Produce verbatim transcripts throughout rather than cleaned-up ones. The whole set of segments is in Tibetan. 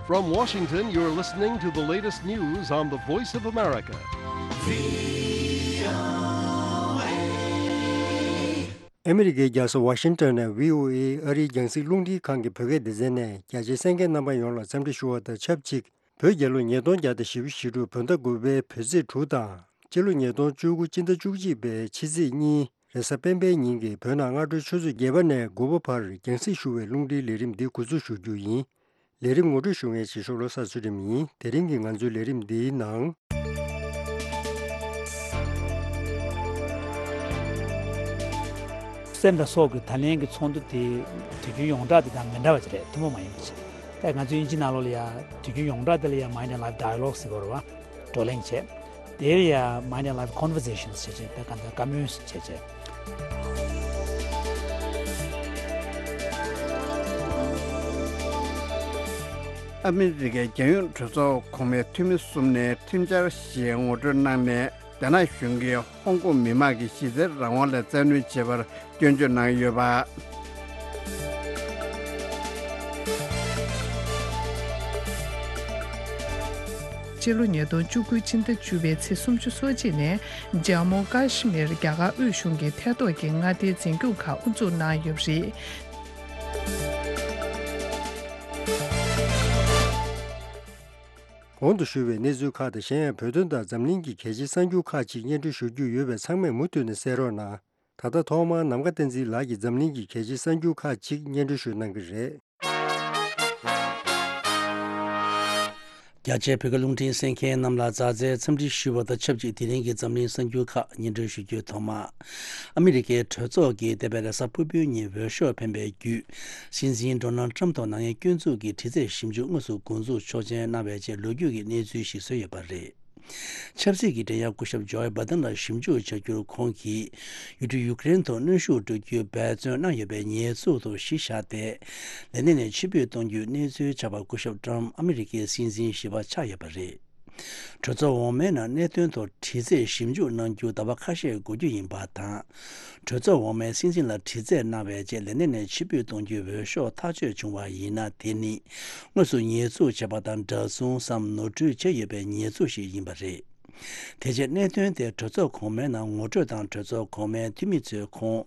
From Washington, you're listening to the latest news on the Voice of America. ཨ་མི་རི་ཀའི་རྒྱལ་ས་ཝ་ཤིང་ཊོན་ནས་བྷི་ཨོ་ཨེ་ཨ་རིའི་རྒྱང་སྲིང་རླུང་འཕྲིན་ཁང་གི་བོད་སྐད་སྡེ་ཚན་ནས་རྒྱ་ཆེའི་གསན་མཁན་རྣམ་པ་ཡོངས་ལ་འཚམས་འདྲི་ཞུ་བ་དང་ཆབས་ཅིག་བོད་རྒྱལ་ལོ་ཉིས་སྟོང་བརྒྱ་དང་བཞི་བཅུ་ཞེ་དྲུག་བོད་ཟླ་དགུ་པའི་བོད་ཚེས་དྲུག་དང་། སྤྱི་ལོ་ཉིས་སྟོང་བཅུ་དགུ་སྤྱི་ཟླ་བཅུ་གཅིག་པའི་ཕྱི་ཚེས་གཉིས་རེས་གཟའ་སྤེན་པའི་ཉིན་གྱི་བོད་ནང་སྔ་དྲོའི་ཆུ་ཚོད་བརྒྱད་པ་ནས་དགུ་པ་བར་རྒྱང་སྲིང་ཞུ་བའི་རླུང་འཕྲིན་ལས་རིམ་འདི་འགོ་འཛུགས་ཞུ་རྒྱུ་ཡིན། ལས་རིམ་ངོ་སྤྲོད་ཞུ་མཁན་བྱེད་ཤོག་བློ་བཟང་ཚུལ་ཁྲིམས་ཡིན། དེ་རིང་གི་ང་ཚོའི་ལས་རིམ་འདིའི་ནང་། སེམས་དང་སྲོག་གི་ད་ལན་གྱི་ཚོགས་འདུ་དེ་དུས་རྒྱུན་ཡོངས་གྲགས་དེ་དང་མི་འདྲ་བ་ཅིག་རེད། ཐུན་མོང་མ་ཡིན་པ་ཅིག་ད་ང་ཚོའི་དབྱིན་ཇི་ནང་ལོགས་ལ་ཡ་དུས་རྒྱུན་ཡོངས་གྲགས་དེ་ལ་ཡ་Mind and Life Dialogue ཟེར་གྱི་ཡོད་རེད་བ། བགྲོ་གླེང་བྱས། དེར་ཡང་Mind and Life Conversations བྱས་བྱས་ད་ག་འདྲ་བཀའ་མོལ་བྱས་བྱས། ཨ་མི་རི་ཀའི་རྒྱལ་ཡོངས་གྲོས་ཚོགས་གོང་མའི་འཐུས་མི་གསུམ་ནས་ཁྲིམས་འཆར་ཞིག་ངོ་སྤྲོད་གནང་ནས། རྒྱ་ནག་གཞུང་གིས་ཧོང་ཀོང་མི་དམངས་ཀྱི་གཞི་རྩའི་རང་དབང་ལ་བཙན་གནོན་བྱས་པར་སྐྱོན་བརྗོད་གནང་ཡོད་པ། སྤྱི་ལོ་ཉིས་སྟོང་བཅུ་དགུ་སྤྱི་ཟླ་བཅུ་པའི་ཚེས་སུམ་ཅུ་སོ་གཅིག་ནས་ཇམ་མུ་ཀ་ཤི་མིར་རྒྱ་གར་དབུས་གཞུང་གི་ཐད་གཏོགས་ཀྱི་མངའ་སྡེའི་འཛིན་སྐྱོང་ཁག་དབུ་འཛུགས་གནང་ཡོད་པ་རེད། གོང་དུ་ཞུས་པའི་གནས་ཚུལ་ཁག་དང་། གཞན་ཡང་བོད་དོན་དང་འཛམ་གླིང་གི་གལ་ཆེའི་གསར་འགྱུར་ཁག་ཅིག་སྙན་སྒྲོན་ཞུ་རྒྱུ་ཡོད་པས། ཚང་མས་མུ་མཐུད་ནས་གསན་རོགས་གནང་། ད་ལྟ་ཐོག་མར་ནམ་མཁའ་བསྟན་འཛིན་ལགས་ཀྱིས་འཛམ་གླིང་གི་གལ་ཆེའི་གསར་འགྱུར་ཁག་ཅིག་སྙན་སྒྲོན་ཞུ་གནང་གི་རེད། རྒྱ་ཆེའི་བོད་སྐད་རླུང་འཕྲིན་གསན་མཁན་རྣམས་ལ་མཛའ་བརྩེའི་འཚམས་འདྲི་ཞུ་བ་དང་ཆབས་ཅིག་དེ་རིང་གི་འཛམ་གླིང་གསར་འགྱུར་ཁག་སྙན་སྒྲོན་ཞུ་རྒྱུའི་ཐོག་མ། ཨ་མི་རི་ཀའི་གྲོས་ཚོགས་ཀྱིས་འདས་པའི་རེས་གཟའ་ཕུར་བུའི་ཉིན་འོས་ཤོག་འཕེན་པའི་བརྒྱུད། སྲིད་འཛིན་ཌོ་ནལ་ཊམ་ཐོག་ནག་ཉེས་སྐྱོན་འཛུགས་ཀྱི་དྲི་རྩད་ཞིབ་འཇུག་དངོས་སུ་འགོ་འཛུགས་ཆོག་མཆན་གནང་བའི་རྗེས་ལོ་རྒྱུས་ཀྱི་གནས་ཚུལ་ཞིག་བཟོས་ཡོད་པ་རེད། ཆབ་སྲིད་ཀྱི་འགྲན་ཡ་སྐུ་ཞབས་ཇོ་ཨེ་བྷ་དན་ལ་ཞིབ་འཇུག་བྱ་རྒྱུར་ཁོང་གིས་ཡུལ་གྲུ་ཡུ་ཀེ་རེན་ཐོག་གནོན་ཤུགས་སྤྲོད་རྒྱུའི་འབད་བརྩོན་གནང་ཡོད་པའི་ཉེས་འཛུགས་ཐོག་གཞི་བཞག་སྟེ། ལས་གནས་ནས་ཕྱིར་འབུད་གཏོང་རྒྱུའི་གནས་ཚུལ་ཆགས་པར་སྐུ་ཞབས་ཊམ་ཨ་མི་རི་ཀའི་སྲིད་འཛིན་བཞི་པ་ཆགས་ཡོད་པ་རེད། གྲོས་ཚོགས་འོག་མའི་ནང་གནད་དོན་ཐོག་དྲི་རྩད་ཞིབ་འཇུག་གནང་རྒྱུ་ཟླ་བ་ཁ་ཤས་འགོར་རྒྱུ་ཡིན་པ་དང་། གྲོས་ཚོགས་འོག་མའི་སྲིད་འཛིན་ལ་དྲི་རྩད་གནང་བའི་རྗེས་ལས་གནས་ནས་ཕྱིར་འབུད་གཏོང་རྒྱུའི་འོས་ཤོག་ཐག་གཅོད་བྱུང་བ་ཡིན་ན། དེ་ནི་དངོས་སུ་ཉེས་འཛུགས་བྱས་པ་དང་འདྲ་མཚུངས་སམ་ནོར་འཁྲུལ་བྱས་ཡོད་པའི་ཉེས་འཛུགས་ཤིག་ཡིན་པ་རེད། དེ་རྗེས་གནད་དོན་དེ་གྲོས་ཚོགས་གོང་མའི་ནང་ངོ་སྤྲོད་དང་། གྲོས་ཚོགས་གོང་མའི་འཐུས་མི་ཚོས་ཁོང་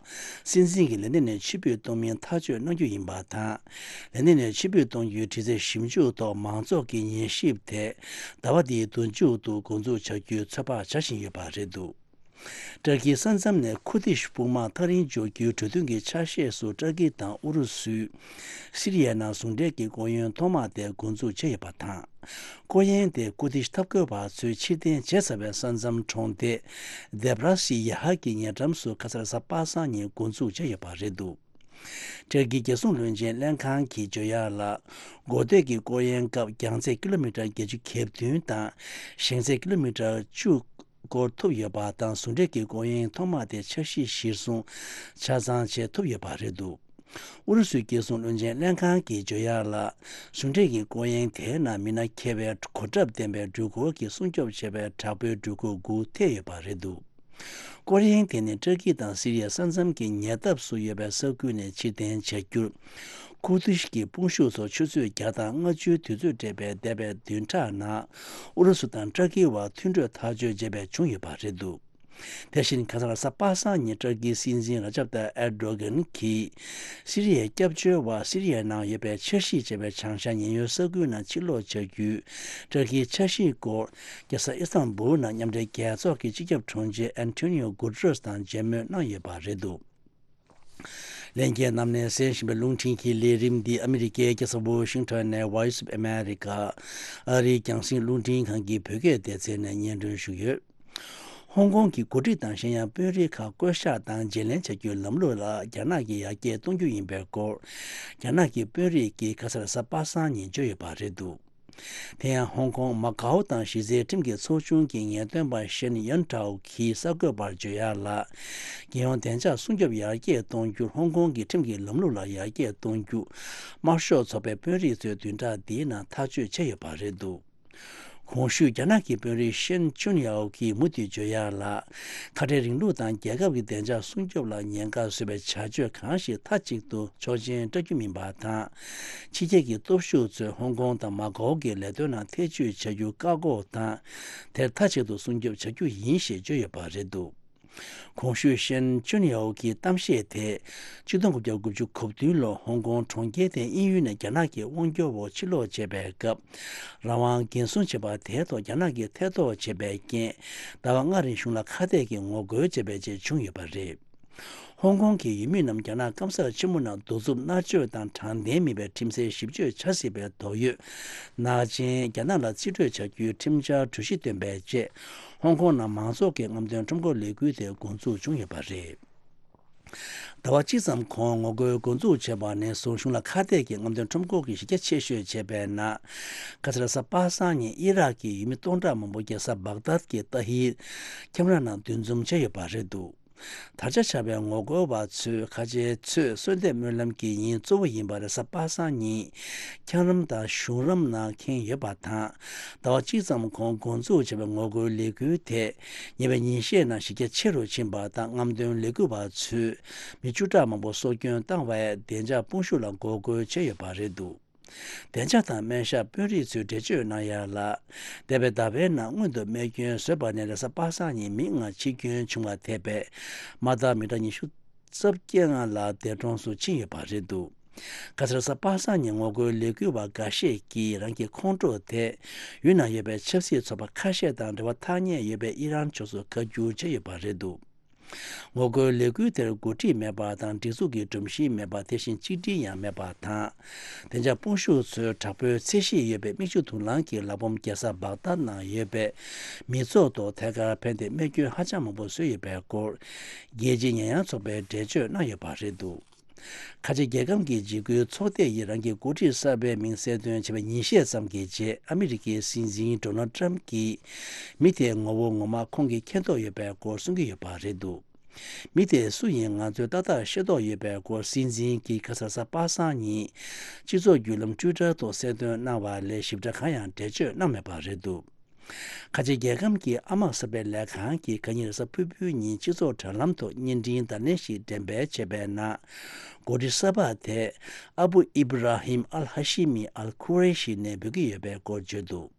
སྲིད་འཛིན་གྱི་ལས་གནས་ནས་ཕྱིར་འབུད་གཏོང་མིན་ཐག་གཅོད་གནང་རྒྱུ་ཡིན་པ་དང་། ལས་གནས་ནས་ཕྱིར་འབུད་གཏོང་རྒྱུའི་དྲི་རྩད་ཞིབ་འཇུག་ཐོག་མང་ཚོགས་ཀྱི་ཉན་ཞིབ་དེ་ཟླ་བ་འདིའི་དུས་མཇུག་ཏུ་འགོ་འཛུགས་བྱ་རྒྱུའི་ཚོད་དཔག་བྱ་བཞིན་ཡོད་པ་རེད་འདུག་ཏུར་ཀིའི་ས་མཚམས་ནས་ཁུར་དིཤ་དཔུང་དམག་ཐག་རིང་འཇོག་རྒྱུའི་གྲོས་མཐུན་གྱི་ཆ་ཤས་སུ་ཏུར་ཀི་དང་ཨུ་རུ་སུས་སི་རི་ཡའི་ནང་ཟུང་འབྲེལ་གྱི་ལྐོག་གཡོན་ཐོག་མ་དེ་འགོ་འཛུགས་བྱས་ཡོད་པ་དང་། ལྐོག་གཡོན་དེ་ཀུར་དིཤ་འཐབ་རྒོལ་བ་ཚོས་ཕྱིར་འཐེན་བྱས་ཚར་བའི་ས་མཚམས་གྲོང་སྡེ་དེབ་ར་སི་ཡ་ཧ་གི་ཉེ་འགྲམ་སུ་ཁ་སང་རེས་གཟའ་པ་སངས་ཉིན་འགོ་འཛུགས་བྱས་ཡོད་པ་རེད་འདུག་ཏུར་ཀིའི་རྒྱལ་སྲུང་བློན་ཆེན་ལྷན་ཁང་གིས་བརྗོད་ཡག་ལ། འགོ་སྟོད་ཀྱི་ལྐོག་གཡོན་སྐབས་རྒྱང་ཚད་ཀི་ལོ་མི་ཊར་བརྒྱད་ཅུ་གྱ་བདུན་དང་། ཞེང་ཚད་ཀི་ལོ་མི་ཊར་བཅུ་སྐོར་ཐུབ་ཡོད་པ་དང་། ཟུང་འབྲེལ་གྱི་ལྐོག་གཡོན་ཐོག་མ་དེ་འཆར་གཞི་གཞིར་བཟུང་ཆ་ཚང་བྱེད་ཐུབ་ཡོད་པ་རེད་འདུག་ཨུ་རུ་སུའི་རྒྱལ་སྲུང་བློན་ཆེན་ལྷན་ཁང་གིས་བརྗོད་ཡག་ལ། ཟུང་འབྲེལ་གྱི་ལྐོག་གཡོན་དེའི་ནང་མི་སྣ་མཁས་པའི་གོ་ཁྲབ་ལྡན་པའི་སྦྲུལ་འཁོར་གྱིས་སྲུང་སྐྱོབ་བྱས་པའི་དྲག་པོའི་སྦྲུལ་འཁོར་དགུ་ཐེ་ཡོད་པ་རེད་འདུག་ལྐོག་གཡོན་དེ་ནི་ཏུར་ཀི་དང་སི་རི་ཡའི་ས་མཚམས་ཀྱི་ཉེ་འདབས་སུ་ཡོད་པའི་ས་ཁུལ་ནས་ཕྱིར་འཐེན་བྱ་རྒྱུར། ཁུར་དིཤ་གི་དཔུང་ཤུགས་ཚོ་ཆུ་ཚོད་བརྒྱ་དང་ལྔ་བཅུའི་དུས་ཚོད་སྤྲད་པའི་འདས་པའི་བདུན་ཕྲག་ནང་ཨུ་རུ་སུ་དང་ཏུར་ཀི་བར་མཐུན་གྲོས་ཐག་གཅོད་བྱས་པས་བྱུང་ཡོད་པ་རེད་འདུག་དེ་བཞིན་ཁ་སང་རེས་གཟའ་པ་སངས་ཉིན་ཏུར་ཀིའི་སྲིད་འཛིན་ར་ཇབ་ཏཱ་ཨེར་ཌོ་གྷན་གྱིས་སི་རི་ཡའི་སྐྱབས་བཅོལ་བ་སི་རི་ཡའི་ནང་ཡོད་པའི་འཆར་གཞི་བྱས་པའི་བྱང་ཤར་ཉེན་གཡོལ་ས་ཁུལ་ནང་ཕྱིར་ལོག་བྱ་རྒྱུའི་ཏུར་ཀིའི་འཆར་གཞིའི་སྐོར། རྒྱལ་ས་ཨི་སྟན་བུལ་ནང་མཉམ་འབྲེལ་རྒྱལ་ཚོགས་ཀྱི་སྤྱི་ཁྱབ་དྲུང་ཆེ་ཨན་ཐོ་ནིའོ་གུ་ཏེ་རེས་དང་མཇལ་མོལ་གནང་ཡོད་པ་རེད་འདུག་ལྷན་རྒྱས་རྣམས་ནས་གསན་བཞིན་པའི་རླུང་འཕྲིན་གྱི་ལས་རིམ་འདི་ཨ་མི་རི་ཀའི་རྒྱལ་ས་ཝོ་ཤིང་ཊོན་ནས་Voice of America ཨ་རིའི་རྒྱང་སྲིང་རླུང་འཕྲིན་ཁང་གི་བོད་སྐད་སྡེ་ཚན་ནས་སྙན་སྒྲོན་ཞུས་ཡོད། ཧོང་ཀོང་གི་འགོ་ཁྲིད་དང་གཞན་ཡང་དཔོན་རིགས་ཁག་བསྐོ་གཞག་དང་བརྗེ་ལེན་བྱ་རྒྱུའི་ལམ་ལུགས་ལ་རྒྱ་ནག་གིས་ཡར་རྒྱས་གཏོང་རྒྱུ་ཡིན་པའི་སྐོར། རྒྱ་ནག་གི་དཔོན་རིགས་ཀྱིས་ཁ་སང་རེས་གཟའ་པ་སངས་ཉིན་བརྗོད་ཡོད་པ་རེད་འདུག་དེ་ཡང་ཧོང་ཀོང་མ་ཀའོ་དང་གཞི་རྩའི་ཁྲིམས་ཀྱི་ཚོགས་ཆུང་གི་ངེས་སྟོན་པ་ཤན་ཡོན་ཀྲའོ་གིས་གསར་འགོད་པར་བརྗོད་ཡག་ལ། རྒྱལ་ཡོངས་བདེ་འཇགས་སྲུང་སྐྱོབ་ཡར་རྒྱས་གཏོང་རྒྱུར་ཧོང་ཀོང་གི་ཁྲིམས་ཀྱི་ལམ་ལུགས་ལ་ཡར་རྒྱས་གཏོང་རྒྱུ། དམར་ཤོག་ཚོགས་པའི་དཔོན་རིགས་ཚོས་བདུན་ཕྲག་འདིའི་ནང་ཐག་གཅོད་བྱས་ཡོད་པ་རེད་འདུག་གོང་ཞུས་རྒྱ་ནག་གི་དཔོན་རིགས་ཤན་ཅུན་ཡའོ་གིས་མུ་མཐུད་བརྗོད་ཡག་ལ། ཁ་བྲལ་རིང་ལུགས་དང་རྒྱལ་ཁབ་ཀྱི་བདེ་འཇགས་སྲུང་སྐྱོབ་ལ་ཉེན་ཁ་བཟོ་བའི་བྱ་སྤྱོད་གང་ཞིག་མཐའ་གཅིག་ཏུ་ཆོག་མཆན་སྤྲད་རྒྱུ་མིན་པ་དང་། ཕྱི་རྒྱལ་གྱི་སྟོབས་ཤུགས་ཚོས་ཧོང་ཀོང་དང་མ་ཀའོ་གི་ལས་དོན་ནང་ཐེ་བྱུས་བྱ་རྒྱུ་བཀག་འགོག་དང་། དེར་མཐའ་གཅིག་ཏུ་སྲུང་སྐྱོབ་བྱ་རྒྱུ་ཡིན་ཞེས་བརྗོད་ཡོད་པ་རེད་འདུག་གོང་ཞུས་ཤན་ཅུན་ཡའོ་གི་གཏམ་བཤད་དེ། ཆིག་སྟོང་དགུ་བརྒྱ་དགུ་བཅུ་གོ་བདུན་ལོར་ཧོང་ཀོང་གྲོང་ཁྱེར་དེ་དབྱིན་ཡུལ་ནས་རྒྱ་ནག་གི་དབང་སྒྱུར་འོག་ཕྱིར་ལོག་བྱས་པའི་སྐབས། རང་དབང་འགན་སྲུང་བྱེད་པ་དེའི་ཐོག་རྒྱ་ནག་གིས་ཐེ་གཏོགས་བྱས་པའི་རྐྱེན། ཟླ་བ་ལྔ་རིང་གཞུང་ལ་ཁ་གཏད་ཀྱིས་ངོ་རྒོལ་བྱས་པའི་རྗེས་བྱུང་ཡོད་པ་རེད། ཧོང་ཀོང་གི་ཡུལ་མི་རྣམས་རྒྱ་ནག་སྐམ་སར་ཆེན་མོ་ནང་གདུག་རྩུབ་མནར་གཅོད་དང་དྲང་བདེན་མིན་པའི་ཁྲིམས་སའི་ཞིབ་དཔྱོད་བྱ་སྲིད་པའི་དོགས་ཡོད་ནག་ཅན་རྒྱ་ནག་ལ་རྩིས་སྤྲོད་བྱ་རྒྱུའི་ཁྲིམས་འཆར་གྲོས་གཞི་བཏོན་པའི་རྗེས། ཧོང་ཀོང་ནང་མང་ཚོགས་ཀྱི་རྔམ་སྟོན་ཁྲོམ་སྐོར་ལས་འགུལ་དེ་འགོ་འཛུགས་བྱུང་ཡོད་པ་རེད། ཟླ་བ་གཅིག་ཙམ་གོང་ངོ་རྒོལ་འགོ་འཛུགས་བྱས་པ་ནས་བཟུང་གཞུང་ལ་ཁ་གཏད་ཀྱིས་རྔམ་སྟོན་ཁྲོམ་སྐོར་གྱི་གཞི་རྒྱ་ཆེ་ཤོས་བྱས་པའི་ནང་། ཁ་སང་རེས་གཟའ་པ་སངས་ཉིན་ཨི་རག་གི་ཡུལ་མི་སྟོང་ཕྲག་མང་པོ་རྒྱལ་ས་བག་དཱད་ཀྱི་ཏཱ་ཧིར་ཁྱམས་ར་ནང་འདུ་འཛོམས་བྱས་ཡོད་པ་རེད་འདུག་དར་ཆ་བྱ་བའི་ངོ་རྒོལ་བ་ཚོས་ཁ་ཆེའི་ཚོས་གསོལ་འདེབས་སྨོན་ལམ་གྱི་ཉིན་གཙོ་བོ་ཡིན་པ་རེས་གཟའ་པ་སངས་ཉིན་འཁྱགས་རོམ་དང་གཞུང་རོམ་ནང་ཁེངས་ཡོད་པ་དང་། ཟླ་བ་གཅིག་ཙམ་གོང་འགོ་འཛུགས་བྱས་པའི་ངོ་རྒོལ་ལས་འགུལ་དེ་ཉེ་བའི་ཉིན་ཤས་ནང་གཞི་རྒྱ་ཆེ་རུ་ཕྱིན་པ་དང་། རྔམ་སྟོན་ལས་འགུལ་བ་ཚོས་མི་བཅུ་ཕྲག་མང་པོ་སྲོག་སྐྱོན་བཏང་བས་བདེ་འཇགས་དཔུང་ཤུགས་ལ་འགོག་རྒོལ་བྱས་ཡོད་པ་རེད་འདུག་བདེ་འཇགས་དང་སྨན་ཞབས་དཔོན་རིགས་ཚོས་འགྲེལ་བརྗོད་གནང་ཡ་ལ། འདས་པའི་ཟླ་བའི་ནང་སྔོན་དུ་རྨས་སྐྱོན་བཟོས་པ་ནས་རེས་གཟའ་པ་སངས་ཉིན་མི་ལྔ་འཆི་སྐྱོན་བྱུང་བ་ཐེ་བའི་མ་དག་མི་གྲངས་ཉི་ཤུ་རྩ་བརྒྱད་ལྔ་ལ་འདས་གྲོངས་སུ་ཕྱིན་ཡོད་པ་རེད་འདུག་ཁ་སང་རེས་གཟའ་པ་སངས་ཉིན་ངོ་རྒོལ་ལས་འགུལ་བ་འགའ་ཤས་ཀྱིས་རང་གི་ཁོང་ཁྲོ་དེ་ཡུལ་ནང་ཡོད་པའི་ཆབ་སྲིད་ཚོགས་པ་ཁ་ཤས་དང་འབྲེལ་བ་ཐག་ཉེ་ཡོད་པའི་ཨི་རན་ཕྱོགས་སུ་བཀའ་བསྒྱུར་བྱས་ཡོད་པ་རེད་འདུག་ངོ་རྒོལ་ལས་འགུལ་དེར་འགོ་ཁྲིད་མེད་པ་དང་། སྒྲིག་འཛུགས་ཀྱི་སྒྲོམ་གཞི་མེད་པ། དེ་བཞིན་གཅིག་སྒྲིལ་ཡང་མེད་པ་དང་། བདེ་འཇགས་དཔུང་ཤུགས་ཚོས་དྲག་པོའི་ཚད་གཞི་ཡོད་པའི་མིག་ཆུ་དུག་རླངས་ཀྱི་ལག་འབོམ་རྒྱལ་ས་བག་དཱད་ནང་ཡོད་པའི་མི་ཚོགས་ཐོག་ཐད་ཀར་ཕན་ཏེ་རྨས་སྐྱོན་ཧ་ཅང་མང་པོ་བཟོས་ཡོད་པའི་སྐོར། རྒྱལ་སྤྱིའི་ཉེས་ཡངས་ཚོགས་པས་འགྲེལ་བརྗོད་གནང་ཡོད་པ་རེད་འདུག་ཁ་ཆེ་རྒྱལ་ཁམས་ཀྱི་འཇིགས་སྐུལ་ཚོགས་སྡེ་ཡིས་རང་གི་འགོ་ཁྲིད་གསར་པའི་མིང་གསལ་སྟོན་བྱས་པའི་ཉིན་ཤས་ཙམ་གྱི་རྗེས། ཨ་མི་རི་ཀའི་སྲིད་འཛིན་ཌོ་ནལ་ཊམ་གྱིས་མི་དེའི་ངོ་བོ་ངོ་མ་ཁོང་གིས་མཁྱེན་རྟོགས་ཡོད་པའི་སྐོར་གསུང་གི་ཡོད་པ་རེད་འདུག་མི་དེ་སུ་ཡིན་ང་ཚོས་ཏག་ཏག་ཤེས་རྟོགས་ཡོད་པའི་སྐོར། སྲིད་འཛིན་གྱིས་ཁ་སང་རེས་གཟའ་པ་སངས་ཉིན་སྤྱི་ཚོགས་བརྒྱུད་ལམ་ཊུའི་ཊར་ཐོག་གསལ་སྟོན་གནང་བ་ལས་ཞིབ་ཕྲ་གང་ཡང་འགྲེལ་བརྗོད་གནང་མེད་པ་རེད་འདུག་ཁ་ཆེ་རྒྱལ་ཁམས་ཀྱི་ཨ་དམག་གསར་པའི་ལས་ཁང་གིས་ཁ་ཉིན་རེས་གཟའ་ཕུར་བུའི་ཉིན་སྤྱི་ཚོགས་དྲ་ལམ་ཐོག་བརྙན་འཕྲིན་བརྡ་ལན་ཞིག་འགྲེམས་སྤེལ་བྱས་པའི་ནང་། འགོ་ཁྲིད་གསར་པ་དེ་ཨ་བུ་ཨིབ་ར་ཧིམ་ཨལ་ཧ་ཤི་མི་ཨལ་ཁུ་རེ་ཤི་ནས་འབོད་ཀྱི་ཡོད་པའི་སྐོར་བརྗོད་འདུག་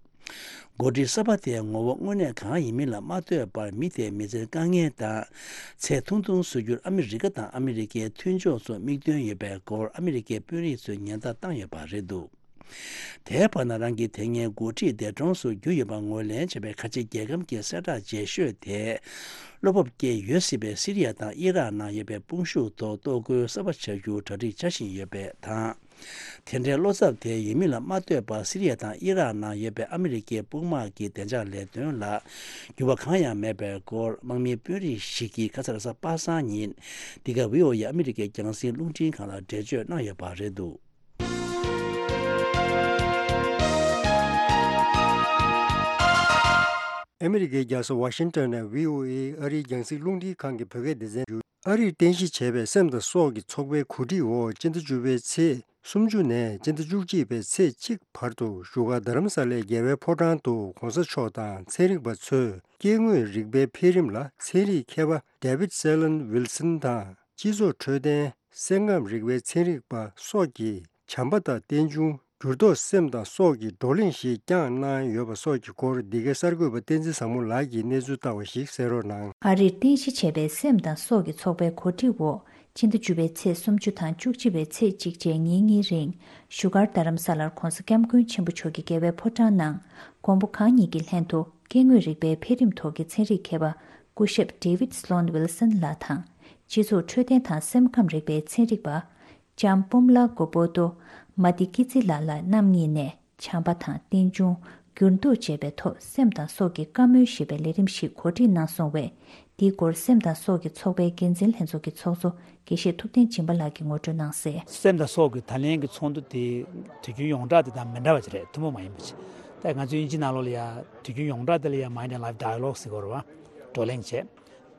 འགོ་ཁྲིད་གསར་པ་དེའི་ངོ་བོ་དངོས་གནས་གང་ཡིན་མིན་ལ་མ་ལྟོས་པར། མི་དེས་མི་ཚེར་དཀའ་ངལ་དང་ཚེ་ཐུང་ཐུང་བཟོ་རྒྱུར་ཨ་མི་རི་ཀ་དང་ཨ་མི་རི་ཀའི་མཐུན་ཕྱོགས་ཚོ་མིག་སྟོན་ཡོད་པའི་སྐོར། ཨ་མི་རི་ཀའི་དཔོན་རིགས་ཚོས་ཉེན་བརྡ་བཏང་ཡོད་པ་རེད་འདུག་དེའི་བར་ན། རང་གི་དེ་སྔའི་འགོ་ཁྲིད་འདས་གྲོངས་སུ་གྱུར་ཡོད་པར་ངོས་ལེན་བྱས་པའི་ཁ་ཆེ་རྒྱལ་ཁམས་ཀྱི་གསལ་བསྒྲགས་རྗེས་ཤོས་དེས། བློ་སྤོབས་སྐྱེས་ཡོད་སྲིད་པའི་སི་རི་ཡ་དང་ཨི་རག་ནང་ཡོད་པའི་དཔུང་ཤུགས་ཐོག་གཏོར་རྒོལ་གསར་པ་བྱ་རྒྱུར་གྲ་སྒྲིག་བྱ་བཞིན་ཡོད་པ་དང་། དེ་འདྲའི་བློ་འཚབ་དེ་ཡོད་མིན་ལ་མ་ལྟོས་པར། སི་རི་ཡ་དང་ཨི་རག་ནང་ཡོད་པའི་ཨ་མི་རི་ཀའི་དཔུང་དམག་གི་བདེ་འཇགས་ལས་དོན་ལ་འགྱུར་བ་གང་ཡང་མེད་པའི་སྐོར། དམག་མིའི་དཔོན་རིགས་ཤིག་གིས་ཁ་སང་རེས་གཟའ་པ་སངས་ཉིན་འདི་ག་བྷི་ཨོ་ཨེ་ཨ་མི་རི་ཀའི་རྒྱང་སྲིང་རླུང་འཕྲིན་ཁང་ལ་འགྲེལ་བརྗོད་གནང་ཡོད་པ་རེད་འདུག་ཨ་མི་རི་ཀའི་རྒྱལ་ས་ཝ་ཤིང་ཊོན་ནས་བྷི་ཨོ་ཨེ་ཨ་རིའི་རྒྱང་སྲིང་རླུང་འཕྲིན་ཁང་གི་བོད་སྐད་སྡེ་ཚན་བརྒྱུད། ཨ་རིར་རྟེན་གཞི་བྱས་པའི་སེམས་དང་སྲོག་གི་ཚོགས་པའི་གོ་སྒྲིག་འོག་སྤྱི་ཟླ་བཅུ་པའི་ཚེས་སུམ་ཅུ་ནས་སྤྱི་ཟླ་བཅུ་གཅིག་པའི་ཚེས་གཅིག་བར་དུ་བཞུགས་སྒར་རྡ་རམ་ས་ལའི་རྒྱལ་བའི་ཕོ་བྲང་དུ་གོང་ས་མཆོག་དང་ཚན་རིག་པ་ཚོས་སྐྱེ་དངོས་རིག་པའི་འཕེལ་རིམ་ལ་ཚན་རིག་མཁས་པ་David Selin Wilson དང་། སྤྱི་ཚོགས་འཕྲོད་བསྟེན། སེམས་ཁམས་རིག་པའི་ཚན་རིག་པ་སོགས་ཀྱི་བྱམས་པ་དང་རྟེན་འབྱུང་། འགྱུར་ལྡོག་སེམས་དང་སྲོག་གི་བགྲོ་གླེང་ཞིག་བསྐྱངས་གནང་ཡོད་པ་སོགས་ཀྱི་སྐོར། འདི་གའི་གསར་འགོད་པ་བསྟན་འཛིན་བཟང་མོ་ལགས་ཀྱིས་གནས་ཚུལ་བཏང་བ་ཞིག་གསན་རོགས་གནང་། ཨ་རིར་རྟེན་གཞི་བྱས་པའི་སེམས་དང་སྲོག་གི་ཚོགས་པའི་གོ་སྒྲིག་འོག་སྤྱི་ཟླ་བཅུ་པའི་ཚེས་སུམ་ཅུ་དང་བཅུ་གཅིག་པའི་ཚེས་གཅིག་བཅས་ཉིན་གཉིས་རིང་། བཞུགས་སྒར་རྡ་རམ་ས་ལར་༧གོང་ས་༧སྐྱབས་མགོན་ཆེན་པོ་མཆོག་གི་རྒྱལ་བའི་ཕོ་བྲང་ནང་། མགོན་པོ་གང་ཉིད་ཀྱི་ལྷན་དུ་སྐྱེ་དངོས་རིག་པའི་འཕེལ་རིམ་ཐོག་གི་ཚན་རིག་མཁས་པ་སྐུ་ཞབས་David Sloan Wilson ལགས་དང་། སྤྱི་ཚོགས་འཕྲོད་བསྟེན་དང་སེམས་ཁམས་རིག་པའི་ཚན་རིག་པ། ལྕམ་པུམ་ལ་གོ་པོ་ཏོ་མ་ཏི་ཀི་ཙི་ལ་ལ་རྣམ་གཉིས་ནས་བྱམས་པ་དང་རྟེན་འབྱུང་། འགྱུར་ལྡོག་ཅེས་པའི་ཐོག་སེམས་དང་སྲོག་གི་བཀའ་མོལ་ཞེས་པའི་ལས་རིམ་ཞིག་གོ་སྒྲིག་གནང་སོང་བས། འདིའི་སྐོར་སེམས་དང་སྲོག་གི་ཚོགས་པའི་འགན་འཛིན་ལྷན་ཚོགས་ཀྱི་ཚོགས་གཙོ་དགེ་བཤེས་ཐུབ་བསྟན་སྦྱིན་པ་ལགས་ཀྱིས་ངོ་སྤྲོད་གནང་གསལ། སེམས་དང་སྲོག་གི་ད་ལན་གྱི་ཚོགས་འདུ་དེ་དུས་རྒྱུན་ཡོངས་གྲགས་དེ་དང་མི་འདྲ་བ་ཅིག་རེད། ཐུན་མོང་མ་ཡིན་པ་ཅིག་ད་ང་ཚོའི་དབྱིན་ཇི་ནང་ལོགས་ལ་ཡ་དུས་རྒྱུན་ཡོངས་གྲགས་དེ་ལ་ཡ་Mind and Life Dialogue ཟེར་གྱི་ཡོད་རེད་བ། བགྲོ་གླེང་བྱས།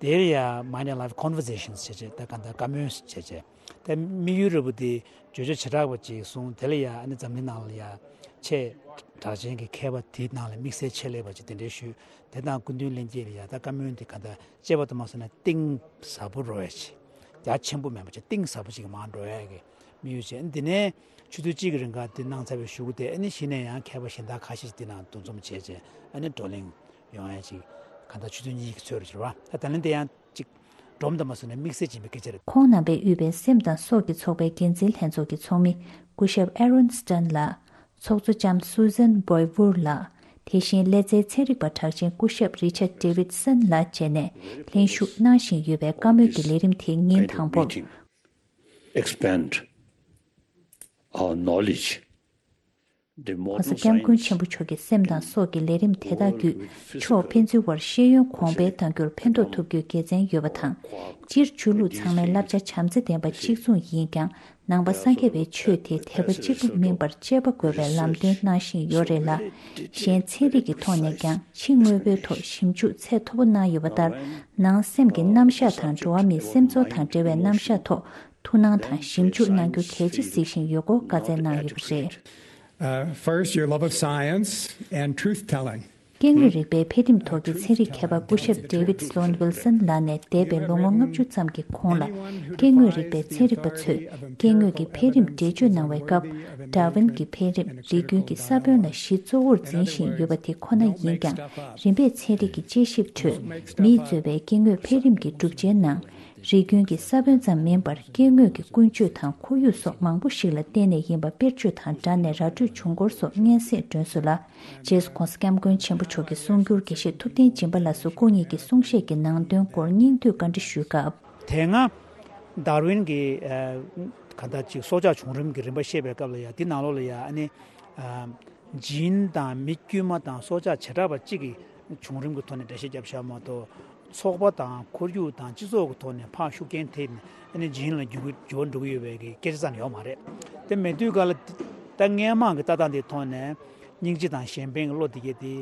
དེར་ཡ་Mind and Life Conversations བྱས་བྱས། ད་ག་འདྲ་བཀའ་མོལ་བྱས་བྱས། ད་དམིགས་ཡུལ་རེད་པ་དེ་བརྗོད་བྱ་བྱེ་བྲག་པ་ཅིག་གསུངས། དེ་ལ་ཡ་ཨ་ནི་འཛམ་གླིང་ནང་ལ་ཡ་ ཆེས་གྲགས་ཅན་གྱི་མཁས་པ་དེའི་ནང་ལ་དམིགས་བསལ་ཆེད་ལས་པ་ཅིག་དེ་འདྲའི་ཞུས། དེ་དང་སྐུ་མདུན་ལྷན་རྒྱས་ལ་ཡ་ད་བཀའ་མོལ་འདི་ག་འདྲ་བྱས་པ་དུ་མ་སོང་ན་གཏིང་ཟབ་པོ་རོ་ཡ་ཆེ། རྒྱ་ཆེན་པོ་མེད་པ་ཅིག་གཏིང་ཟབ་པོ་ཅིག་མར་འགྲོ་ཡ་གི་དམིགས་ཡུལ་བྱས། འདི་ནས་ཆུ་ཚོད་གཅིག་གི་རིང་ག་འདི་གནང་ཚར་བའི་གཞུག་གུ་དེ་ཨ་ནི་གཞི་ནས་ཡང་མཁས་པ་གཞན་དག་ཁ་ཤས་ཅིག་འདི་ནང་འདུ་འཛོམས་བྱས་བྱས་ཨ་ནི་བགྲོ་གླེང་ཡོང་ཡ་ཅིག་ག་འདྲ་ཆུ་ཚོད་གཉིས་ཀྱི་ཚོད་རེ་བྱས་པ་ད་ད་ལན་དེ་ཡང་ཅིག་སྒྲོམ་དུ་མ་སོང་ནས་དམིགས་བསལ་ཡིན་པའི་སྐད་ཆ་རེད། ཁོང་རྣམ་པས་དབུས་པའི་སེམས་དང་སྲོག་གི་ཚོགས་པའི་འགན་འཛིན་ལྷན་ཚོགས་ཀྱི་ཚོགས་མི་སྐུ་ཞབས་ཨེ་རོན་སི་ཏན་ལགས། ཚོགས་གཙོ་ལྕམ་སུ་ཟན་བོའི་ཝུར་ལགས། དེ་བཞིན་ཀླད་རྩའི་ཚན་རིག་པ་གྲགས་ཅན་སྐུ་ཞབས་རི་ཆར་ཌེ་ཝིད་སན་ལགས་བཅས་ནས་ལྷན་ཞུགས་གནང་བཞིན་ཡོད་པའི་བཀའ་མོལ་གྱི་ལས་རིམ་དེ་ཉིན་དང་པོར། Expand our knowledge. གོང་ས་སྐྱབས་མགོན་ཆེན་པོ་མཆོག་གི་སེམས་དང་སྲོག་གི་ལས་རིམ་དེ་དག་བརྒྱུད་ཕྱོགས་ཕན་ཚུན་བར་ཤེས་ཡོན་གོང་འཕེལ་གཏང་རྒྱུར་ཕན་ཐོགས་ཐུབ་རྒྱུའི་དགེ་མཚན་ཡོད་པ་དང་། སྤྱིར་ཆོས་ལུགས་ཚང་མའི་བསླབ་བྱ་བྱམས་བརྩེ་ལྡན་པ་གཅིག་མཚུངས་ཡིན་ཀྱང་། ནང་པ་སངས་རྒྱས་པའི་ཆོས་དེ་དད་པ་གཅིག་པུ་མིན་པར་དཔྱད་པ་དགོས་པའི་ལམ་སྟོན་གནང་བཞིན་ཡོད་རེད་ལ། གཞན་ཚན་རིག་གི་ཐོག་ནས་ཀྱང་ཕྱི་དངོས་པོའི་ཐོག་ཞིབ་འཇུག་ཚད་མཐོ་པོ་གནང་ཡོད་པ་ལྟར། ནང་སེམས་ཀྱི་རྣམ་གཞག་དང་འགྲོ་བ་མིའི་སེམས་ཚོར་དང་འབྲེལ་བའི་རྣམ་གཞག་ཐོག་ཐུགས་སྣང་དང་ཞིབ་འཇུག་གནང་རྒྱུ་གལ་ཆེ་གཟིགས་བཞིན་ཡོད་སྐོར་བཀའ་སྩལ་གནང་ཡོད་པ་རེད། Uh, first, your love of science and truth telling. སྐྱེ་དངོས་རིག་པའི་འཕེལ་རིམ་ཐོག་གི་ཚན་རིག་མཁས་པ་སྐུ་ཞབས་ཌེ་ཝིད་སི་ལོན་ཝིལ་སན་ལགས་ནས་འདས་པའི་ལོ་ངོ་ལྔ་བཅུ་ཙམ་གྱི་གོང་ལ། སྐྱེ་དངོས་རིག་པའི་ཚན་རིག་པ་ཚོས་སྐྱེ་དངོས་ཀྱི་འཕེལ་རིམ་འགྲེལ་བརྗོད་གནང་བའི་སྐབས། ཌར་ཝིན་གྱི་འཕེལ་རིམ། རིགས་རྒྱུན་གྱི་ས་བོན་ལ་གཞི་གཙོ་བོར་འཛིན་བཞིན་ཡོད་པ་དེ་ཁོ་ན་ཡིན་ཀྱང་། རིམ་པས་ཚན་རིག་གི་དཔྱད་ཞིབ་ཁྲོད་མིས་གཙོས་པའི་སྐྱེ་དངོས་འཕེལ་རིམ་གྱི་གྲུབ་ཆའི་ནང་། རིགས་རྒྱུན་གྱི་ས་བོན་ཙམ་མིན་པར་སྐྱེ་དངོས་ཀྱི་ཀུན་སྤྱོད་དང་ཁོར་ཡུག་སོགས་མང་པོ་ཞིག་ལ་བརྟེན་ནས་ཡིན་པ་དཔེར་བརྗོད་དང་སྦྲགས་ནས་ར་སྤྲོད་བྱུང་སྐོར་སོགས་སྙན་སེང་བསྒྲོན་སོང་ལ། རྗེས་སུ་༸གོང་ས་༸སྐྱབས་མགོན་ཆེན་པོ་མཆོག་གི་གསུང་སྒྱུར་དགེ་བཤེས་ཐུབ་བསྟན་སྦྱིན་པ་ལགས་སུ་སྐུ་ཉིད་ཀྱི་གསུང་བཤད་ཀྱི་ནང་དོན་སྐོར་སྙིང་བསྡུས་བཀའ་འདྲི་ཞུས་སྐབས། དེ་སྔ་ཌར་ཝིན་གྱིས་ཨ་གང་ལྟར་ཅིག་སྲོག་ཆགས་བྱུང་རིམ་གྱི་རིམ་པ་བཤད་པའི་སྐབས་ལ་ཡ་འདི་ནང་ལོགས་ལ་ཡ་ཨ་ནི་ཨ་ཇིན་དང་མི་དཀྱུས་མ་དང་སྲོག་ཆགས་བྱེ་བྲག་པ་གཅིག་གི་བྱུང་རིམ་གྱི་ཐོག་ནས་འགྲེལ་བཤད་བརྒྱབ་བཞག་མ་གཏོགས། ཚོགས་པ་དང་ཁོར་ཡུག་དང་སྤྱི་ཚོགས་ཀྱི་ཐོག་ནས་ཕར་ཤུགས་རྐྱེན་ཐེབས་ནས་ཨ་ནི་ཇིན་ལ་འགྱུར་འགྱུར་བ་འགྲོ་གི་ཡོད་པའི་གི་སྐད་ཆ་ཙམ་ཡོད་མ་རེད། དེ་མེད་དུས་ག་ལ་ད་སྔས་མ་གི་ལྟ་སྟངས་དེའི་ཐོག་ནས་སྙིང་རྗེ་དང་གཞན་ཕན་གྱི་བློ་དེ་གས་དེ་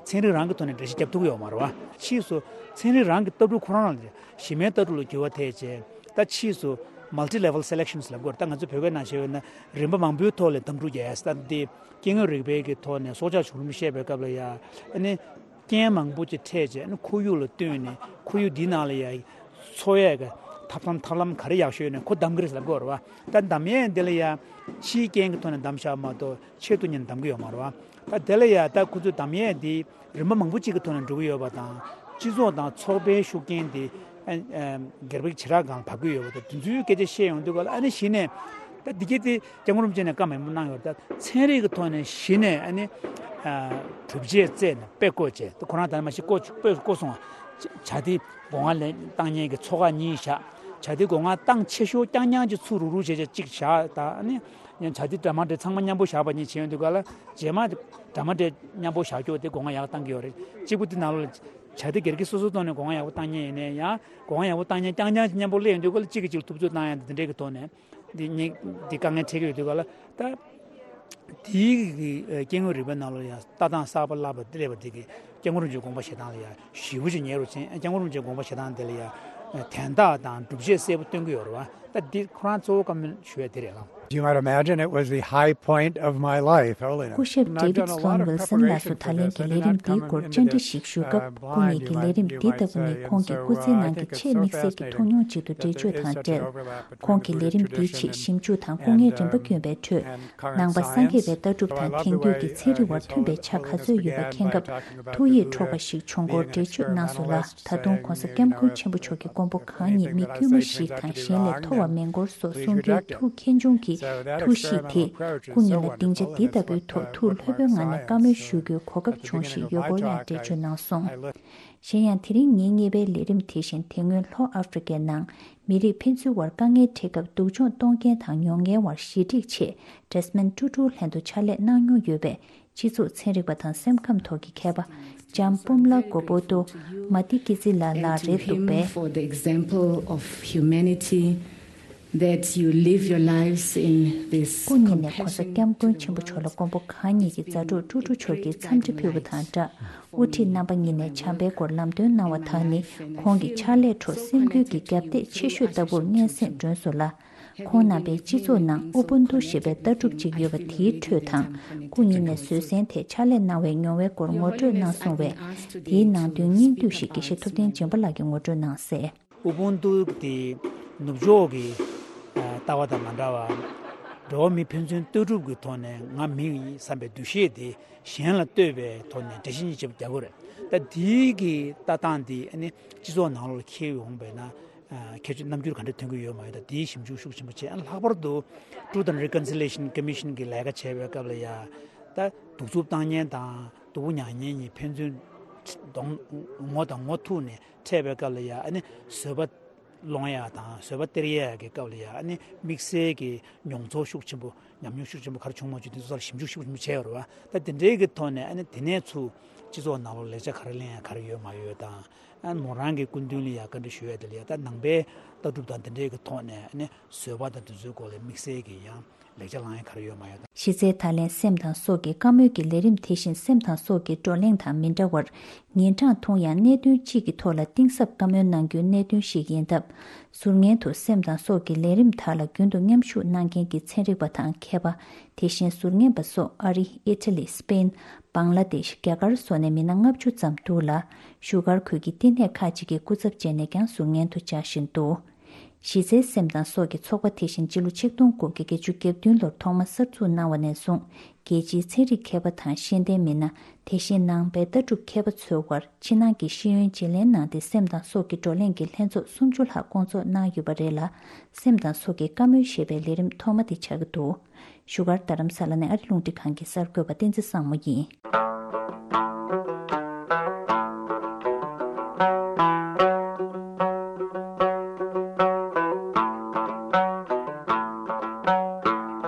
ཚན་རིག་རང་གི་ཐོག་ནས་འགྲེལ་བཤད་རྒྱབ་ཐུབ་ཀྱི་ཡོད་མ་རེད་བ། ཕྱིས་སུ་ཚན་རིག་རང་གི་ལྟ་གྲུབ་ཁོ་རང་ལ་གཞི་མའི་ལྟ་གྲུབ་ལ་འགྱུར་བ་ཐེབས་རྗེས་ད་ཕྱིས་སུ་multi level selections ལབ་དགོས་རེད། ད་ང་ཚོ་བོད་སྐད་ནང་བཤད་པ་ཡིན་ན་རིམ་པ་མང་པོའི་ཐོག་ལ་གདམ་འཁྲུག་རྒྱག་ཡ་ད་འདི་སྐྱེ་དངོས་རིག་པའི་གི་ཐོག་ནས་སྲོག་ཆགས་བྱུང་རིམ་བཤད་པའི་སྐབས་ལ་ཡ་ཨ་ནི། རྐྱེན་མང་པོ་ཅིག་འཕྲད་རྗེས་ནི་ཁོར་ཡུག་ལ་བསྟུན་ནས་ཁོར་ཡུག་འདིའི་ནང་ལ་ཡ་འཚོ་ཡས་ཀྱི་ཐབས་ལམ་ཐབས་ལམ་ག་རེ་ཡག་ཤོས་ཡོད་ན་ཁོ་གདམ་གྱི་རེད་ལབ་དགོས་རེད་བ། ད་གདམ་ཡས་འདི་ལ་ཡ་ཕྱིའི་རྐྱེན་གྱི་ཐོག་ནས་གདམ་བཞག་མ་གཏོགས་ཆེད་དུ་གཉེར་གདམ་གྱི་ཡོད་མ་རེད་བ། ད་དེ་ལ་ཡ་ད་ཁོ་ཚོས་གདམ་ཡས་འདི་རིམ་པ་མང་པོ་གཅིག་གི་ཐོག་ནས་འགྲོ་གི་ཡོད་པ་དང་སྤྱི་ཚོགས་དང་ཚོགས་པའི་ཤུགས་རྐྱེན་དེ་སྒེར་པའི་བྱེ་བྲག་སྒང་ལ་བབས་ཀྱི་ཡོད་པ་དང་དེ་ཚོའི་སྐད་ཆ་བཤད་ཡོང་དུས་ག་ལ་ཨ་ནི་གཞི་ནས་ད་འདི་གས་དེ། སྐྱབས་མགོན་རིན་པོ་ཆེ་ནས་བཀའ་མང་པོ་གནང་ཡོད་རེད། ད་ཚན་རིག་གི་ཐོག་ནས་གཞི་ནས་ཨ་ནི་ཨ་གྲུབ་ཆས་བཙལ་ནས་དཔེ་བཀོད་བྱས། ད་ཁོ་རང་ད་ནི་མ་གཞི་བཀོད་བཀོད་བཀོད་སོང་བ། བྱ་དེ་སྒོ་ང་ལེན་བཏང་མཁན་གྱི་ཚོགས་ཁག་གཉིས་བཞག་བྱ་དེ་སྒོ་ང་བཏང་ཆེ་ཤོས་རྐྱང་རྐྱང་གཅིག་ཚུར་རུག་རུག་བྱས་བྱས་གཅིག་བཞག་ད་ཨ་ནི་ཡང་བྱ་དེ་འདྲ་མ་འདྲ་ཚང་མ་མཉམ་པོ་བཞག་པ་གཉིས་བྱས་ཡོང་དུས་ག་ལ་རྗེས་མ་འདྲ་མ་འདྲ་མཉམ་པོ་བཞག་རྒྱུ་དེ་སྒོ་ང་ཡག་བཏང་གི་ཡོད་རེད། གཅིག་པུ་དེ་ནང་ལོགས་ལ་བྱ་དེ་སྒེར་གྱི་སོ་སོའི་ཐོག་ནས་སྒོ་ང་ཡག་པོ་བཏང་མཁན་ཡིན་ནའི་ཡང་སྒོ་ང་ཡག་པོ་བཏང་མཁན་རྐྱང་རྐྱང་གཅིག་མཉམ་པོ་སླེབས་ཡོང་དུས་ག་ལ་གཅིག་གིས་གཅིག་ལ་ཐུབ་ཚོད་བཏང་ཡ་དེ་འདྲའི་གི་ཐོག་ནས། འདི་ཉིད་འདི་དཀའ་ངལ་འཕྲད་ཀྱི་ཡོད་དུས་ག་ལ་ད། དེའི་གི་སྐྱེ་དངོས་རིག་པའི་ནང་ལ་ཡང་ལྟ་སྟངས་གསར་པ་བསླབ་པ་སླེབས་པ་དེ་གི་སྐྱབས་མགོན་རིན་པོ་ཆེའི་དགོངས་པ་བཞེས་སྟངས་ལ་ཡང་ཞེ་པོ་ཅིག་ཉེ་རུ་ཕྱིན། སྐྱབས་མགོན་རིན་པོ་ཆེའི་དགོངས་པ་བཞེས་སྟངས་དེ་ལ་ཡང་དན་རྟགས་དང་སྒྲུབ་བྱེད་གསལ་པོ་སྟོན་གྱི་ཡོད་རེད་བ། ད་འདི་ཁོ་རང་གཙོ་བོ་བཀའ་མོལ་ཞུ་ཡ་དེ་རེད་ལགས། You might imagine it was the high point of my life, Holiness. སྐུ་ཞབས་ཌེ་ཝིད་སི་ལོན་ཝིལ་སན་ལགས་སུ་ད་ལན་གྱི་ལས་རིམ་འདིའི་སྐོར་བཅར་འདྲི་ཞིག་ཞུས་སྐབས། སྐུ་ཉིད་ཀྱི་ལས་རིམ་འདི་ལྟ་བུ་ནི་ཁོང་གི་སྐུ་ཚེའི་ནང་གི་ཆེས་དམིགས་བསལ་གྱི་ཐུགས་མྱོང་ཅིག་ཏུ་འགྲེལ་བརྗོད་དང་འབྲེལ། ཁོང་གིས་ལས་རིམ་འདིའི་ཆེད་ཞིབ་འཇུག་དང་སྐུ་ངལ་རིམ་པ་བསྐྱོན་པའི་ཁྲོད། ནང་པ་སངས་རྒྱས་པའི་ལྟ་གྲུབ་དང་དེང་དུས་ཀྱི་ཚན་རིག་དབར་མཐུན་པའི་ཆ་ག་ཚོད་ཡོད་པ་མཁྱེན་སྐབས་ཐུགས་ཡིད་འཕྲོག་པ་ཞིག་བྱུང་སྐོར་འགྲེལ་བརྗོད་གནང་སོང་ལ། ད་དུང་༸གོང་ས་༸སྐྱབས་མགོན་ཆེན་པོ་མཆོག་གི་དགོངས་པ་གང་ཉིད་མི་དཀྱུས་མ་ཞིག་དང་གཞན་ལས་མཐོ་བ་མིན་སྐོར་སོགས་གསུང་རྒྱུའི་ཐུགས་མཁྱེན་ཆུང་གི་ཐུགས་གཤིས་དེས་སྐུ་ཉིད་ལ་སྡིངས་ཆ་འདི་ལྟ་བུའི་ཐོག་ཐུགས་ལྷོད་པོའི་ངང་ནས་བཀའ་མོལ་ཞུ་རྒྱུའི་གོ་སྐབས་བྱུང་ཞེས་ཡོད་སྐོར་ཡང་འགྲེལ་བརྗོད་གནང་སོང་། གཞན་ཡང་དེ་རིང་ཉིན་གཉིས་པའི་ལས་རིམ་དེ་བཞིན་དེ་སྔོན་ལྷོ་ཨ་ཧྥེ་རི་ཁའི་ནང་མི་རིགས་ཕན་ཚུན་དབར་དཀའ་ངལ་འཕྲད་སྐབས་སྡུག་སྦྱོང་གཏོང་མཁན་དང་མྱོང་མཁན་དབར་ཞི་འགྲིག་ཆེད་ཌེ་སི་མོན་ཊུ་ཊུ་ལྷན་དུ་ཕྱག་ལས་གནང་མྱོང་ཡོད་པའི་སྤྱི་ཚོགས་ཚན་རིག་པ་དང་སེམས་ཁམས་ཐོག་གི་མཁས་པ་ལྕམ་པུམ་ལ་གོ་པོ་ཏོ་མ་ཏི་ཀི་ཙི་ལ་ལགས་རེད་འདུག་པས། For the example of humanity that you live your lives in this སྐུ་ཉིད་ནས་༸གོང་ས་༸སྐྱབས་མགོན་ཆེན་པོ་མཆོག་ལ་མགོན་པོ་གང་ཉིད་ཀྱི་མཛའ་གྲོགས་ཀྲུ་ཀྲུ་མཆོག་གིས་འཚམས་འདྲི་ཕུལ་བ་དང་སྦྲགས། དབུ་ཁྲིད་རྣམ་པ་གཉིས་ནས་བྱམས་པའི་སྐོར་ལམ་སྟོན་གནང་བ་དག་ནི་ཁོང་གི་ཕྱག་ལས་ཁྲོད་སེམས་འགུལ་གྱི་རྒྱབ་གཏད་ཆེ་ཤོས་ལྟ་བུར་སྙན་སེང་བསྒྲོན་སོང་ལ། ཁོང་རྣམ་པའི་སྤྱི་ཚོགས་ནང་ཨུ་བུན་ཏུ་ཞེས་པའི་ལྟ་གྲུབ་ཅིག་ཡོད་པ་དེའི་ཁྲོད་དང་། སྐུ་ཉིད་ནས་བཟོད་བསྲན་ཐད་ཕྱག་ལས་གནང་བའི་མྱོང་བའི་སྐོར་ངོ་སྤྲོད་གནང་སོང་བས། དེའི་ནང་དོན་སྙིང་བསྡུས་ཤིག་དགེ་བཤེས་ཐུབ་བསྟན་སྦྱིན་པ་ལགས་ཀྱིས་ངོ་སྤྲོད་གནང་གསལ། ཨུ་བུན་ཏུ་དེ་ནུབ་ཕྱོགས་ཀྱི་ལྟ་བ་དང་མ་འདྲ་བར། འགྲོ་བ་མི་ཕན་ཚུན་ལྟ་གྲུབ་ཀྱི་ཐོག་ནས་ང་མི་ཡིན་བསམ་པའི་འདུ་ཤེས་དེ་གཞན་ལ་གཏོད་པའི་ཐོག་ནས་འགྲེལ་བཤད་གཉིས་ཆེད་རྒྱག་དགོས་རེད། ད་དེའི་གི་ལྟ་སྟངས་དེ་ཨ་ནི་སྤྱི་ཚོགས་ནང་ལོགས་ལ་འཁྱེར་ཡོང་བས་ན། ཁྱད་ཆོས་རྣམ་འགྱུར་ག་འདྲ་ཐོན་གྱི་ཡོད་མ་ཡོད་དང་དེའི་ཞིབ་འཇུག་ཤུགས་ཆེན་པོ་བྱས། ལྷག་པར་དུ་Truth and Reconciliation Commission གི་ལས་ཀ་བྱེད་པའི་སྐབས་ལ་ཡ། ད་གདུག་རྩུབ་བཏང་མཁན་དང་སྡུག་པོ་མྱངས་མཁན་གཉིས་ཕན་ཚུན་གདོང་ངོ་དང་ངོ་ཐུག་ནས་འཕྲད་པའི་སྐབས་ལ་ཡ། ཨ་ནི་བཟོད་པ་སློང་ཡ་དང་བཟོད་པ་སྟེར་ཡ་གི་སྐབས་ལ་ཡ། ཨ་ནི་དམིགས་བསལ་གྱི་མྱོང་ཚོར་ཤུགས་ཆེན་པོ་ཉམས་མྱོང་ཤུགས་ཆེན་པོ་ག་རེ་བྱུང་མ་བྱུང་དེ་ཚོ་ལ་ཞིབ་འཇུག་ཤུགས་ཆེན་པོ་བྱས་ཡོད་རེད་བ། ད་དེ་འདྲའི་གི་ཐོག་ནས་ཨ་ནི་དེ་ནས་ཚུར་སྤྱི་ཚོགས་ནང་ལོགས་ལེགས་ཆ་ག་རེ་ལེན་ཡ་ག་རེ་ཡོད་མ་ཡོད་དང་། ཨ་མོ་རང་གི་སྐུ་མདུན་ལ་ཡ་བཀའ་འདྲི་ཞུ་ཡ་དེ་ལ་ཡ། ད་ནང་པའི་ལྟ་གྲུབ་དང་དེ་འདྲའི་གི་ཐོག་ནས་ཨ་ནི་བཟོད་པ་དང་དེ་ཚོའི་སྐོར་ལ་དམིགས་བསལ་གྱི་ཡང་ལེགས་ཆ་བླང་ཡ་ག་རེ་ཡོད་མ་ཡོད་དང་། གཞི་རྩའི་ད་ལན་སེམས་དང་སྲོག་གི་བཀའ་མོལ་གྱི་ལས་རིམ་དེ་བཞིན་སེམས་དང་སྲོག་གི་བགྲོ་གླེང་དང་མི་འདྲ་བར། ཉིན་གྲངས་ཐུང་ཡང་གནད་དོན་གཅིག་གི་ཐོག་ལ་གཏིང་ཟབ་བཀའ་མོལ་གནང་རྒྱུའི་གནད་དོན་ཞིག་ཡིན་སྟབས། ཟུར་ཉན་དུ་སེམས་དང་སྲོག་གི་ལས་རིམ་དག་ལ་རྒྱུན་དུ་མཉམ་ཞུགས་གནང་མཁན་གྱི་ཚན་རིག་པ་དང་མཁས་པ། དེ་བཞིན་ཟུར་ཉན་པ་སོགས་ཨ་རི། ཨི་ཊ་ལི། སི་པེན། བང་ལ་དེཤ། རྒྱ་གར་སོགས་ནས་མི་སྣ་ལྔ་བཅུ་ཙམ་འདུག་ལ། བཞུགས་སྒར་ཁུལ་གྱི་བསྟི་གནས་ཁག་ཅིག་གི་སྐུ་ཚབ་བྱས་ནས་ཀྱང་ཟུར་ཉན་དུ་བཅར་བཞིན་འདུག་གཞི་རྩའི་སེམས་དང་སྲོག་གི་ཚོགས་པ་དེ་བཞིན་སྤྱི་ལོ་ཆིག་སྟོང་དགུ་བརྒྱ་བརྒྱད་ཅུ་གྱ་བདུན་ལོར་ཐོག་མ་གསར་འཛུགས་གནང་བ་ནས་བཟུང་། རྒྱལ་སྤྱིའི་ཚན་རིག་མཁས་པ་དང་ཤེས་ལྡན་མི་སྣ། དེ་བཞིན་ནང་པའི་ལྟ་གྲུབ་མཁས་པ་ཚོའི་དབར་ཕྱི་ནང་གི་ཤེས་ཡོན་བརྗེ་ལེན་གནང་སྟེ། སེམས་དང་སྲོག་གི་བགྲོ་གླེང་གི་ལྷན་ཚོགས་སུམ་ཅུ་ལྷག་བསྐོང་ཚོགས་གནང་ཡོད་པ་རེད་ལ། སེམས་དང་སྲོག་གི་བཀའ་མོལ་ཞེས་པའི་ལས་རིམ་ཐོག་མ་དེ་ཆགས་ཀྱི་འདུག་བཞུགས་སྒར་རྡ་རམ་ས་ལ་ནས་ཨ་རི་རླུང་འཕྲིན་ཁང་གི་གསར་འགོད་པ་བསྟན་འཛིན་བཟང་མོ་ཡིན།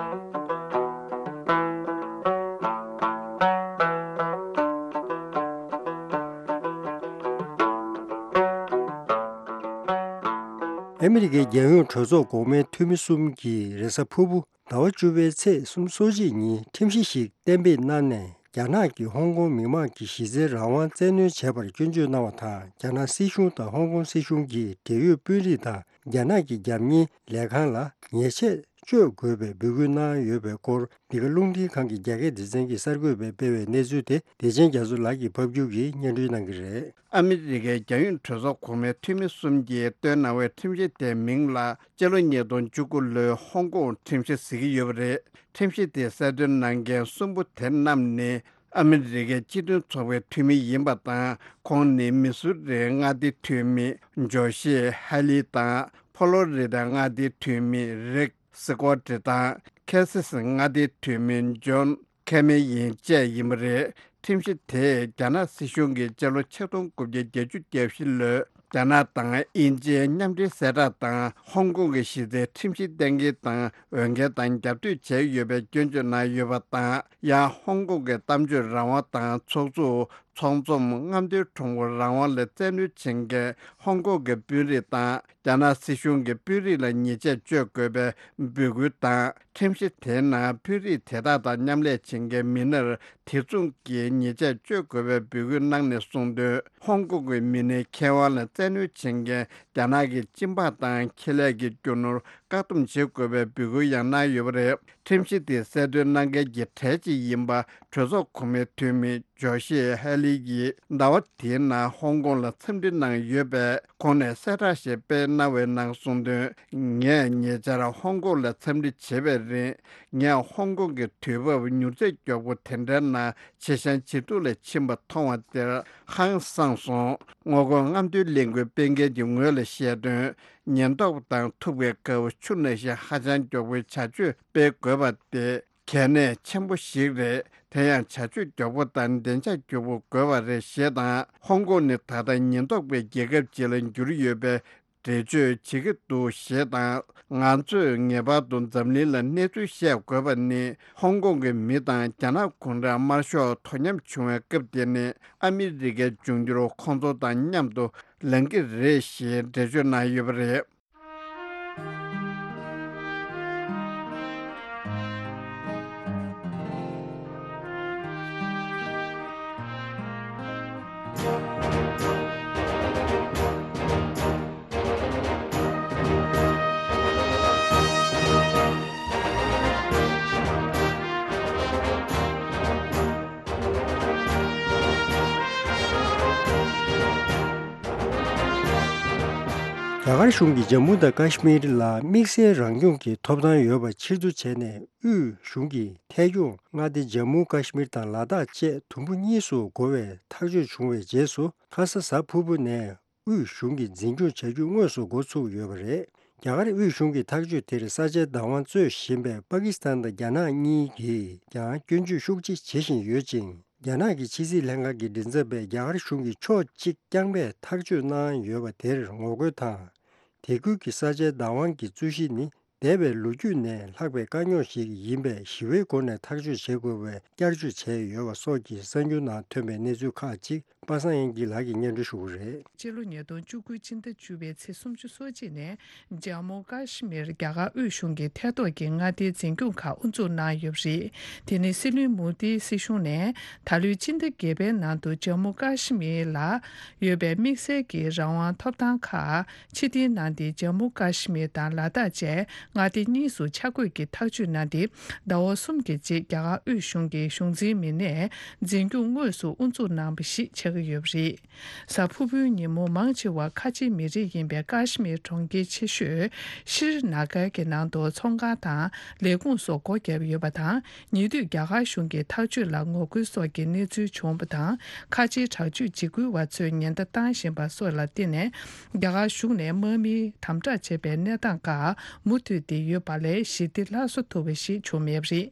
ཨ་མི་རི་ཀའི་རྒྱལ་ཡོངས་གྲོས་ཚོགས་འགོག་སྨན་འཐུས་མི་གསུམ་གྱིས་རེས་གཟའ་ཕུར་བུ་ཟླ་བ་བཅུ་པའི་ཚེས་སོ་གཅིག་ཉིན་ཁྲིམས་གཞི་ཞིག་གཏན་འབེབས་གནང་ནས། རྒྱ་ནག་གིས་ཧོང་ཀོང་མི་མང་གི་གཞི་རྩའི་རང་དབང་བཙན་གནོན་བྱས་པར་སྐྱོན་བརྗོད་གནང་བ་དང་། རྒྱ་ནག་སྲིད་གཞུང་དང་ཧོང་ཀོང་སྲིད་གཞུང་གིས་འབྲེལ་ཡོད་དཔོན་རིགས་དང་རྒྱ་ནག་གི་རྒྱབ་གཉེར་ལས་ཁང་ལ་ཉེས་ཆད་གཅོད་དགོས་པའི་འབོད་སྐུལ་གནང་ཡོད་པའི་སྐོར། འདི་ག་རླུང་འཕྲིན་ཁང་གི་རྒྱ་སྐད་སྡེ་ཚན་གྱིས་གསར་འགོད་པས་སྤེལ་བའི་གནས་ཚུལ་དེ། བདེ་ཆེན་རྒྱ་མཚོ་ལགས་ཀྱིས་ཕབ་སྒྱུར་གྱིས་སྙན་སྒྲོན་གནང་གི་རེད། ཨ་མི་རི་ཀའི་རྒྱལ་ཡོངས་གྲོས་ཚོགས་གོང་མའི་འཐུས་མི་གསུམ་གྱིས་བཏོན་གནང་བའི་ཁྲིམས་གཞི་དེའི་མིང་ལ། སྤྱི་ལོ་ཉིས་སྟོང་བཅུ་དགུ་ལོའི་ཧོང་ཀོང་ཁྲིམས་གཞི་ཟེར་གྱི་ཡོད་པ་རེད། ཁྲིམས་གཞི་དེ་གསལ་སྟོན་གནང་མཁན་གསུམ་པོ་དེ་རྣམས་ནི་ཨ་མི་རི་ཀའི་སྤྱི་མཐུན་ཚོགས་པའི་འཐུས་མི་ཡིན་པ་དང་། ཁོང་ནི་མི་སུ་རིའི་མངའ་སྡེའི་འཐུས་མི་ཇོ་ཤི་ཧ་ལི་དང་། ཕོ་ལོ་རི་དཱའི་མངའ་སྡེའི་འཐུས་མི་རིག་སི་ཀོ་ཏི་དང་། ཁེ་སི་སི་མངའ་སྡེའི་འཐུས་མི་ཇོན་ཁེ་མེ་ཡིན་བཅས་ཡིན་པ་རེད། ཁྲིམས་གཞི་དེས་རྒྱ་ནག་སྲིད་གཞུང་གིས་སྤྱི་ལོ་ཆིག་སྟོང་དགུ་བརྒྱ་བརྒྱད་ཅུ་གྱ་བཞི་ལོའི་རྒྱ་ནག་དང་དབྱིན་ཇིའི་མཉམ་འབྲེལ་གསལ་བསྒྲགས་དང་། ཧོང་ཀོང་གི་གཞི་རྩའི་ཁྲིམས་གཞི་གཏན་འཁེལ་དང་འོས་འགན་དང་རྒྱབ་གཏོད་བྱས་ཡོད་པའི་སྐྱོན་བརྗོད་གནང་ཡོད་པ་དང་། ཡང་ཧོང་ཀོང་གི་གཏམ་བརྗོད་རང་དབང་དང་། ཚོགས་འཛུགས། ཚོགས་འཛོམས། རྔམ་སྟོན་ཁྲོམ་སྐོར་རང་དབང་ལ་བཙན་གནོན་བྱེད་མཁན་ཧོང་ཀོང་གི་དཔོན་རིགས་དང་། རྒྱ་ནག་སྲིད་གཞུང་གི་དཔོན་རིགས་ལ་ཉེས་ཆད་གཅོད་དགོས་པའི་འབོད་སྐུལ་དང་། ཁྲིམས་གཞི་དེའི་ནང་དཔོན་རིགས་དེ་དག་དང་མཉམ་ལས་བྱེད་མཁན་མི་སྣར་དེ་མཚུངས་ཀྱི་ཉེས་ཆད་གཅོད་དགོས་པའི་འབོད་སྐུལ་གནང་ནས་གསུངས་དོན། ཧོང་ཀོང་གི་མི་སྣའི་ཁེ་དབང་ལ་བཙན་གནོན་བྱེད་མཁན་རྒྱ་ནག་གི་སྤྱི་འབངས་དང་ཁེ་ལས་ཀྱི་རྒྱུ་ནོར་བཀག་སྡོམ་བྱེད་དགོས་པའི་འབོད་སྐུལ་ཡང་གནང་ཡོད་པ་རེད། ཁྲིམས་གཞི་དེ་གསལ་སྟོན་གནང་མཁན་གྱི་གྲས་གཅིག་ཡིན་པ། གྲོས་ཚོགས་གོང་མའི་འཐུས་མི་ཇོ་ཤི་ཧེ་ལི་ཡིས་ཟླ་བ་དེའི་ནང་ཧོང་ཀོང་ལ་འཚམས་འདྲི་གནང་ཡོད་པས། ཁོང་ནས་གསལ་བསྒྲགས་ཤིག་སྤེལ་གནང་བའི་ནང་གསུངས་དོན། ངས་ཉེ་ཆར་ཧོང་ཀོང་ལ་འཚམས་འདྲི་བྱེད་པའི་རིང་། ངས་ཧོང་ཀོང་གི་དུས་བབ་མྱུར་ཚད་མགྱོགས་པོ་དེ་འདྲའི་ནང་ཇེ་ཞན་ཇེ་སྡུག་ལ་ཕྱིན་པ་མཐོང་བ་དེར་ཧང་སངས་སོང་། ངོ་རྒོལ་རྔམ་སྟོན་ལས་འགུལ་སྤེལ་མཁན་གྱི་ངོས་ལ་བཤད་དོན། ཉེན་རྟོག་དང་ཐུག་པའི་སྐབས་ཆུ་ནང་བཞིན་ཧ་ཅང་མགྱོགས་པོའི་བྱ་སྤྱོད་སྤེལ་དགོས་པ་དེ། གལ་གནད་ཆེན་པོ་ཞིག་རེད། དེ་ཡང་བྱ་སྤྱོད་མགྱོགས་པོ་དང་བདེ་འཇགས་མགྱོགས་པོ་དགོས་པ་རེད་ཞེས་དང་། ཧོང་ཀོང་ནི་ད་ལྟ་ཉེན་རྟོག་པའི་རྒྱལ་ཁབ་ཅིག་ལ་འགྱུར་ཡོད་པའི་འགྲེལ་བརྗོད་བྱེད་ཀྱི་འདུག་ཞེས་དང་། ང་ཚོས་ངེས་པར་དུ་འཛམ་གླིང་ལ་གནས་ཚུལ་བཤད་དགོས་པ་ནི། ཧོང་ཀོང་གི་མི་དང་རྒྱ་ནག་གུང་ཁྲན་དམར་ཤོག་དོ་མཉམ་བྱུང་བའི་སྐབས་དེ་ནི། ཨ་མི་རི་ཀའི་འབྱུང་འགྱུར་ཁོང་ཚོ་དང་མཉམ་དུ་ལངས་ཀྱི་རེད་ཞེས་འགྲེལ་བརྗོད་གནང་ཡོད་པ་རེད། རྒྱ་གར་གཞུང་གིས་ཇམ་མུ་དང་ཀ་ཤི་མིར་ལ་དམིགས་བསལ་རང་སྐྱོང་གི་ཐོབ་ཐང་ཡོད་པ་ཕྱིར་བསྡུ་བྱས་ནས། དབུས་གཞུང་གིས་ཐད་སྐྱོང་མངའ་སྡེ་ཇམ་མུ་ཀ་ཤི་མིར་དང་ལ་དྭགས་བཅས་དུམ་བུ་གཉིས་སུ་བགོ་བའི་ཐག་གཅོད་བྱུང་བའི་རྗེས་སུ། ཁ་ས་གཟའ་ཕུར་བུ་ནས་དབུས་གཞུང་གིས་འཛིན་སྐྱོང་བྱ་རྒྱུ་དངོས་སུ་འགོ་ཚུགས་ཡོད་པ་རེད། རྒྱ་གར་དབུས་གཞུང་གི་ཐག་གཅོད་དེར་ས་ཆའི་བདག་དབང་རྩོད་བཞིན་པའི་པ་ཀི་སི་ཐན་དང་རྒྱ་ནག་གཉིས་ཀྱིས་ཀྱང་སྐྱོན་བརྗོད་ཤུགས་ཆེ་བྱེད་བཞིན་ཡོད་ཅིང་། རྒྱ་ནག་གི་ཕྱི་སྲིད་ལྷན་ཁང་གི་མགྲིན་ཚབ་པས་རྒྱ་གར་གཞུང་གིས་ཕྱོགས་གཅིག་རྐྱང་པས་ཐག་གཅོད་གནང་ཡོད་པ་དེར་ངོ་རྒོལ་དང་། དེ་ཁུལ་གྱི་ས་ཆའི་བདག་དབང་གི་རྩོད་གཞི་ནི། འདས་པའི་ལོ་རྒྱུས་ནས་ལྷག་པའི་དཀའ་རྙོག་ཞིག་ཡིན་པས། ཞི་བའི་སྒོ་ནས་ཐག་གཅོད་བྱེད་དགོས་པའི་བསྐྱར་བརྗོད་བྱས་ཡོད་པ་སོགས་ཀྱི་གསར་འགྱུར་ནང་ཐོན་པའི་གནས་ཚུལ་ཁག་ཅིག་པ་སངས་དབྱངས་སྐྱིད་ལགས་ཀྱིས་སྙན་སྒྲོན་ཞུ་གི་རེད། སྤྱི་ལོ་ཉིས་སྟོང་བཅུ་དགུ་ཕྱི་ཟླ་བཅུ་པའི་ཚེས་སུམ་ཅུ་སོ་གཅིག་ནས་ཇམ་མུ་ཀ་ཤི་མིར་རྒྱ་གར་དབུས་གཞུང་གི་ཐད་གཏོགས་ཀྱི་མངའ་སྡེའི་འཛིན་སྐྱོང་ཁག་དབུ་འཛུགས་གནང་ཡོད་པ་རེད། དེ་ནི་སྲིད་བློན་མོ་དིའི་སྲིད་གཞུང་ནས་ད་ལོའི་ཕྱི་ཟླ་བརྒྱད་པའི་ནང་དུ་ཇམ་མུ་ཀ་ཤི་མིར་ལ་ཡོད་པའི་དམིགས་བསལ་གྱི་རང་དབང་ཐོབ་ཐང་ཁག་ཕྱིར་འཐེན་གནང་སྟེ། ཇམ་མུ་ཀ་ཤི་མིར་དང་ལ་དྭགས་བཅས་མངའ་སྡེ་གཉིས་སུ་ཆ་བགོས་ཀྱི་ཐག་གཅོད་གནང་སྟེ། ཟླ་བ་གསུམ་གྱི་རྗེས་རྒྱ་གར་དབུས་གཞུང་གི་གཞུང་འཛིན་མི་སྣས་འཛིན་སྐྱོང་དངོས་སུ་དབུ་འཛུགས་གནང་བ་ཞིག་ཆགས་ཀྱི་ཡོད་པ་རེད། གཟའ་ཕུར་བུའི་ཉིན་མོ་མང་ཆེ་བ་ཁ་ཆེའི་མི་རིགས་ཡིན་པའི་ཀ་ཤི་མིར་གྲོང་ཁྱེར་ཆེ་ཤོས་ཤྲི་ན་གར་གྱི་ནང་དུ་ཚོང་ཁང་དང་ལས་ཁུངས་སོགས་སྒོ་བརྒྱབ་ཡོད་པ་དང་། ཉེ་དུས་རྒྱ་གར་གཞུང་གི་ཐག་གཅོད་ལ་ངོ་རྒོལ་སོགས་ཀྱི་གནས་ཚུལ་བྱུང་བ་དང་། ཁ་ཆེའི་དྲག་སྤྱོད་འཇིགས་སྐུལ་བ་ཚོས་ཉེན་བརྡ་བཏང་བཞིན་པ་སོགས་ལ་བརྟེན་ནས། རྒྱ་གར་གཞུང་ནས་དམག་མིས་དམ་དྲག་བྱས་པའི་གནས་སྟངས་ཁག་མུ་མཐུད་དེ་ཡོད་པ་ལས་ཞི་བདེ་སླར་གསོ་ཐུབ་པ་ཞིག་བྱུང་མེད་པ་རེད།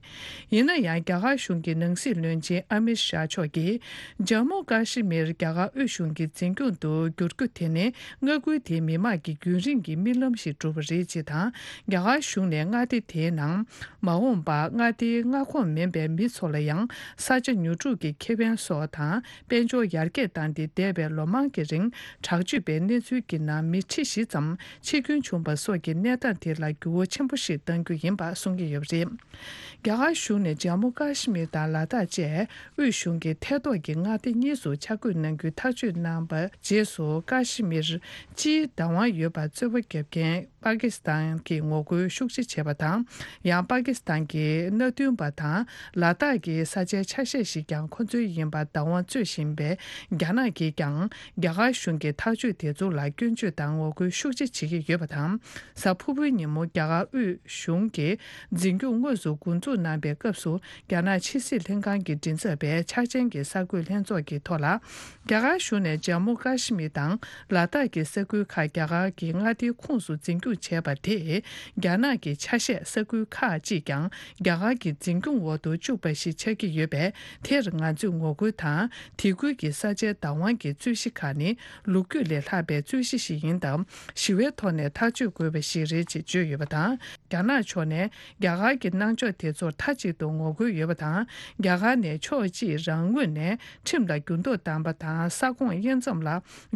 ཡིན་ན་ཡང་། རྒྱ་གར་གཞུང་གི་ནང་སྲིད་བློན་ཆེན་ཨ་མིར་ཤཱ་མཆོག་གིས། ཇམ་མུ་ཀ་ཤི་མིར་རྒྱ་གར་དབུས་གཞུང་གི་འཛིན་སྐྱོང་དུ་བསྒྱུར་རྒྱུ་དེ་ནི། མངའ་ཁུལ་དེའི་མི་དམངས་ཀྱི་རྒྱུན་རིང་གི་རྨི་ལམ་ཞིག་གྲུབ་པ་རེད་ཅེས་དང་། རྒྱ་གར་གཞུང་ནས་མངའ་སྡེ་དེའི་ནང་མ་འོངས་པར་མངའ་སྡེའི་མངའ་ཁོངས་མིན་པའི་མི་ཚོ་ལ་ཡང་། ས་ཆ་ཉོ་སྒྲུབ་ཀྱི་ཁེ་ཕན་སོགས་དང་། དཔལ་འབྱོར་ཡར་རྒྱས་བཏང་སྟེ། འདས་པའི་ལོ་མང་གི་རིང་དྲག་སྤྱོད་པའི་གནས་ཚུལ་གྱི་ནང་མི་ཁྲི་བཞི་ཙམ་འཆི་སྐྱོན་བྱུང་བ་སོགས་ཀྱི་གནས་སྟངས་དེ་ལ་འགྱུར་བ་ཆེན་པོ་ཞིག་གཏང་རྒྱུ་ཡིན་པ་གསུང་གི་ཡོད་པ་རེད། རྒྱ་གར་གཞུང་ནས་ཇམ་མུ་ཀ་ཤི་མིར་དང་ལ་དྭགས་བཅས་དབུས་གཞུང་གི་ཐད་གཏོགས་ཀྱི་མངའ་སྡེ་གཉིས་སུ་ཆ་བགོས་གནང་རྒྱུའི་ཐག་གཅོད་གནང་བའི་རྗེས་སུ། ཀ་ཤི་མིར་སྤྱིའི་བདག་དབང་ཡོད་པར་རྩོད་པ་རྒྱབ་མཁན་པ་ཀི་སི་ཐན་གྱིས་ངོ་རྒོལ་ཤུགས་ཆེ་བྱས་པ་དང་། ཡང་པ་ཀི་སི་ཐན་གྱི་མནའ་མཐུན་པ་དང་ལ་དྭགས་ཀྱི་ས་ཆའི་ཆ་ཤས་ཤིག་ཀྱང་ཁོ་ཚོའི་ཡིན་པར་བདག་དབང་རྩོད་བཞིན་པའི་རྒྱ་ནག་གིས་ཀྱང་། རྒྱ་གར་གཞུང་གི་ཐག་གཅོད་དེ་ཚོ་ལ་སྐྱོན་བརྗོད་དང་ངོ་རྒོལ་ཤུགས་ཆེ་བྱེད་ཀྱི་ཡོད་པ་དང་། གཟའ་ཕུར་བུའི་ཉིན་མོ་རྒྱ་གར་དབུས་གཞུང་གིས་འཛིན་སྐྱོང་དངོས་སུ་འགོ་འཛུགས་གནང་པའི་སྐབས་སུ། རྒྱ་ནག་ཕྱི་སྲིད་ལྷན་ཁང་གི་མགྲིན་ཚབ་པས་འཆར་ཅན་གྱི་གསར་འགོད་ལྷན་ཚོགས་ཀྱི་ཐོག་ལ། རྒྱ་གར་གཞུང་ནས་ཇམ་མུ་ཀ་ཤི་མིར་དང་ལ་དྭགས་ཀྱི་ས་ཁུལ་ཁག་རྒྱ་གར་གྱི་མངའ་སྡེའི་ཁོངས་སུ་འཛིན་སྐྱོང་བྱས་པ་དེས། རྒྱ་ནག་གི་ཆ་ཤས་ས་ཁུལ་ཁག་ཅིག་ཀྱང་རྒྱ་གར་གྱི་འཛིན་སྐྱོང་འོག་ཏུ་བཅུག་པ་ཞིག་ཆགས་ཀྱི་ཡོད་པས། དེར་ང་ཚོས་ངོ་རྒོལ་དང་། དེ་ཁུལ་གྱི་ས་ཆའི་བདག་དབང་གི་རྩོད་གཞི་ཁག་ནི། ལོ་རྒྱུས་ལས་ལྷག་པའི་རྩོད་གཞི་ཞིག་ཡིན་སྟབས། ཞི་བའི་ཐོག་ནས་ཐག་གཅོད་དགོས་པ་ཞིག་རེད་ཅེས་བརྗོད་ཡོད་པ་དང་། རྒྱ་ནག་ཕྱོགས་ནས་རྒྱ་གར་གྱི་གནང་ཕྱོགས་དེ་ཚོར་མཐའ་གཅིག་ཏུ་ངོ་རྒོལ་ཡོད་པ་དང་། རྒྱ་གར་ནས་ཕྱོགས་གཅིག་རང་ངོས་ནས་ཁྲིམས་ལ་འགྱུར་ལྡོག་བཏང་པ་དང་། ས་ཁོངས་དབྱེ་མཚམས་ལ་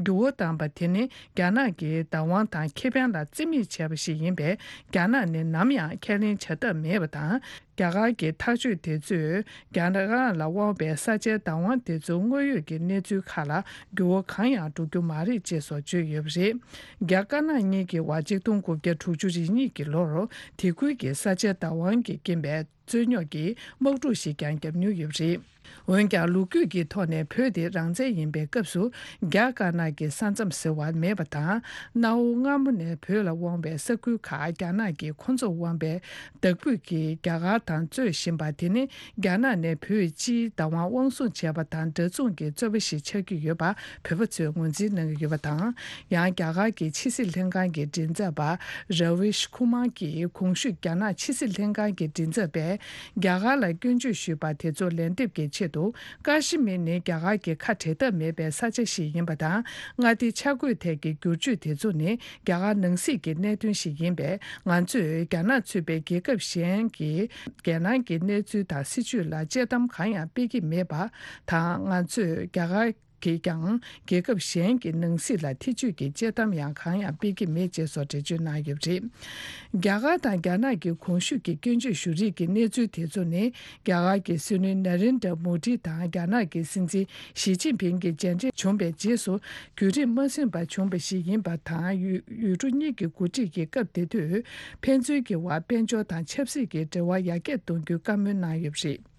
འགྱུར་བ་བཏང་པ་དེ་ནི། རྒྱ་ནག་གི་བདག་དབང་དང་ཁེ་ཕན་ལ་རྩིས་མེད་བྱས་པ་ཞིག་ཡིན་པས། རྒྱ་ནག་ནས་ནམ་ཡང་ཁས་ལེན་བྱ་ཐབས་མེད་པ་དང་། རྒྱ་གར་གྱི་ཐག་གཅོད་དེ་ཚོས་རྒྱ་ནག་ལ་དབང་བའི་ས་ཆའི་བདག་དབང་དེ་ཚོའི་དངོས་ཡོད་ཀྱི་གནས་ཚུལ་ཁག་ལ་འགྱུར་བ་གང་ཡང་འགྲོ་རྒྱུ་མ་རེད་ཅེས་སོགས་བརྗོད་ཡོད་པ་རེད། རྒྱ་དཀར་ནག་གཉིས་ཀྱི་བར་གཅིག་སྟོང་དགུ་བརྒྱ་དྲུག་ཅུ་རེ་གཉིས་ཀྱི་ལོར་དེ་ཁུལ་གྱི་ས་ཆའི་བདག་དབང་གི་རྐྱེན་པས་རྩོད་རྙོག་གི་དམག་འཁྲུག་ཞིག་ཀྱང་བརྒྱབ་མྱོང་ཡོད་པ་རེད། འོན་ཀྱང་། ལོ་རྒྱུས་ཀྱི་ཐོག་ནས་བོད་དེ་རང་བཙན་ཡིན་པའི་སྐབས་སུ། རྒྱ་དཀར་ནག་གི་ས་མཚམས་ཟེར་བ་མེད་པ་དང་། གནའ་བོ་སྔ་མོ་ནས་བོད་ལ་དབང་བའི་ས་ཁུལ་ཁག་རྒྱ་ནག་གིས་ཁོ་ཚོར་དབང་བའི་བདག་སྤོས་ཀྱིས་རྒྱ་གར་དང་རྩོད་བཞིན་པ་དེ་ནི། རྒྱ་ནག་ནས་བོད་སྤྱིའི་བདག་དབང་དབང་བཟུང་བྱས་པ་དང་འདྲ་མཚུངས་ཀྱི་རྩོད་པ་ཞིག་ཆགས་ཀྱི་ཡོད་པ་བོད་པ་ཚོས་ངོས་འཛིན་གནང་གི་ཡོད་པ་དང་། ཡང་། རྒྱ་གར་གྱི་ཕྱི་སྲིད་ལྷན་ཁང་གི་མགྲིན་ཚབ་པ་ར་བིཤ་ཁུ་མར་གྱིས། གོང་ཞུས་རྒྱ་ནག་ཕྱི་སྲིད་ལྷན་ཁང་གི་མགྲིན་ཚབ་པས། རྒྱ་གར་ལ་སྐྱོན་བརྗོད་ཞུས་པ་དེ་ཚོ་ལན་འདེབས་ཀྱི་ཆེད་དུ། ཀ་ཤི་མིར་ནི་རྒྱ་གར་གྱི་ཁ་བྲལ་ཐབས་མེད་པའི་ས་ཆ་ཞིག་ཡིན་པ་དང་། མངའ་སྡེ་ཆ་བགོས་ཐད་ཀྱི་བསྒྱུར་བཅོས་དེ་ཚོ་ནི། རྒྱ་གར་ནང་སྲིད་ཀྱི་གནད་དོན་ཞིག་ཡིན་པས། ང་ཚོས་རྒྱ་ནག་ཚུད་པའི་རྒྱལ་ཁབ་གཞན་གྱི་རྒྱལ་ནང་གི་གནས་ཚུལ་དང་སྲིད་བྱུས་ལ་དཔྱད་གཏམ་གང་ཡང་སྤེལ་གྱི་མེད་པ་དང་། ང་ཚོས་རྒྱ་གར་གྱིས་ཀྱང་རྒྱལ་ཁབ་གཞན་གྱི་ནང་སྲིད་ལ་ཐེ་བྱུས་ཀྱི་དཔྱད་གཏམ་ཡང་གང་ཡང་སྤེལ་གྱི་མེད་ཅེས་སོགས་འགྲེལ་བརྗོད་གནང་ཡོད་པ་རེད། རྒྱ་གར་དང་རྒྱ་ནག་གི་གོང་ཞུས་ཀྱི་སྐྱོན་བརྗོད་ཞུ་རིགས་ཀྱི་གནས་ཚུལ་དེ་ཚོ་ནི། རྒྱ་གར་གྱི་སྲིད་བློན་ན་རེན་དྲ་མོ་དི་དང་རྒྱ་ནག་གི་སྲིད་འཛིན་ཞི་ཅིན་ཕིང་གི་མཇལ་འཕྲད་བྱུང་བའི་རྗེས་སུ། བརྒྱུད་རིམ་མ་ཟིན་པར་བྱུང་བ་ཞིག་ཡིན་པ་དང་། ཡུལ་ཡུལ་གྲུ་གཉིས་ཀྱི་འགོ་ཁྲིད་ཀྱི་སྐབས་དེ་དུས། ཕན་ཚུན་གྱི་དབར་དཔལ་འབྱོར་དང་ཆབ་སྲིད་ཀྱི་འབྲེལ་བ་ཡར་རྒྱས་གཏོང་རྒྱུའི་བཀའ་མོལ་གནང་ཡོད་པ་རེད།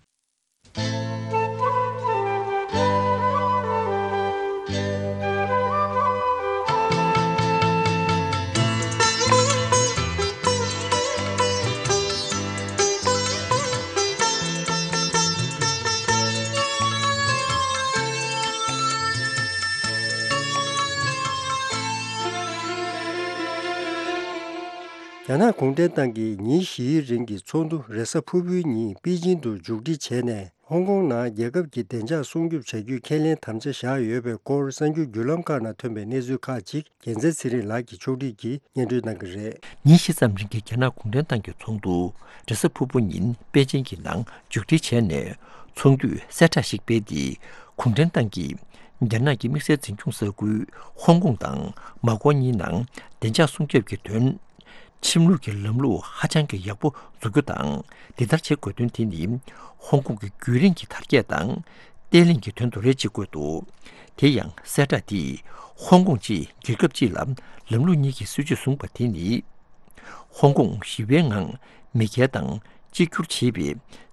རྒྱ་ནག་གུང་ཁྲན་ཏང་གིས་ཉིན་བཞིའི་རིང་གི་ཚོགས་འདུ་རེས་གཟའ་ཕུར་བུའི་ཉིན་པེ་ཅིང་དུ་མཇུག་སྒྲིལ་བྱས་ནས། ཧོང་ཀོང་ནང་རྒྱལ་ཁབ་ཀྱི་བདེ་འཇགས་སྲུང་སྐྱོབ་བྱ་རྒྱུའི་ཁས་ལེན་དམ་བཅའ་བཞག་ཡོད་པའི་སྐོར་གསར་འགྱུར་བརྒྱུད་ལམ་ཁག་ནང་ཐོན་པའི་གནས་ཚུལ་ཁག་ཅིག་རྒྱལ་མཚན་ཚེ་རིང་ལགས་ཀྱིས་ཕྱོགས་སྒྲིག་གིས་སྙན་སྒྲོན་གནང་གི་རེད། ཉིན་བཞི་ཙམ་རིང་གི་རྒྱ་ནག་གུང་ཁྲན་ཏང་གི་ཚོགས་འདུ་རེས་གཟའ་ཕུར་བུ་ཉིན་པེ་ཅིང་གི་ནང་མཇུག་སྒྲིལ་བྱས་ནས། ཚོགས་འདུས་གསལ་བསྒྲགས་ཤིག་སྤེལ་ཏེ། གུང་ཁྲན་ཏང་གིས་རྒྱ་ནག་གི་དམིགས་བསལ་འཛིན་སྐྱོང་ས་ཁུལ་ཧོང་ཀོང་དང་མ་ཀོ་གཉིས་ནང་བདེ་འཇགས་སྲུང་སྐྱོབ་ཀྱི་དོན། ཁྲིམས་ལུགས་ཀྱི་ལམ་ལུགས་ཧ་ཅང་གི་ཡག་པོ་འཛུགས་རྒྱུ་དང་། འདི་ལྟར་བྱེད་དགོས་དོན་དེ་ནི་ཧོང་ཀོང་གི་རྒྱུན་རིང་གི་དར་རྒྱས་དང་བརྟན་ལྷིང་གི་དོན་དུ་རེད་ཅེས་བཀོད་འདུག་དེ་ཡང་གསལ་བསྒྲགས་འདིས་ཧོང་ཀོང་ཅེས་རྒྱལ་ཁབ་གཅིག་ལ་ལམ་ལུགས་གཉིས་ཀྱི་སྲིད་བྱུས་བཟུང་བ་དེ་ནི། ཧོང་ཀོང་ཞི་བའི་ངང་མེས་རྒྱལ་དང་གཅིག་གྱུར་བྱེད་པའི་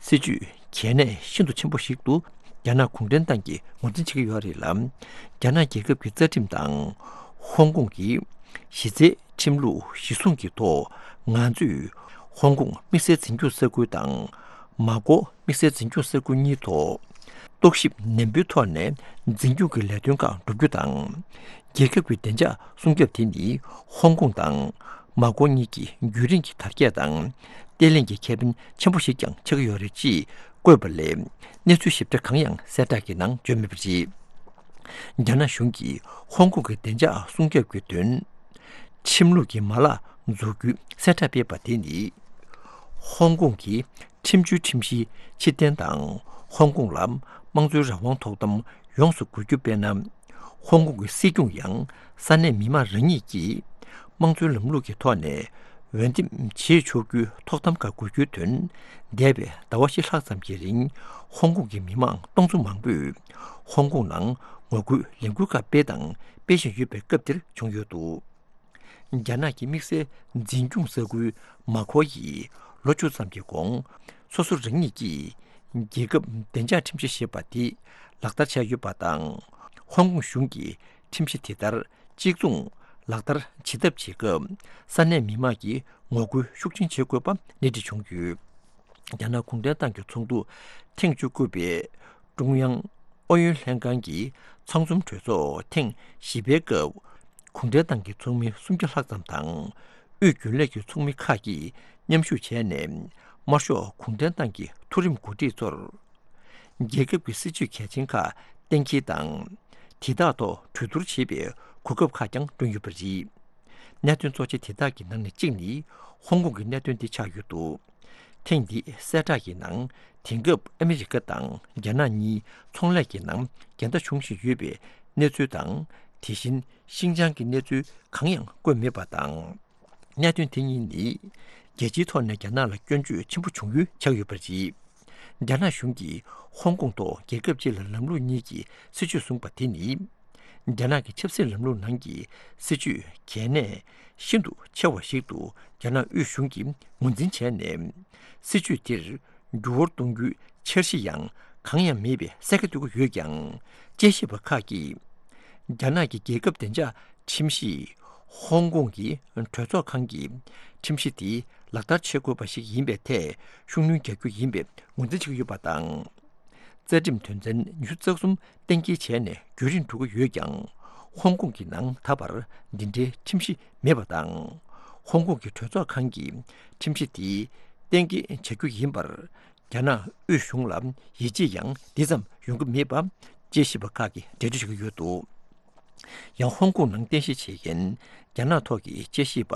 སྲིད་བྱུས་གལ་གནད་ཤིན་ཏུ་ཆེན་པོ་ཞིག་ཏུ་རྒྱ་ནག་གུང་ཁྲན་ཏང་གིས་ངོས་འཛིན་བྱེད་ཀྱི་ཡོད་རེད་ལ། རྒྱ་ནག་རྒྱལ་ཁབ་ཀྱི་རྩ་ཁྲིམས་དང་ཧོང་ཀོང་གི་གཞི་རྩའི་ཁྲིམས་ལུགས་གཞི་བཟུང་གི་ཐོག་ང་ཚོས་ཧོང་ཀོང་དམིགས་བསལ་འཛིན་སྐྱོང་ས་ཁུལ་དང་མ་ཀོ་དམིགས་བསལ་འཛིན་སྐྱོང་ས་ཁུལ་གཉིས་ཐོག་རྟོག་ཞིབ་ནན་པོའི་ཐོག་ནས་འཛིན་སྐྱོང་གི་ལས་དོན་ཁག་བསྒྲུབ་རྒྱུ་དང་། རྒྱལ་ཁབ་ཀྱི་བདེ་འཇགས་སྲུང་སྐྱོབ་དེ་ནི་ཧོང་ཀོང་དང་མ་ཀོ་གཉིས་ཀྱི་རྒྱུན་རིང་གི་དར་རྒྱས་དང་བརྟན་ལྷིང་གི་ཁེ་ཕན་ཆེན་པོ་ཞིག་ཀྱང་ཆགས་ཀྱི་ཡོད་རེད་ཅེས་བཀོད་པ་ལས། གནས་ཚུལ་ཞིབ་ཕྲ་གང་ཡང་གསལ་བསྒྲགས་ཀྱི་ནང་བརྗོད་མེད་པ་རེད། རྒྱ་ནག་གཞུང་གིས་ཧོང་ཀོང་གི་བདེ་འཇགས་སྲུང་སྐྱོབ་ཀྱི་དོན། ཁྲིམས་ལུགས་ཀྱི་མ་ལག་འཛུགས་རྒྱུའི་གསལ་བསྒྲགས་སྤེལ་བ་དེ་ནི། ཧོང་ཀོང་གི་ཁྲིམས་བཅུའི་ཁྲིམས་གཞིའི་ཕྱིར་འཐེན་དང་ཧོང་ཀོང་ལ་དམངས་གཙོའི་རང་དབང་ཐོབ་ཐང་ཡོངས་སུ་དགོས་རྒྱུ་དཔེར་ན། ཧོང་ཀོང་གི་སྲིད་སྐྱོང་ཡང་ས་གནས་མི་མང་རང་ཉིད་ཀྱིས་དམངས་གཙོའི་ལམ་ལུགས་ཀྱི་ཐོག་ནས་འོས་འདེམས་བྱེད་ཆོག་རྒྱུའི་ཐོབ་ཐང་ཁག་དགོས་རྒྱུའི་དོན། འདས་པའི་ཟླ་བ་བཞི་ལྷག་ཙམ་གྱི་རིང་ཧོང་ཀོང་གི་མི་མང་སྟོང་ཚོ་མང་པོས་ཧོང་ཀོང་ནང་ངོ་རྒོལ་ལས་འགུལ་ཁག་སྤེལ་དང་སྤེལ་བཞིན་ཡོད་པའི་སྐབས་འདིར་བྱུང་ཡོད་འདུག་རྒྱ་ནག་གི་དམིགས་བསལ་འཛིན་སྐྱོང་ས་ཁུལ་མ་ཁོ་ཡིས་ལོ་བཅུ་ཙམ་གྱི་གོང་སོ་སོ་རང་ཉིད་ཀྱིས་རྒྱལ་ཁབ་བདེ་འཇགས་ཁྲིམས་གཞི་ཞེས་པ་དེ་ལག་བསྟར་བྱས་ཡོད་པ་དང་། ཧོང་ཀོང་གཞུང་གིས་ཁྲིམས་གཞི་དེ་ལྟར་གཅིག་མཚུངས་ལག་བསྟར་བྱེད་ཐབས་བྱེད་སྐབས་ས་གནས་མི་མང་གིས་ངོ་རྒོལ་ཤུགས་ཆེན་བྱེད་དགོས་པ་སྣེ་ཁྲིད་བྱུང་ཡོད། རྒྱ་ནག་གུང་ཁྲན་ཏང་གི་ཚོགས་འདུ་ཐེངས་བཅུ་དགུ་པའི་ཀྲུང་དབྱང་ཨུ་ཡོན་ལྷན་ཁང་གི་ཚང་འཛོམས་གྲོས་ཚོགས་ཐེངས་བཞི་པའི་སྐབས། གུང་ཁྲན་ཏང་གི་ཚོགས་མི་སུམ་བརྒྱ་ལྷག་ཙམ་དང་། དབུས་རྒྱུན་ལས་ཀྱི་ཚོགས་མི་ཁག་གིས་མཉམ་ཞུགས་བྱས་ནས། དམར་ཤོག་གུང་ཁྲན་ཏང་གི་མཐོ་རིམ་འགོ་ཁྲིད་ཚོར། རྒྱལ་ཁབ་ཀྱི་སྲིད་ཇུས་གལ་ཆེན་ཁག་གཏན་འཁེལ་དང་། དེ་དག་ཐོག་གྲོས་བསྡུར་བྱེད་པའི་གོ་སྐབས་ཁག་ཀྱང་བསྐྲུན་ཡོད་པ་རེད། གནད་དོན་གཙོ་ཆེ་དེ་དག་གི་ནང་ནས་གཅིག་ནི་ཧོང་ཀོང་གི་གནད་དོན་དེ་ཆགས་ཡོད་འདུག་ཐེངས་འདིའི་གསལ་བསྒྲགས་ཀྱི་ནང་དེང་སྐབས་ཨ་མི་རི་ཀ་དང་རྒྱ་ནག་གཉིས་ཚོང་ལས་ཀྱི་ནང་འགལ་ཟླ་འབྱུང་བཞིན་ཡོད་པའི་གནས་ཚུལ་དང་། དེ་བཞིན་ཤིན་ཅང་གི་གནས་ཚུལ་གང་ཡང་བཀོད་མེད་པ་དང་། གནད་དོན་དེ་གཉིས་ནི་རྒྱལ་སྤྱིའི་ཐོག་ནས་རྒྱ་ནག་ལ་སྐྱོན་བརྗོད་ཆེན་པོ་བྱུང་ཡུལ་ཆགས་ཡོད་པ་རེད། རྒྱ་ནག་གཞུང་གིས་ཧོང་ཀོང་ཐོག་རྒྱལ་ཁབ་གཅིག་ལ་ལམ་ལུགས་གཉིས་ཀྱི་སྲིད་བྱུས་བཟུང་བ་དེ་ནི། རྒྱ་ནག་གི་ཆབ་སྲིད་ལམ་ལུགས་ནང་གི་སྲིད་བྱུས་གལ་གནད་ཤིན་ཏུ་ཆེ་བ་ཞིག་ཏུ་རྒྱ་ནག་དབུས་གཞུང་གིས་ངོས་འཛིན་བྱས་ནས། སྲིད་བྱུས་དེར་འགྱུར་བ་གཏོང་རྒྱུའི་འཆར་གཞི་ཡང་གང་ཡང་མེད་པའི་གསལ་ཁ་སྟོན་གྱི་ཡོད་ཀྱང་། དཔྱད་ཞིབ་པ་ཁག་གིས། རྒྱ་ནག་གི་རྒྱལ་ཁབ་བདེ་འཇགས་ཁྲིམས་གཞི། ཧོང་ཀོང་གི་གྲོས་ཚོགས་ཁང་གི་ཁྲིམས་གཞི་དེ་ལག་བསྟར་བྱེད་དགོས་པ་ཞིག་ཡིན་པའི་ཐད་ཤུགས་སྣོན་རྒྱག་རྒྱུ་ཡིན་པའི་ངོས་འཛིན་བྱེད་ཀྱི་ཡོད་པ་དང་། རྩ་ཁྲིམས་དོན་ཚན་ཉི་ཤུ་རྩ་གསུམ་གཏན་འཁེལ་བྱས་ནས་རྒྱུན་རིང་འགྲོ་གི་ཡོད་ཀྱང་། ཧོང་ཀོང་གི་ནང་ད་བར་འདི་འདྲའི་ཁྲིམས་གཞི་མེད་པ་དང་། ཧོང་ཀོང་གི་གྲོས་ཚོགས་ཁང་གིས་ཁྲིམས་གཞི་དེ་གཏན་འཁེལ་བྱ་རྒྱུ་ཡིན་པར། རྒྱ་ནག་དབུས་གཞུང་ལ་ཡིད་ཆེས་ཡང་འདི་ཙམ་ཡོང་གི་མེད་པ། དཔྱད་ཞིབ་པ་ཁག་གིས་འགྲེལ་བརྗོད་བྱེད་ཀྱི་ཡོད་འདུག་ཡང་ཧོང་ཀོང་ནང་རྟེན་གཞི་བྱེད་མཁན་རྒྱ་ནག་ཐོག་གི་དཔྱད་ཞིབ་པ་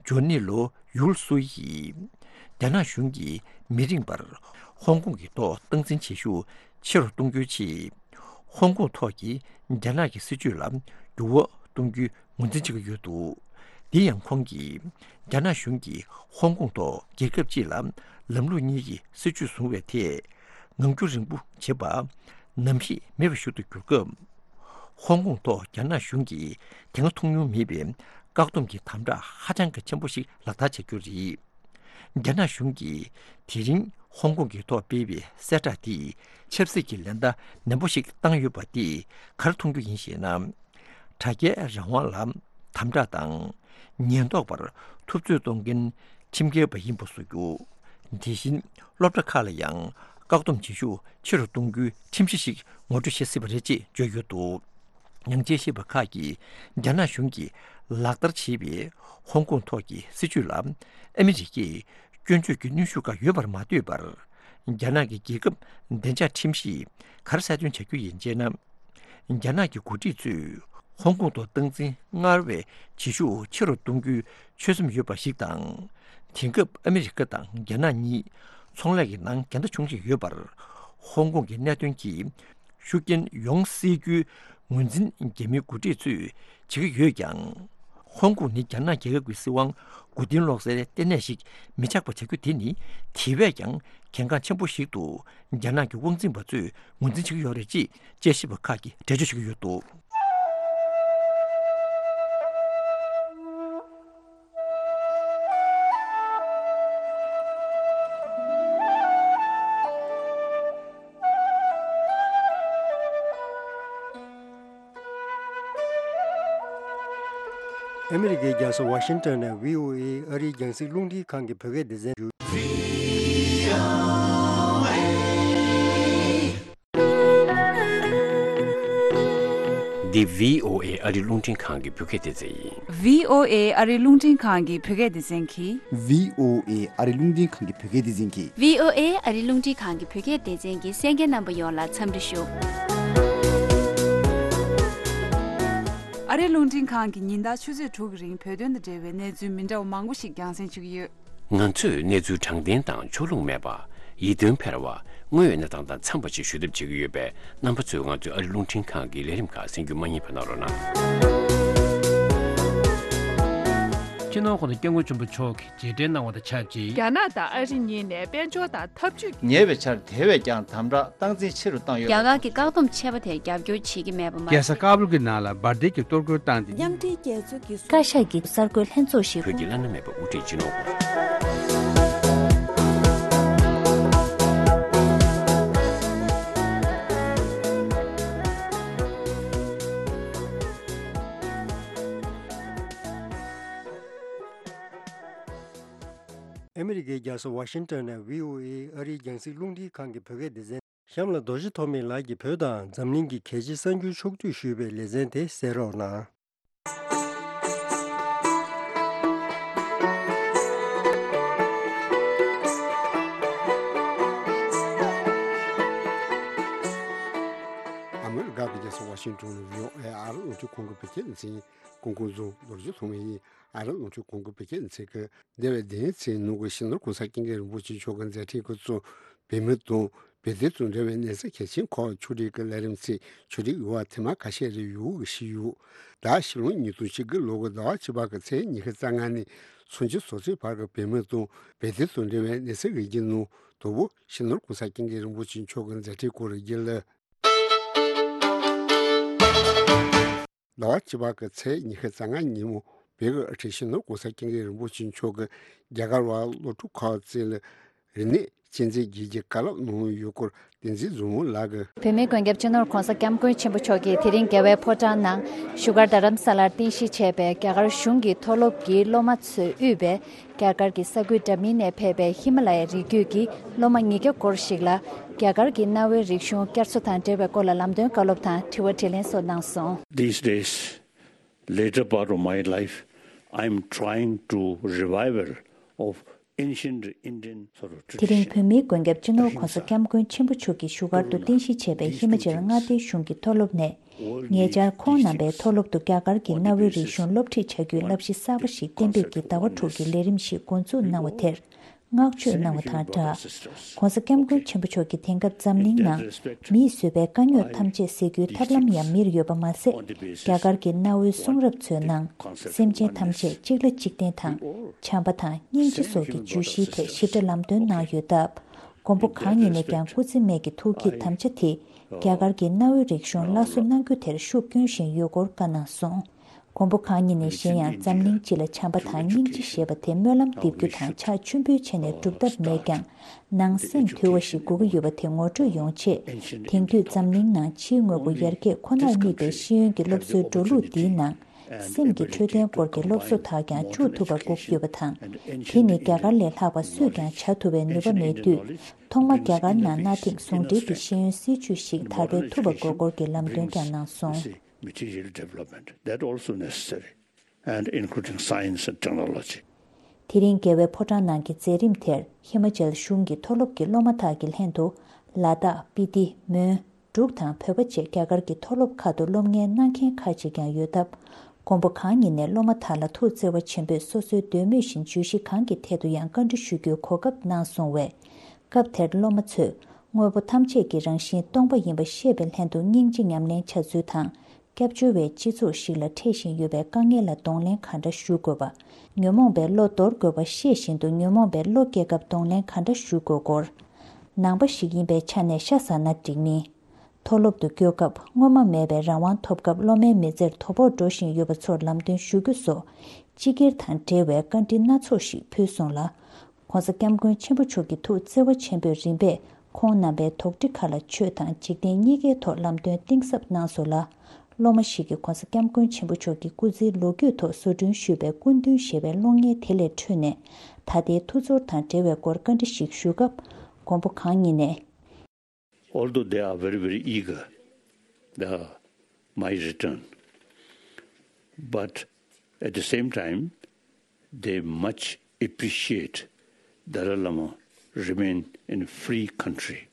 ཇོ་ནི་ལོ་ཡུལ་སུ་ཡིས། རྒྱ་ནག་གཞུང་གིས་མི་རིང་བར་ཧོང་ཀོང་གི་ཐོག་སྟངས་འཛིན་བྱེད་ཤུགས་ཆེ་རུ་གཏོང་རྒྱུའི་ཆེད། ཧོང་ཀོང་ཐོག་གི་རྒྱ་ནག་གི་སྲིད་བྱུས་ལ་འགྱུར་བ་གཏོང་རྒྱུའི་ངོས་འཛིན་བྱེད་ཀྱི་ཡོད་འདུག་འདི་ཡང་ཁོང་གིས་རྒྱ་ནག་གཞུང་གིས་ཧོང་ཀོང་ཐོག་རྒྱལ་ཁབ་གཅིག་ལ་ལམ་ལུགས་གཉིས་ཀྱི་སྲིད་བྱུས་བཟུང་བའི་ཐད་ངང་རྒྱུད་རིང་པོ་བྱེད་པ་ནམ་ཞིག་མེད་པ་ཞིག་ཏུ་གྱུར་སྐབས། ཧོང་ཀོང་ཐོག་རྒྱ་ནག་གཞུང་གིས་དེ་སྔ་མཐོང་མྱོང་མེད་པའི་བཀག་སྡོམ་གྱི་དམ་དྲག་ཧ་ཅང་གི་ཆེན་པོ་ཞིག་ལག་བསྟར་བྱ་རྒྱུ་རེད། རྒྱ་ནག་གཞུང་གིས་དེ་རིང་ཧོང་ཀོང་གི་ཐོག་སྤེལ་བའི་གསལ་བསྒྲགས་དེས་ཆབ་སྲིད་ཀྱི་ལན་གྲངས་ནན་པོ་ཞིག་བཏང་ཡོད་པ་དེས་ག་རེ་མཐོང་རྒྱུ་ཡིན་ཞེ་ན། དྲ་རྒྱའི་རང་དབང་ལ་དམ་དྲག་དང་། ཉེན་རྟོག་པར་འཐབ་རྩོད་གཏོང་མཁན་ཁྲིམས་འགལ་བ་ཡིན་པ་བཟོ་རྒྱུ། དེ་བཞིན་སློབ་གྲྭ་ཁག་ལ་ཡང་བཀག་སྡོམ་བྱེད་ཤུགས་ཆེ་རུ་གཏོང་རྒྱུའི་ཁྲིམས་གཞི་ཞིག་ངོ་སྤྲོད་བྱེད་སྲིད་པ་རེད་ཅེས་བརྗོད་ཡོད་འདུག་ཡང་དཔྱད་ཞིབ་པ་ཁག་གིས་རྒྱ་ནག་གཞུང་གིས་ ལག་བསྟར་བྱས་པའི་ཧོང་ཀོང་ཐོག་གི་སྲིད་བྱུས་ལ་ཨ་མི་རི་ཀས་སྐྱོན་བརྗོད་ཀྱི་གནོན་ཤུགས་ཁག་ཡོད་པར་མ་ལྟོས་པར། རྒྱ་ནག་གི་རྒྱལ་ཁབ་བདེ་འཇགས་ཁྲིམས་གཞིས་ག་རེ་གསལ་སྟོན་བྱ་རྒྱུ་ཡིན་ཅེ་ན། རྒྱ་ནག་གི་འགོ་ཁྲིད་ཚོས་ཧོང་ཀོང་ཐོག་སྟངས་འཛིན་སྔར་བས་བྱེད་ཤུགས་ཆེ་རུ་གཏོང་རྒྱུའི་ཆོད་སེམས་ཡོད་པ་ཞིག་དང་། དེང་སྐབས་ཨ་མི་རི་ཀ་དང་རྒྱ་ནག་གཉིས་ཚོང་ལས་ཀྱི་ནང་འགལ་ཟླ་བྱུང་བཞིན་ཡོད་པར། ཧོང་ཀོང་གི་གནད་དོན་གྱི་ཤུགས་རྐྱེན་ཡོང་སྲིད་རྒྱུའི་ངོས་འཛིན་རྒྱ་མིའི་འགོ་ཁྲིད་ཚོས་བྱེད་ཀྱི་ཡོད་ཀྱང་། ཧོང་ཀོང་ནི་རྒྱ་ནག་རྒྱལ་ཁབ་ཀྱི་སྲིད་དབང་མགོ་རྟིང་སློག་སའི་ལྟེ་གནས་ཤིག་མི་ཆགས་པ་བྱ་རྒྱུ་དེ་ནི་དེ་བས་ཀྱང་གལ་འགངས་ཆེན་པོ་ཞིག་ཏུ་རྒྱ་ནག་གི་དབང་འཛིན་པ་ཚོས་ངོས་འཛིན་བྱེད་ཀྱི་ཡོད་རེད་ཅེས་དཔྱད་ཞིབ་པ་ཁག་གིས་འགྲེལ་བརྗོད་བྱེད་ཀྱི་ཡོད་འདུག། ཨ་མི་རི་ཀའི་རྒྱལ་ས་ཝ་ཤིང་ཏོན་ནས་བྷི་ཨོ་ཨེ་ཨ་རིའི་རྒྱང་སྲིང་རླུང་འཕྲིན་ཁང་གི་བོད་སྐད་སྡེ་ཚན་ཞུ། འདི་བྷི་ཨོ་ཨེ་ཨ་རིའི་རླུང་འཕྲིན་ཁང་གི་བོད་སྐད་སྡེ་ཚན་ཡིན། བྷི་ཨོ་ཨེ་ཨ་རིའི་རླུང་འཕྲིན་ཁང་གི་བོད་སྐད་སྡེ་ཚན་གྱིས། བྷི་ཨོ་ཨེ་ཨ་རིའི་རླུང་འཕྲིན་ཁང་གི་བོད་སྐད་སྡེ་ཚན་གྱིས། བྷི་ཨོ་ཨེ་ཨ་རིའི་རླུང་འཕྲིན་ཁང་གི་བོད་སྐད་སྡེ་ཚན་གྱི་གསན་མཁན་རྣམ་པ་ཡོངས་ལ་འཚམས་འདྲི་ཞུ། ཨ་རིའི་རླུང་འཕྲིན་ཁང་གི་ཉིན་ལྟར་ཆུ་ཚོད་དྲུག་གི་རིང་བོད་དོན་དང་འབྲེལ་བའི་གནས་ཚུལ་མི་འདྲ་བ་མང་པོ་ཞིག་རྒྱང་སྲིང་ཞུ་གི་ཡོད། ང་ཚོས་གནས་ཚུལ་དྲང་བདེན་དང་ཕྱོགས་ལྷུང་མེད་པ། ཡིད་རྟོན་འཕེར་བ། དངོས་ཡོད་གནས་སྟངས་དང་འཚམས་པ་ཞིག་ཞུ་ཐབས་བྱེད་ཀྱི་ཡོད་པས་རྣམ་པ་ཚོས་ང་ཚོའི་ཨ་རིའི་རླུང་འཕྲིན་ཁང་གི་ལས་རིམ་ཁག་གསན་རྒྱུ་མ་བསྙེལ་བ་གནང་རོགས་གནང་། སྤྱི་ནོར་༸གོང་ས་༸སྐྱབས་མགོན་ཆེན་པོ་མཆོག་གིས་རྗེས་དྲན་གནང་བ་དང་ཆབས་ཅིག་རྒྱ་ནག་དང་ཨ་རི་གཉིས་ནས་དཔལ་འབྱོར་དང་འཐབ་ཇུས། ཉེ་བའི་ཆར་དེ་བས་ཀྱང་དམ་དྲག་སྟངས་འཛིན་ཆེ་རུ་བཏང་ཡོད། རྒྱ་གར་གྱི་བཀག་སྡོམ་ཆད་པ་དེར་རྒྱབ་སྐྱོར་བྱེད་ཀྱི་མེད་པ་མ་རྒྱལ་ས་ཟད། ཀ་བུལ་གྱི་ནང་ལ་འབར་མདེལ་གྱི་གཏོར་རྒོལ་བཏང་སྟེ། མཉམ་འབྲེལ་རྒྱལ་ཚོགས་ཀྱི་བཀའ་ཤག་གི་གསར་འགོད་ལྷན་ཚོགས་ཤིག་བོད་ཀྱི་བླ་ན་མེད་པ་དབུ་ཁྲིད་སྤྱི་ནོར་ཨ་མི་རི་ཀའི་རྒྱལ་ས་ཝ་ཤིང་ཏོན་ནས་བྷི་ཨོ་ཨེ་ཨ་རིའི་རྒྱང་སྲིང་རླུང་འཕྲིན་ཁང་གི་བོད་སྐད་སྡེ་ཚན། གཤམ་ལ་རྡོ་རྗེ་ཐོགས་མེད་ལགས་ཀྱིས་བོད་དང་འཛམ་གླིང་གི་གལ་ཆེའི་གསར་འགྱུར་ཕྱོགས་བསྡུས་ཞུས་པའི་ལེ་ཚན་དེ་གསན་རོགས་གནང་། ཨ་མི་རི་ཀ་གི་རྒྱལ་ས་ཝ་ཤིང་ཏོན་ནས་བྷི་ཨོ་ཨེ་ཨ་རིའི་རླུང་འཕྲིན་ཁང་གི་བོད་སྐད་སྡེ་ཚན་ཡིན། སྐུ་ཁམས་བཟང་། རྡོ་རྗེ་ཐོགས་མེད་ཡིན། ཨ་རིའི་རླུང་འཕྲིན་ཁང་གི་བོད་སྐད་སྡེ་ཚན་གྱི་འདས་པའི་བདུན་ཕྲག་ནང་གི་སྤྱི་ནོར་གོང་ས་སྐྱབས་མགོན་རིན་པོ་ཆེ་མཆོག་གི་མཛད་འཕྲིན་གྱིས་གཙོས་བོད་མི་དང་བོད་དོན་དང་འབྲེལ་བའི་གནས་ཚུལ་གལ་ཆེན་ཁག་ཕྱོགས་སྒྲིག་གི་ལས་རིམ་ཚོའི་ཕྱོགས་སྒྲིག་འོག་ཐེངས་མ་ཁ་ཤས་རེ་ཡོང་གི་ཞུས་ཡོད། ད་ཕྱི་ལོ་ཉིས་སྟོང་བཅུ་དགུ་ལོ་གི་ཟླ་བ་བཅུ་པ་གི་ཚེས་ཉི་ཤུ་རྩ་ལྔ་ནས་ཚེས་ཉི་ཤུ་རྩ་དྲུག་བར་གྱི་བོད་མི་དང་བོད་དོན་དང་འབྲེལ་བའི་གནས་ཚུལ་ཡིག་ཆའི་ནང་དང་པོ་སྤྱི་ནོར་གོང་ས་སྐྱབས་མགོན་རིན་པོ་ཆེ་མཆོག་གི་མཛད་འཕྲིན་སྐོར་ཡིག་ལ། ཟླ་བ་བཅུ་པ་གི་ཚེས་ཉི་ཤུ་རྩ་ལྔ་ཉིན་མོ་བོད་ཀྱི་དབུ་ཁྲིད་སྤྱི་ནོར་གོང་ས་སྐྱབས་མགོན་རིན་པོ་ཆེ་མཆོག་གིས་རྒྱ་གར་བ་སློབ་ཕྲུག་ཁག་བཅས་ལ་རིག་གནས་གཅེས་འཛིན་བྱེད་རྒྱུའི་བཀའ་སློབ་གནང་ཡོད་སྐོར་བསྟན་འཛིན་བཟང་མོ་ལགས་ཀྱིས། བོད་མིའི་མགོན་སྐྱབས་སྤྱི་ནོར་གོང་ས་སྐྱབས་མགོན་ཆེན་པོ་མཆོག་གིས་དེ་རིང་རྒྱལ་བའི་ཕོ་བྲང་ནང་བཞུགས་སྒར་རྡ་རམ་ས་ལར་རྟེན་གཞི་བྱས་པའི་རྒྱ་གར་གཞུང་གི་མཐོ་སློབ་ཀྱི་སློབ་མ་ཚོས་དབུས་པའི་རྒྱ་གར་གྱི་ས་ཁུལ་འདྲ་མིན་ནས་ཕེབས་པའི་ཧི་མ་ལ་ཡའི་རི་རྒྱུད་ཀྱི་སློབ་མ་ཉིས་བརྒྱ་སྐོར་ཞིག་ལ་རྒྱ་གར་གྱི་གནའ་བོའི་རིག་གཞུང་བསྐྱར་གསོ་དང་འབྲེལ་བའི་སྐོར་ལ་ལམ་སྟོན་བཀའ་སློབ་དང་དྲི་བ་དྲིས་ལན་སོགས་གནང་སོང་། These days, later part of my life, I am trying to revival of ancient Indian sort of tradition. དེ་རིང་བོད་མིའི་མགོན་སྐྱབས་སྤྱི་ནོར་གོང་ས་སྐྱབས་མགོན་ཆེན་པོ་མཆོག་གིས་བཞུགས་སྒར་དུ་རྟེན་གཞི་བྱས་པའི་ཧི་མ་ཅལ་མངའ་སྡེའི་གཞུང་གི་མཐོ་སློབ་ནས། ཉེ་ཆར་ཁོང་རྣམ་པའི་མཐོ་སློབ་ཏུ་རྒྱ་གར་གྱི་གནའ་བོའི་རིག་གཞུང་སློབ་ཁྲིད་བྱ་རྒྱུའི་བསླབ་གཞི་གསར་པ་ཞིག་གཏན་འབེབས་ཀྱིས་ཟླ་བ་དྲུག་གི་ལས་རིམ་ཞིག་འགོ་འཛུགས་གནང་བ་དེར་བསྔགས་བརྗོད་གནང་བ་དང་སྦྲགས། ྋགོང་ས་ྋསྐྱབས་མགོན་ཆེན་པོ་མཆོག་གིས་དེང་སྐབས་འཛམ་གླིང་ནང་མིས་བཟོས་པའི་དཀའ་རྙོག་ཐམས་ཅད་སེལ་རྒྱུའི་ཐབས་ལམ་ཡང་མེར་ཡོད་པ་མ་ཟད། རྒྱ་གར་གྱི་གནའ་བོའི་གསུང་རབ་ཚོའི་ནང་། སེམས་ཅན་ཐམས་ཅད་གཅིག་ལ་གཅིག་བརྟེན་དང་། བྱམས་པ་དང་སྙིང་རྗེ་སོགས་ཀྱི་བརྗོད་གཞིའི་ཐད་ཞིབ་ཕྲ་ལམ་སྟོན་གནང་ཡོད་སྟབས། མགོན་པོ་གང་ཉིད་ནས་ཀྱང་སྐུ་ཚེ་སྨད་ཀྱི་ཐུགས་བསྐྱེད་དམ་བཅའ་དེ། རྒྱ་གར་གྱི་གནའ་བོའི་རིག་གཞུང་སླར་གསོ་གནང་རྒྱུ་དེར་ཤུགས་བསྐྱོན་བཞིན་ཡོད་སྐོར་བཀའ་གནང་སོང་། མགོན་པོ་གང་ཉིད་ནས་གཞན་ཡང་འཛམ་གླིང་སྤྱི་ལ་བྱམས་པ་དང་སྙིང་རྗེ་ཞེས་པ་དེ་སྨོན་ལམ་འདེབས་རྒྱུ་དང་ཕྱག་མཆོད་འབུལ་བྱས་ནས་སྒྲུབ་ཐབས་མེད་ཀྱང་། ནང་སེམས་དུལ་བ་ཞིག་དགོས་ཀྱི་ཡོད་པ་དེ་ངོ་སྤྲོད་ཡོང་ཆེད། དེང་དུས་འཛམ་གླིང་ནང་ཕྱིའི་དངོས་པོ་ཡར་རྒྱས་ཁོ་ནར་དམིགས་པའི་ཤེས་ཡོན་གྱི་སློབ་གསོའི་འགྲོ་ལུགས་འདིའི་ནང་། སེམས་ཀྱི་འཕྲོད་བསྟེན་སྐོར་གྱི་སློབ་གསོ་དག་ཀྱང་བཅུག་ཐུབ་པ་དགོས་ཀྱི་ཡོད་པ་དང་། དེ་ནི་རྒྱ་གར་ལས་ལྷག་པ་སུས་ཀྱང་བྱ་ཐུབ་པའི་ནུས་པ་མེད་དུས། ཐོག་མ་རྒྱ་གར་ནང་གནའ་དེང་ཟུང་འབྲེལ་གྱི་ཤེས་ཡོན་སྲིད་བྱུས་ཤིག་དར་སྤེལ་ཐུབ་པ་དགོས་སྐོར་གྱི་ལམ་སྟོན་ཀྱང་གནང་སོང་། Material development, that also necessary. and including science and technology. དེ་རིང་རྒྱལ་བའི་ཕོ་བྲང་ནང་གི་མཛད་རིམ་དེར་ཧི་མ་ཅལ་གཞུང་གི་མཐོ་སློབ་ཀྱི་སློབ་མ་དག་གི་ལྷན་དུ་ལ་དྭགས། སྤི་ཏི། མོན། འབྲུག་དང་བོད་པ་བཅས་རྒྱ་གར་གྱི་མཐོ་སློབ་ཁག་ཏུ་སློབ་གཉེར་གནང་མཁན་ཁག་ཅིག་ཀྱང་ཡོད་སྟབས། མགོན་པོ་གང་ཉིད་ནས་སློབ་མ་དག་ལ་ཐུགས་བརྩེ་བ་ཆེན་པོས་སོ་སོའི་འདོད་མོས་བཞིན་བརྗོད་གཞི་གང་གི་ཐད་དུ་ཡང་བཀའ་འདྲི་ཞུ་རྒྱུའི་གོ་སྐབས་གནང་སོང་བས། སྐབས་དེར་སློབ་མ་ཚོས་དངོས་པོ་ཐམས་ཅད་ཀྱི་རང་བཞིན་སྟོང་པ་ཡིན་པ་ཤེས་པའི་ལྷན་དུ་སྙིང་རྗེ་ཉམས་ལེན་བྱ་ཚུལ་དང་། སྐྱབས་བཅོལ་བའི་སྤྱི་ཚོགས་ཤིག་ལ་འཕྲད་བཞིན་ཡོད་པའི་དཀའ་ངལ་ལ་གདོང་ལེན་ག་འདྲ་ཞུ་དགོས་པ། ཉོན་མོངས་པའི་བློ་འདོར་དགོས་པ་ཤེས་བཞིན་དུ་ཉོན་མོངས་པའི་བློ་སྐྱེ་སྐབས་གདོང་ལེན་ག་འདྲ་ཞུ་དགོས་སྐོར། ནང་པ་ཞིག་ཡིན་པའི་ཆ་ནས་ཤ་ཟ་ན་འགྲིག་མིན། མཐོ་སློབ་ཏུ་བསྐྱོད་སྐབས་སྔོན་མ་མེད་པའི་རང་དབང་ཐོབ་སྐབས་སློབ་མའི་མི་ཚེར་དོ་ཕོག་འགྲོ་བཞིན་ཡོད་པ་ཚོར་ལམ་སྟོན་ཞུ་རྒྱུ་སོགས་སྤྱི་སྒེར་དང་འབྲེལ་བའི་བཀའ་འདྲི་སྣ་ཚོགས་ཤིག་ཕུལ་སོང་ལ། ༸གོང་ས་སྐྱབས་མགོན་ཆེན་པོ་མཆོག་གི་ཐུགས་བརྩེ་བ་ཆེན་པོས་རིམ་པས་ཁོང་རྣམ་པའི་དོགས་འདྲི་ཁག་ལ་ཆོས་དང་འཇིག་རྟེན་གཉིས་ཀའི་ཐོག་ལམ་སྟོན་གཏིང་ཟབ་གནང་སོང་ལ། སློབ་མ་ཞིག་གིས་༸གོང་ས་སྐྱབས་མགོན་ཆེན་པོ་མཆོག་གི་སྐུ་ཚེའི་ལོ་རྒྱུས་ཐོག་བཟོ་སྐྲུན་ཞུས་པའི་སྐུ་མདུན་ཞེས་པའི་གློག་བརྙན་དེ་ལས་འཕྲོས་ནས། ད་ལྟའི་ཐུགས་ཚོར་དང་འབྲེལ་བའི་སྐོར་བཀའ་འདྲི་ཞིག་ཞུ་སྐབས། མགོན་པོ་གང་ཉིད་ནས། Although they are very, very eager, the, my return, but at the same time, they much appreciate Dalai Lama remain in free country,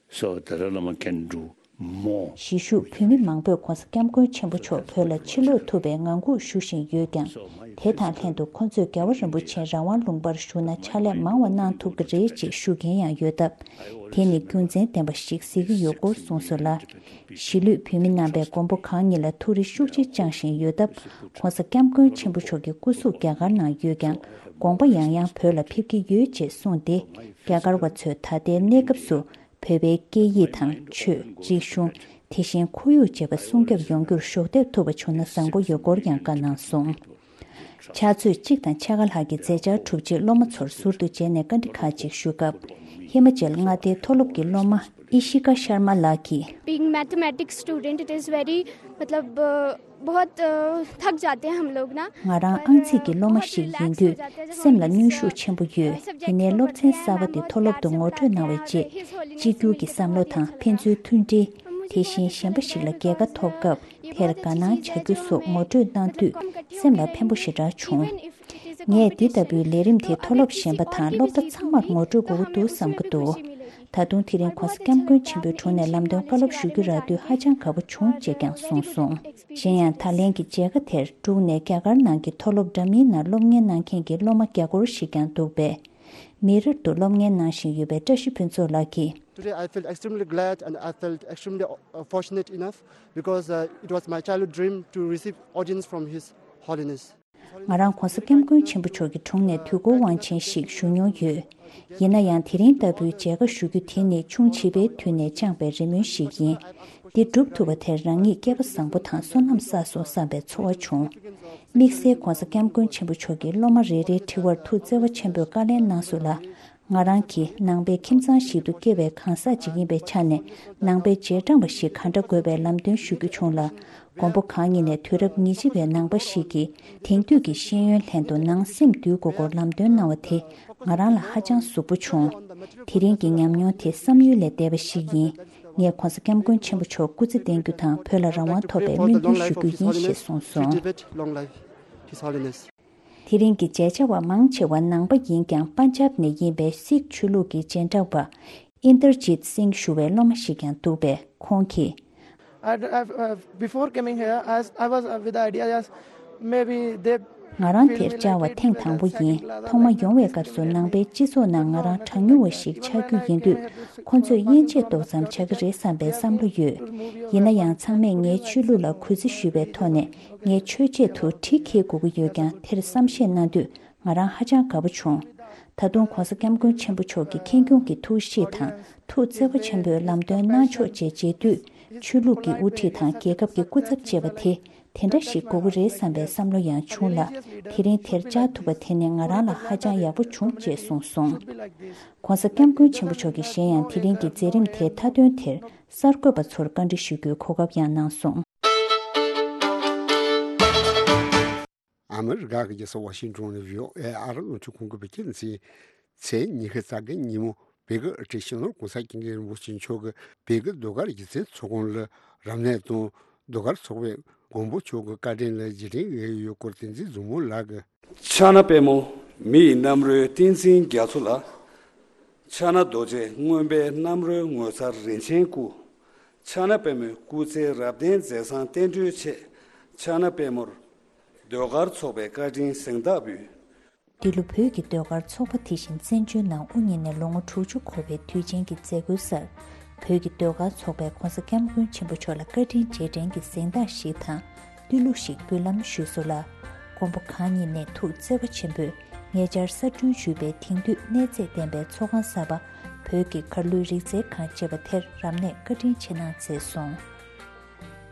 so Dalai Lama can do more. གཞིས་བཞུགས་བོད་མི་མང་པོས་༸གོང་ས་སྐྱབས་མགོན་ཆེན་པོ་མཆོག་བོད་ལ་ཕྱིར་ལོག་ཐུབ་པའི་ངང་སྒུག་ཞུ་བཞིན་ཡོད་ཀྱང་། དེ་དང་ལྷན་དུ་ཁོང་ཚོས་རྒྱལ་བ་རིན་པོ་ཆེ་རང་དབང་ལུང་པར་བཞུགས་ན་ཕྱག་ལས་མང་བ་གནང་ཐུབ་ཀྱི་རེད་ཅེས་ཞུ་མཁན་ཡང་ཡོད་སྟབས། དེ་ནི་རྒྱུ་མཚན་ལྡན་པ་ཞིག་གཟིགས་ཀྱི་ཡོད་སྐོར་གསུངས་སོང་ལ། གཞིས་ལུས་བོད་མི་རྣམ་པས་མགོན་པོ་གང་ཉིད་ལ་ཐུགས་རེ་ཤུགས་ཆེ་བཅངས་བཞིན་ཡོད་སྟབས། ༸གོང་ས་སྐྱབས་མགོན་ཆེན་པོ་མཆོག་གི་སྐུ་གཟུགས་རྒྱ་གར་ནང་ཡོད་ཀྱང་། དགོངས་པ་ཡང་ཡང་བོད་ལ་ཕེབས་ཀྱི་ཡོད་ཅེས་གསུངས་ཏེ། རྒྱ་གར་བ་ཚོས་ད་ལྟའི་གནས་སྐབས་སུ་བོད་པའི་སྐད་ཡིག་དང་ཆོས། རིག་གཞུང་། དེ་བཞིན་ཁོར་ཡུག་བཅས་པ་སྲུང་སྐྱོབ་ཡོང་རྒྱུར་གཞོགས་འདེགས་ཐུབ་པ་བྱུང་ན་བཟང་པོ་ཡོད་སྐོར་ཡང་བཀའ་གནང་སོང་། ཕྱག་ཚོད་གཅིག་དང་ཕྱེད་ཀ་ལྷག་གི་མཛད་འཆར་གྲུབ་རྗེས་སློབ་མ་ཚོར་ཟུར་དུ་མཇལ་ནས་བཀའ་འདྲི་ཁག་ཅིག་ཞུ་སྐབས། ཧི་མ་ཅལ་མངའ་སྡེའི་མཐོ་སློབ་ཀྱི་སློབ་མ་ཨི་ཤི་ཀ་ཤར་མ་ལགས་ཀྱིས། Being mathematics student, it is very, मतलब, बहुत, अ, थक जाते हैं हम लोग ना। ང་རང་ཨང་རྩིས་ཀྱི་སློབ་མ་ཞིག་ཡིན་དུས་སེམས་ལ་གནོན་ཤུགས་ཆེན་པོ་ཡོད། ཡིན་ནའི་སློབ་ཚན་གསར་པ་དེ་མཐོ་སློབ་ཏུ་ངོ་སྤྲོད་གནང་བའི་རྗེས། གཅིག་གྱུར་གྱི་བསམ་བློ་དང་ཕན་ཚུན་མཐུན་སྒྲིལ། དེ་བཞིན་གཞན་པ་ཞིག་ལ་རྒྱལ་ཁ་ཐོབ་སྐབས་དེར་དགའ་སྣང་བྱ་རྒྱུ་སོགས་ངོ་སྤྲོད་གནང་དུས་སེམས་ལ་ཕན་པོ་ཞེ་དྲག་བྱུང་། ངས་འདི་ལྟ་བུའི་ལས་རིམ་དེ་མཐོ་སློབ་གཞན་པ་དང་སློབ་གྲྭ་ཚང་མར་ངོ་སྤྲོད་དགོས་ཀྱི་འདུག་བསམ་གྱི་འདུག་ད་དུང་དེ་རིང་༸གོང་ས་༸སྐྱབས་མགོན་ཆེན་པོའི་དྲུང་ནས་ལམ་སྟོན་བཀའ་སློབ་ཞུ་རྒྱུ་རག་དུས་ཧ་ཅང་དགའ་པོ་བྱུང་ཅེས་ཀྱང་གསུངས་སོང་། གཞན་ཡང་ད་ལན་གྱི་མཇལ་ཁ་དེར་འབྲུག་ནས་རྒྱ་གར་ནང་གི་མཐོ་སློབ་འདྲ་མིན་ནང་སློབ་གཉེར་གནང་མཁན་གྱི་སློབ་མ་བརྒྱ་སྐོར་ཞིག་ཀྱང་འདུག་པས། མི་རབས་ཏུ་སློབ་གཉེར་གནང་བཞིན་ཡོད་པའི་བཀྲ་ཤིས་ཕུན་ཚོགས་ལགས་ཀྱིས། Today I felt extremely glad and I felt extremely, uh, fortunate enough because, uh, it was my childhood dream to receive audience from His Holiness. ང་རང་༸གོང་ས་༸སྐྱབས་མགོན་ཆེན་པོ་མཆོག་གི་དྲུང་ནས་དུས་འཁོར་དབང་ཆེན་ཞིག་ཞུ་མྱོང་ཡོད། ཡིན་ན་ཡང་དེ་རིང་ལྟ་བུའི་མཇལ་ཁ་ཞུ་རྒྱུ་དེ་ནི་ཆུང་བྱིས་པའི་དུས་ནས་བཅངས་པའི་རེ་སྨོན་ཞིག་ཡིན། འདི་འགྲུབ་ཐུབ་པ་དེར་རང་ཉིད་སྐལ་པ་བཟང་པོ་དང་བསོད་ནམས་བསགས་སོང་བསམ་པའི་ཚོར་བ་བྱུང་། དམིགས་བསལ་༸གོང་ས་༸སྐྱབས་མགོན་ཆེན་པོ་མཆོག་གིས་སློབ་མ་རེ་རེའི་དྲི་བར་ཐུགས་བརྩེ་བ་ཆེན་པོས་བཀའ་ལན་གནང་སོང་ལ། ང་རང་གིས་ནང་པའི་ཁྱིམ་ཚང་ཞིག་ཏུ་སྐྱེས་པའི་གང་ཟག་ཅིག་ཡིན་པའི་ཆ་ནས་ནང་པའི་རྗེས་འབྲང་བ་ཞིག་ག་འདྲ་དགོས་པའི་ལམ་སྟོན་ཞུ་རྒྱུ་བྱུང་ལ། མགོན་པོ་གང་ཉིད་ནས་དུས་རབས་ཉེར་གཅིག་པའི་ནང་པ་ཞིག་གིས་དེང་དུས་ཀྱི་ཤེས་ཡོན་ལྷན་དུ་ནང་སེམས་འདུལ་དགོས་སྐོར་ལམ་སྟོན་གནང་བ་དེ་ང་རང་ལ་ཧ་ཅང་ཟུག་པོ་བྱུང་། དེ་རིང་གི་ཉམས་མྱོང་དེ་བསམ་ཡུལ་ལས་འདས་པ་ཞིག་ཡིན། ངས་༸གོང་ས་༸སྐྱབས་མགོན་ཆེན་པོ་མཆོག་སྐུ་ཚེ་བརྟན་རྒྱུ་དང་བོད་ལ་རང་དབང་ཐོབ་པའི་སྨོན་འདུན་ཞུ་རྒྱུ་ཡིན་ཞེས་གསུངས་སོང་། དེ་རིང་གི་མཇལ་བཅར་བ་མང་ཆེ་བ་ནང་པ་ཡིན་ཀྱང་པན་ཇབ་ནས་ཡིན་པའི་སིག་ཆོས་ལུགས་ཀྱི་རྗེས་འབྲང་པ་ཨིན་དར་ཇིད་སིང་ཞུ་བའི་སློབ་མ་ཞིག་ཀྱང་འདུག་པས་ཁོང་གིས། I, I, uh, before coming here, I, I was, uh, with the idea, yes, maybe they ང་རང་དེར་བཅར་བ་ཐེངས་དང་པོ་ཡིན། ཐོག་མ་ཡོང་བའི་སྐབས་སུ་ནང་པའི་སྤྱི་ཚོགས་ནང་ང་རང་གྲངས་ཉུང་བ་ཞིག་ཆགས་རྒྱུ་ཡིན་དུས་ཁོ་ཚོས་དབྱེ་འབྱེད་ཏོག་ཙམ་བྱ་གི་རེད་བསམ་པའི་བསམ་བློ་ཡོད། ཡིན་ན་ཡང་ཚང་མས་ངའི་ཆོས་ལུགས་ལ་གུས་བརྩི་ཞུས་པའི་ཐོག་ནས་ངའི་ཆོས་ཆེད་དུ་གྲི་འཁྱེར་དགོས་ཀྱི་ཡོད་ཀྱང་དེར་བསམ་ཤེས་གནང་དུས་ང་རང་ཧ་ཅང་དགའ་པོ་བྱུང་། ད་དུང་༸གོང་ས་༸སྐྱབས་མགོན་ཆེན་པོ་མཆོག་གི་ཁེངས་སྐྱུང་གི་ཐུགས་གཤིས་དང་ཐུགས་བརྩེ་བ་ཆེན་པོས་ལམ་སྟོན་གནང་ཕྱོགས་བཅས་མཇལ་དུས་ཆོས་ལུགས་ཀྱི་དབུ་ཁྲིད་དང་རྒྱལ་ཁབ་ཀྱི་སྐུ་ཚབ་བཅས་པ་དེ་དེ་འདྲ་ཞིག་དགོས་ཀྱི་རེད་བསམ་པའི་བསམ་བློ་ཡང་བྱུང་ལ། དེ་རིང་དེར་བཅར་ཐུབ་པ་དེ་ནི་ང་རང་ལ་ཧ་ཅང་ཡག་པོ་བྱུང་ཅེས་གསུངས་སོང་། ༸གོང་ས་༸སྐྱབས་མགོན་ཆེན་པོ་མཆོག་གིས་གཞན་ཡང་དེ་རིང་གི་མཛད་རིམ་དེའི་མཐའ་དོན་དེར་གསར་འགོད་པ་ཚོར་བཀའ་འདྲི་ཞུ་རྒྱུའི་གོ་སྐབས་ཡང་གནང་སོང་། ཨ་མི་རི་ཀ་གི་རྒྱལ་ས་ཝ་ཤིང་ཏོན་ནས་བྷི་ཨོ་ཨེ་ཨ་རི་རླུང་འཕྲིན་ཁང་གི་བོད་སྐད་སྡེ་ཚན། ཚེས་ཉི་ཤུ་རྩ་བརྒྱད་ཉིན་མོ་བོད་ཀྱི་སྲིད་སྤྱི་ནོར་༸གོང་ས་༸སྐྱབས་མགོན་རིན་པོ་ཆེ་མཆོག་གིས་བོད་ཀྱི་ཟློས་གར་སྒྱུ་རྩལ་ཚོགས་ཁང་ལ་རབ་གནས་དང་ཟློས་གར་ཚོགས་པའི་ མགོན་པོ་མཆོག་གི་བཀའ་དྲིན་ལ་རྗེས་དྲན་ཡོད་སྐོར་བསྟན་འཛིན་མཛོ་མོ་ལགས་ཀྱིས། ཕྱག་ན་པདྨོ་མི་ཡི་རྣམ་རོལ་བསྟན་འཛིན་རྒྱ་མཚོ་ལ། ཕྱག་ན་རྡོ་རྗེ་མངོན་པའི་རྣམ་རོལ་ངོ་མཚར་རིན་ཆེན་སྐུ། ཕྱག་ན་པདྨོའི་སྐུ་ཚེ་རབ་བརྟན་མཛད་བཟང་བསྟན་འགྲོའི་ཆེད། ཕྱག་ན་པདྨོར་ཟློས་གར་ཚོགས་པའི་བཀའ་དྲིན་གཟེངས་རྟགས་འབུལ། འདི་ལོ་བོད་ཀྱི་ཟློས་གར་ཚོགས་པ་དེ་བཞིན་བཙན་བྱོལ་ནང་དབུ་བརྙེས་ནས་ལོ་ངོ་དྲུག་ཅུ་འཁོར་བའི་དུས་ཆེན་གྱི་མཛད་སྒོའི་སར། བོད་ཀྱི་ཟློས་གར་ཚོགས་པས་༧གོང་ས་༧སྐྱབས་མགོན་ཆེན་པོ་མཆོག་ལ་བཀའ་དྲིན་རྗེས་དྲན་གྱི་གཟེངས་རྟགས་ཤིག་དང་། བསྟོད་གླུ་ཞིག་འབུལ་ལམ་ཞུས་སོང་ལ། མགོན་པོ་གང་ཉིད་ནས་ཐུགས་བརྩེ་བ་ཆེན་པོས་ཉེ་ཆར་གསར་སྐྲུན་ཞུས་པའི་དེང་དུས་གནས་རྩེ་ལྡན་པའི་ཚོགས་ཁང་གསར་པ། བོད་ཀྱི་གར་གླུའི་རིག་རྩལ་ཁང་ཅེས་པ་དེར་རབ་གནས་བཀའ་དྲིན་ཆེ་གནང་མཛད་སོང་།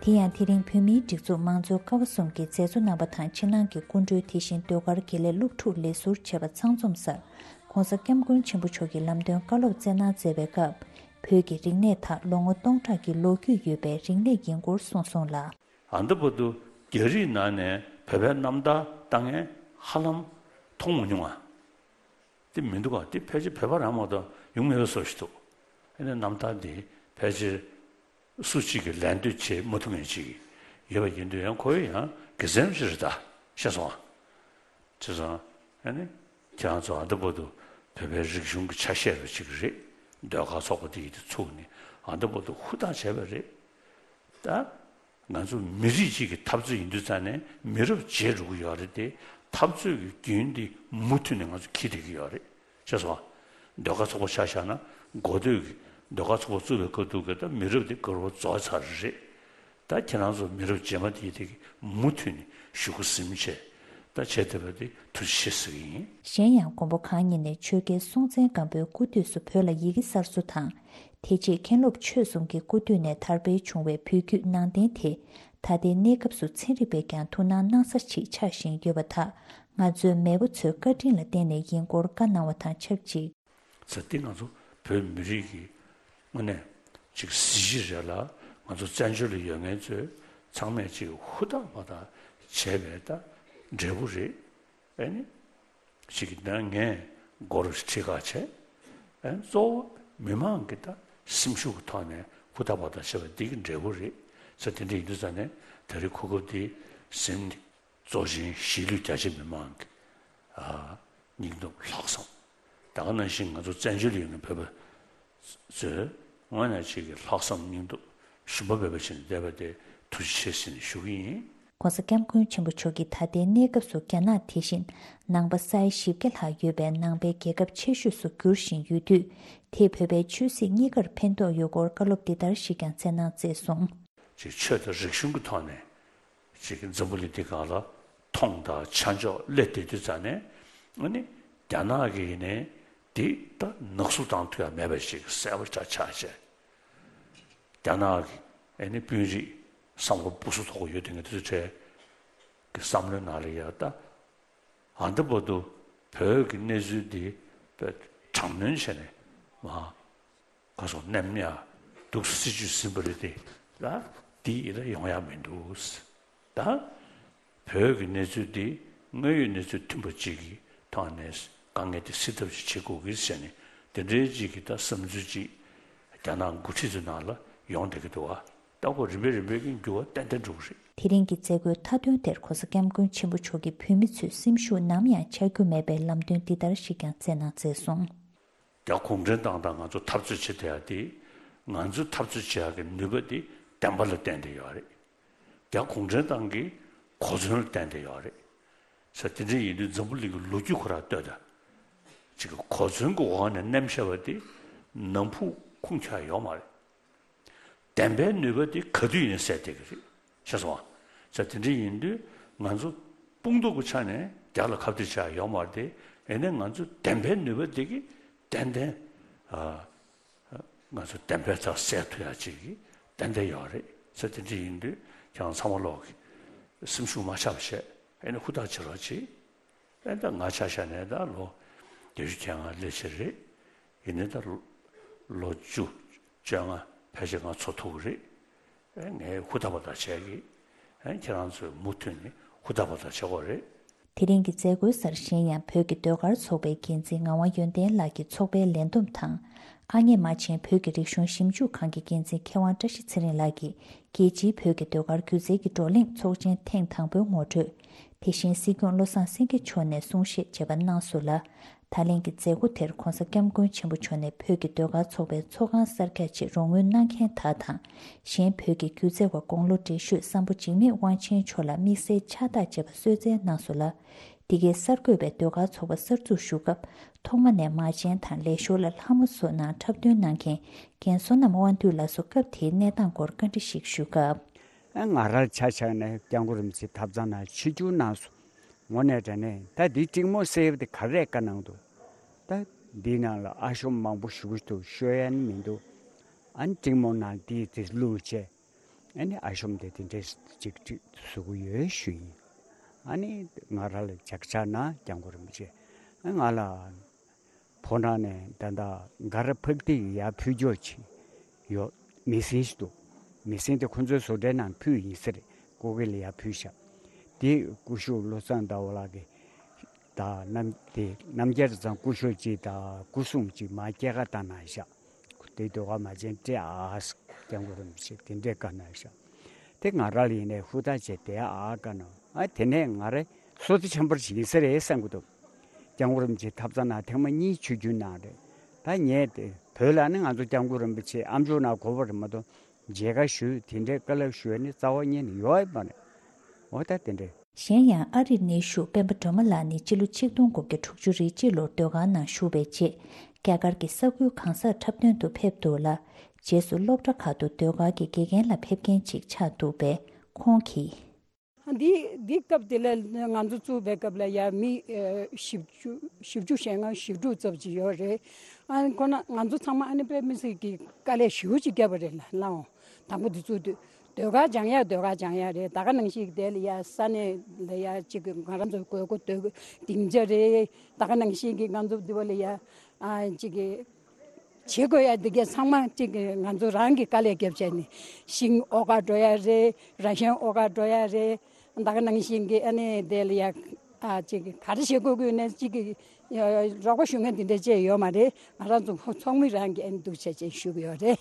དེ་ཡང་དེ་རིང་བོད་མིའི་སྒྲིག་འཛུགས་མང་གཙོའི་ཀ་བ་གསུམ་གྱི་མཛད་གཙོ་རྣམ་པ་དང་ཕྱི་ནང་གི་སྐུ་མགྲོན་དེ་བཞིན་ཟློས་གར་དགེ་ལས་སློབ་ཕྲུག་ལས་ཟུར་བཅས་པ་ཚང་འཛོམས་སར་༧གོང་ས་༧སྐྱབས་མགོན་ཆེན་པོ་མཆོག་གིས་ལམ་སྟོན་བཀའ་སློབ་སྩལ་གནང་མཛད་པའི་སྐབས། བོད་ཀྱི་རིག་གནས་དག་ལོ་ངོ་སྟོང་ཕྲག་གི་ལོ་རྒྱུས་ཡོད་པའི་རིག་གནས་ཡིན་སྐོར་གསུངས་སོང་ལ། ཨ་འདི་བར་དུ་རྒྱ་རིགས་ནང་ནས་བོད་པའི་རྣམ་ཐར་ལྟ་མཁན་ཧ་ལམ་མཐོང་མ་མྱོང་ང་། དེ་མི་འདུག་ག་དེ་ཕལ་ཆེར་བོད་པ་རང་མ་གཏོགས་ཡོང་མེད་པའི་བཟོ་ཞིག་འདུག་ཨ་ནི་རྣམ་ཐར་འདི་ཕལ་ཆེར་སུ་གཅིག་གིས་ལད་ཟློས་བྱེད་མ་ཐུབ་མཁན་ཅིག་ཡོད་པ་ཡིན་དུས་ཡང་ཁོ་ཡང་དགེ་མཚན་ཞིག་རེད་ད། ཤེས་སོང་ང་། བྱས་ཙང་ཨ་ནི་ཁྱེད་རང་ཚོ་ཨ་འདི་བར་དུ་བོད་པའི་རིག་གཞུང་གི་ཆ་ཤས་རུ་ཅིག་རེད། ཟློས་གར་ཚོགས་པ་འདི་ཡིན་དུས་ཚུགས་ནས་ཨ་འདི་བར་དུ་ཧུར་ཐག་བྱས་པ་རེད་ད། ང་ཚོ་མི་རིགས་གཅིག་གི་འཐབ་རྩོད་ཡིན་དུས་ཙང་ནས་མི་རབས་བརྗེ་འགྲོ་གི་ཡོད་རེད་དེ། འཐབ་རྩོད་ཀྱི་རྒྱུན་འདི་མུ་མཐུད་ནས་ང་ཚོ་འཁྱེར་བསྡད་ཀྱི་ཡོད་རེད། ཤེས་སོང་ང་། ཟློས་གར་ཚོགས་པ་ཆ་བཞག་ན་འགོ་སྟོད་ཀྱི་ཟློས་གར་ཚོགས་པ་བཙུགས་པའི་སྐབས་དུས་ཀྱི་ད་མི་རབས་འདི་ག་རུ་རྫོགས་ཚར་རེད། ད་ཁྱེད་རང་ཚོ་མི་རབས་རྗེས་མ་དེ་དེ་གི་མུ་མཐུད་ནས་ཤུགས་ཟིན་བྱས་ད་བྱས་བསྡད་པ་དེ་ཐུགས་རྗེ་ཆེ་ཟེར་གྱི་ཡིན། གཞན་ཡང་མགོན་པོ་གང་ཉིད་ནས་ཆོས་རྒྱལ་སྲོང་བཙན་སྒམ་པོའི་སྐུ་དུས་སུ་བོད་ལ་ཡི་གེ་གསར་བཟོ་དང་། དེ་རྗེས་མཁན་སློབ་ཆོས་གསུམ་གྱི་སྐུ་དུས་ནས་དར་སྤེལ་བྱུང་བའི་བོད་བརྒྱུད་ནང་བསྟན་དེ། ད་ལྟའི་གནས་སྐབས་སུ་ཚན་རིག་པས་ཀྱང་ཐུགས་སྣང་གནང་ས་ཞིག་ཆགས་བཞིན་ཡོད་པ་དག་ང་ཚོའི་མེས་པོ་ཚོའི་བཀའ་དྲིན་ལ་བརྟེན་ནས་ཡིན་སྐོར་བཀའ་གནང་བ་དང་ཆབས་ཅིག་ཚེ་འདི་ང་ཚོ་བོད་མི་རིགས་ཀྱི་དངོས་གནས་ཅིག་གཟི་བརྗིད་རེད་ལ། ང་ཚོ་བཙན་བྱོལ་ལ་ཡོད་མཁན་ཚོས་ཚང་མས་ཅིག་ཧུར་ཐག་པ་ཐག་བྱས་པའི་ད་འབྲས་བུ་རེད། ཨེ་ནི། ཅིག་ད་ངས་མགོ་རུ་ཁྲིད་ཁ་བྱས། ཨེ་གཙོ་བོ་མི་མང་གི་ད་སེམས་ཤུགས་ཀྱི་ཐོག་ནས་ཧུར་ཐག་པ་ཐག་བྱས་པ་འདི་གི་འབྲས་བུ་རེད་ཟེར། དེ་འདྲ་ཡིན་དུས་ཙང་ནས་ད་རེས་གོ་སྐབས་འདི་ཟིན་ནས། གཙོ་ཆེན་གཞིས་ལུས་རྒྱ་ཆེ་མི་མང་གི་ཨ་སྙིང་སྟོབས་ལྷག་བསམ། ད་ག་ནང་བཞིན་ང་ཚོ་བཙན་བྱོལ་ཡོད་མཁན་བོད་པ་ཚོས་དངོས་གནས་ཅིག་གི་ལྷག་བསམ་སྙིང་སྟོབས་ཞུམ་པ་མེད་པ་བྱས་ནས་བསྡད་པ་དེ་ཐུགས་རྗེ་ཆེ་ཟེར་ནས་ཞུ་གི་ཡིན། ༸གོང་ས་༸སྐྱབས་མགོན་ཆེན་པོ་མཆོག་གིས་ད་ལྟའི་གནས་སྐབས་སུ་རྒྱ་ནག་དེ་བཞིན་ནང་པ་ས་ཡ་བཞི་བརྒྱ་ལྷག་ཡོད་པའི་ནང་པའི་རྒྱལ་ཁབ་ཆེ་ཤོས་སུ་འགྱུར་བཞིན་ཡོད་དུས། དེས་བོད་པའི་ཆོས་སྲིད་གཉིས་ཀར་ཕན་ཐོགས་ཡོད་སྐོར་བཀའ་སློབ་འདི་ལྟར་ཞིག་ཀྱང་སྩལ་གནང་མཛད་སོང་། ཅིག་ཆོས་དང་རིག་གཞུང་གི་ཐོག་ནས། ཅིག་འཛམ་བུ་གླིང་འདི་སྒང་ལ་མཐོང་དང་ཆ་འཇོག་སླེབས་བསྡད་དུས་ཙང་ནས། ཨ་ནི་རྒྱ་ནག་གིས་ནི་འདི་ད་ནག་བསུབ་བཏང་ཐུབ་ཡ་མེད་པ་ཞིག་གསལ་པོ་ཆགས་ཆགས་བྱས། རྒྱ་ནག་གི་ཨ་ནི་དཔོན་རིགས་བསམ་བློ་སྦུ་སུ་ཐོག་ཡོད་དེ་ངས་དུས་ཚོད་གི་བསམ་བློའི་ནང་ལ་ཡ་ད་ཨ་འདི་བར་དུ་བོད་ཀྱི་གནས་ཚུལ་འདི་དཔེ་དྲག་གནོན་བྱས་ནས་མ། ག་སོང་ནམ་ཡང་སྡུག་སྲིད་ཇུས་ཟིན་པ་རེད་དེ་ལ་འདི་ཡི་ལ་ཡོང་ཡ་མི་འདུག་ད་བོད་ཀྱི་གནས་ཚུལ་འདི་དངོས་ཡོད་གནས་ཚུལ་མཐུན་པ་གཅིག་གི་ཐོག་ནས་དཀའ་ངལ་དེ་སེལ་ཐབས་ཤིག་བྱེད་དགོས་ཀྱི་ཟེར་ནས་དེ་འདྲའི་གཅིག་གི་ད་བསམ་ཚུལ་གཅིག་རྒྱ་ནག་འགོ་ཁྲིད་ཚོའི་ནང་ལ་ཡོང་བསྡད་ཀྱི་འདུག་བ། ད་ཁོ་རིམ་པས་རིམ་པས་ཀྱི་འགྱུར་བ་ཏན་ཏན་འགྲོ་གི་རེད། དེ་རིང་གི་མཛད་སྒོའི་མཐའ་དོན་དེར་གོང་ས་སྐྱབས་མགོན་ཆེན་པོ་མཆོག་གིས་བོད་མི་ཚོའི་སེམས་ཤུགས་ནམ་ཡང་ཆག་རྒྱུ་མེད་པའི་ལམ་སྟོན་འདི་ལྟར་ཞིག་ཀྱང་སྩལ་གནང་མཛད་སོང་། རྒྱ་གུང་ཁྲན་ཏང་དང་ང་ཚོ་འཐབ་རྩོད་བྱེད་བསྡད་ཡ་དེ། ང་ཚོ་འཐབ་རྩོད་བྱེད་ཡ་གི་ནུས་པ་དེ་བདེན་པ་ལ་བརྟེན་ཏེ་ཡོད་རེད། རྒྱ་གུང་ཁྲན་ཏང་གི་གོ་མཚོན་ལ་བརྟེན་ཏེ་ཡོད་རེད། ས་དེ་འདྲ་ཡིན་དུས་འཛམ་བུ་གླིང་གི་ལོ་རྒྱུས་ཁོ་རང་ལྟོས་དང་། ཅིག་གི་གོ་མཚོན་གྱི་འོག་ནས་མནན་བཞག་པ་དེ་ནམ་ཕུགས་ཁུངས་འཁྱོལ་ཡོད་མ་རེད། བདེན་པའི་ནུས་པ་དེ་ག་དུས་ཡིན་ཟེར་བསྡད་ཀྱི་རེད། ཤེས་སོང་ང་། ས་དེ་འདྲ་ཡིན་དུས་ང་ཚོ་དཔུང་སྟོབས་ཀྱི་ཆ་ནས་རྒྱ་ལ་ཁ་གཏད་བྱ་ཡོད་མ་རེད་དེ། ཡིན་ནའི་ང་ཚོ་བདེན་པའི་ནུས་པ་དེ་གི་ཏན་ཏན་ཨ། ང་ཚོ་བདེན་པའི་རྩ་གསལ་ཐུབ་ཡ་ཅིག་གི་ཏན་ཏན་ཡོད་རེད། ས་དེ་འདྲ་ཡིན་དུས་ཁྱེད་རང་ཚང་མ་ལོག་གི་སེམས་ཤུགས་མ་ཆག་པ་བྱས། ཨེ་ནི་ཧུར་ཐག་བྱེད་རོགས་གྱིས། ཨེ་ད་ང་ཆ་བཞག་ནས་ད་ལོ་བརྒྱད་ཅུ་གྱ་ལྔ་སླེབས་ཕྱིན་རེད། ཡིན་ནའི་ད་ལོ་བཅུ་བཅོ་ལྔ་ཕལ་ཆེར་ང་འཚོ་ཐུབ་ཀྱི་རེད། ཨེ་ངས་ཧུར་ཐག་པ་ཐག་བྱས་ཀྱི། ཨེ་ཁྱེད་རང་ཚོས་མུ་མཐུད་ནས་ཧུར་ཐག་པ་ཐག་བྱེད་དགོས་རེད། དེ་རིང་གི་མཛད་སྒོའི་སར་གཞན་ཡང་བོད་ཀྱི་ཟློས་གར་ཚོགས་པའི་འགན་འཛིན་ངག་དབང་ཡོན་ཏན་ལགས་ཀྱིས་ཚོགས་པའི་ལས་བསྡོམས་དང་། དཀའ་ངལ་མ་བྱན་བོད་ཀྱི་རིག་གཞུང་ཞིབ་འཇུག་ཁང་གི་འགན་འཛིན་མཁས་དབང་བཀྲ་ཤིས་ཚེ་རིང་ལགས་ཀྱིས། རྒྱལ་སྤྱིའི་བོད་ཀྱི་ཟློས་གར་སྒྱུ་རྩལ་གྱི་བགྲོ་གླེང་ཚོགས་ཆེན་ཐེངས་དང་པོའི་ངོ་སྤྲོད། དེ་བཞིན་སྲིད་སྐྱོང་བློ་བཟང་སེང་གེ་མཆོག་ནས་གསུང་བཤད་བྱས་པ་གནང་སོང་ལ། ད་ལན་གྱི་མཛད་སྒོ་དེར་༧གོང་ས་༧སྐྱབས་མགོན་ཆེན་པོ་མཆོག་ནས་བོད་ཀྱི་ཟློས་གར་ཚོགས་པའི་ཚོགས་ཁང་གསར་རྒྱག་ཆེད་རོགས་དངུལ་གནང་མཁན་དག་དང་། གཞན་བོད་ཀྱི་སྒྱུ་རྩལ་བ་དགུང་ལོ་བགྲེས་ཤོས་སམ་བྷོ་འཇིགས་མེད་དབང་ཆེན་མཆོག་ལ་དམིགས་བསལ་ཕྱག་རྟགས་བཅས་པ་གསོལ་སྩལ་གནང་སོང་ལ། འདི་གའི་གསར་འགོད་པས་ཟློས་གར་ཚོགས་པ་གསར་འཛུགས་ཞུ་སྐབས། ཐོག་མ་ནས་མ་བྱན་དང་ལས་ཞོར་ལ་ལྷ་མོ་བཟོ་གནང་འཁྲབ་སྟོན་གནང་མཁན་རྒན་བསོད་ནམས་དབང་འདུས་ལགས་སུ་སྐབས་དེའི་གནས་སྟངས་སྐོར་བཀའ་འདྲི་ཞིག་ཞུས་སྐབས། ཨ། ང་རང་ཆ་བཞག་ནས་སྐྱབས་མགོན་རིན་པོ་ཆེ་ཐབ་ཚང་ནང་ཆིབས་བསྒྱུར་གནང་སོང་། དངོས་གནས་དྲང་གནས་ད་འདི་ཀྲིང་མོ་ཟེར་བ་དེ་ག་རེ་བཀའ་གནང་འདུག་ད་འདི་ནང་ལ་ཨ་ཤོམ་མང་པོ་ཞུ་གི་འདུག་ཤོད་ཡ་ནི་མི་འདུག་ཨ་ནི་ཀྲིང་མོ་ནང་དེའི་དེ་བླུགས་བྱས། ཨ་ནི་ཨ་ཤོམ་དེ་དེ་འདྲས་ཅིག་ཅིག་བཟོ་གི་ཡོད་ཞུ་ཡིན། ཨ་ནི་ང་རང་ལ་ཅག་ཅག་ན་སྐྱབས་མགོན་རིན་པོ་ཆེ། ཨ་ང་ལ་ཕོ་བྲང་ནས་ད་ལྟ་ག་ར་ཕག་ཏི་ཡར་ཕུལ་ཆོག་ཅིག་ཡོད། མེ་ཤིན་ཞིག་འདུག་མེ་ཤིན་དེ་ཁོ་ཚོའི་བཟོ་གྲྭའི་ནང་ཕུལ་ཡིན་ཟེར། སྐུ་སྒེར་ལ་ཡར་ཕུལ་ཤག་དེ་སྐུ་ཞབས་བློ་བཟང་ཟླ་བ་ལགས་ཀྱིས་ད་རྣམ་དེ་རྣམ་རྒྱལ་ཚང་སྐུ་ཞབས་ཅིག་དང་སྐུ་སྲུང་ཅིག་མར་སྐྱེལ་ཀ་བཏང་གནང་ཤག་དེ་ཟློས་གར་མ་བྱན་སྤྲད་ཨ། སྐྱབས་མགོན་རིན་པོ་ཆེ་དེ་འདྲས་བཀའ་གནང་ཤག་དེ་ང་རང་ལ་ཡིན་ནའི་ཧུར་ཐག་བྱས་དེ་ཨ་བཀའ་གནང་། ཨ་དེ་ནས་ང་རེ་བསོད་བདེ་ཆེན་པོ་ཞིག་ཡིན་ས་རེད་བསམ་གྱི་འདུག་སྐྱབས་མགོན་རིན་པོ་ཆེ་ཐབ་ཚང་ནང་ཐེངས་མ་གཉིས་ཆིབས་བསྒྱུར་གནང་རེད། ད་ངས་དེ་བོད་ལ་ནི་ང་ཚོ་སྐྱབས་མགོན་རིན་པོ་ཆེ་ཨ་མཆོག་ནང་གོ་བ་རེད་མ་གཏོགས་མཇལ་ཁ་ཞུས་དེ་འདྲའི་བཀའ་སློབ་ཞུ་ཡ་ནི་རྩ་བ་ཉིད་ནས་ཡོད་མ་རེད། འོ་ད་དེ་འདྲས། གཞན་ཡང་ཨ་རིར་གནས་བཞུགས་སྤེན་པ་སྒྲོལ་མ་ལགས་ནི་སྤྱི་ལོ་ཆིག་སྟོང་དགུ་བརྒྱ་དྲུག་ཅུ་རེ་གཅིག་ལོར་ཟློས་གར་ནང་ཞུགས་པའི་རྗེས། རྒྱ་གར་གྱི་ས་ཁུལ་གང་སར་འཁྲབ་སྟོན་དུ་ཕེབས་འདུག་ལ། རྗེས་སུ་སློབ་གྲྭ་ཁག་ཏུ་ཟློས་གར་གྱི་དགེ་རྒན་ལ་ཕེབས་མཁན་ཅིག་ཆགས་འདུག་པས། ཁོང་གིས། འདི་འདི་སྐབས་དེ་ལ་ང་ཚོ་བཙུགས་པའི་སྐབས་ལ་ཡ་མི་ཨ་བཞི་བཅུ་བཞི་བཅུ་ཞེ་ལྔ་བཞི་དྲུག་ཙམ་ཅིག་ཡོད་རེད། ཨ་ཁོ་ན་ང་ཚོ་ཚང་མ་ཨ་ནི་དཔེ་མི་སྲིད་ཀྱི་དཀའ་ལས་ཞེ་པོ་ཅིག་བརྒྱབ་པ་རེད་ལ་ལའོ། དང་པོ་འདི་ཚོ་དུས་ཟློས་གར་སྦྱང་ཡ་ཟློས་གར་སྦྱང་ཡ་རེད། ད་ག་ནང་བཞིན་དེ་ལ་ཡ་ས་གནས་ལ་ཡ་གཅིག་གི་ང་རང་ཚོ་དགོས་མཁོ་ཟློས་གར་སྡིངས་ཆ་རེད། ད་ག་ནང་བཞིན་གྱི་ང་ཚོ་འདི་བ་ལ་ཡ་ཨ་གཅིག་གི་བྱེད་དགོས་ཡ་འདི་གས་ཚང་མ་གཅིག་གི་ང་ཚོ་རང་གི་དཀའ་ལས་བརྒྱབ་བྱས་ནས་ཤིང་ཨོ་ག་འགྲོ་ཡ་རེད། ར་ཤན་ཨོ་ག་འགྲོ་ཡ་རེད། ད་ག་ནང་བཞིན་གྱི་ཨ་ནི་དེ་ལ་ཡ་ཨ་གཅིག་གི་ག་རེ་བྱེད་དགོས་དགོས་ནས་གཅིག་གི་རོགས་པ་ཞུ་མཁན་འདི་འདྲ་བཅས་ཡོད་མ་རེད། ང་རང་ཚོ་ཚོགས་མི་རང་གི་ཨ་ནི་འདུག་བྱས་བྱས་ཞུ་གི་ཡོད་རེད།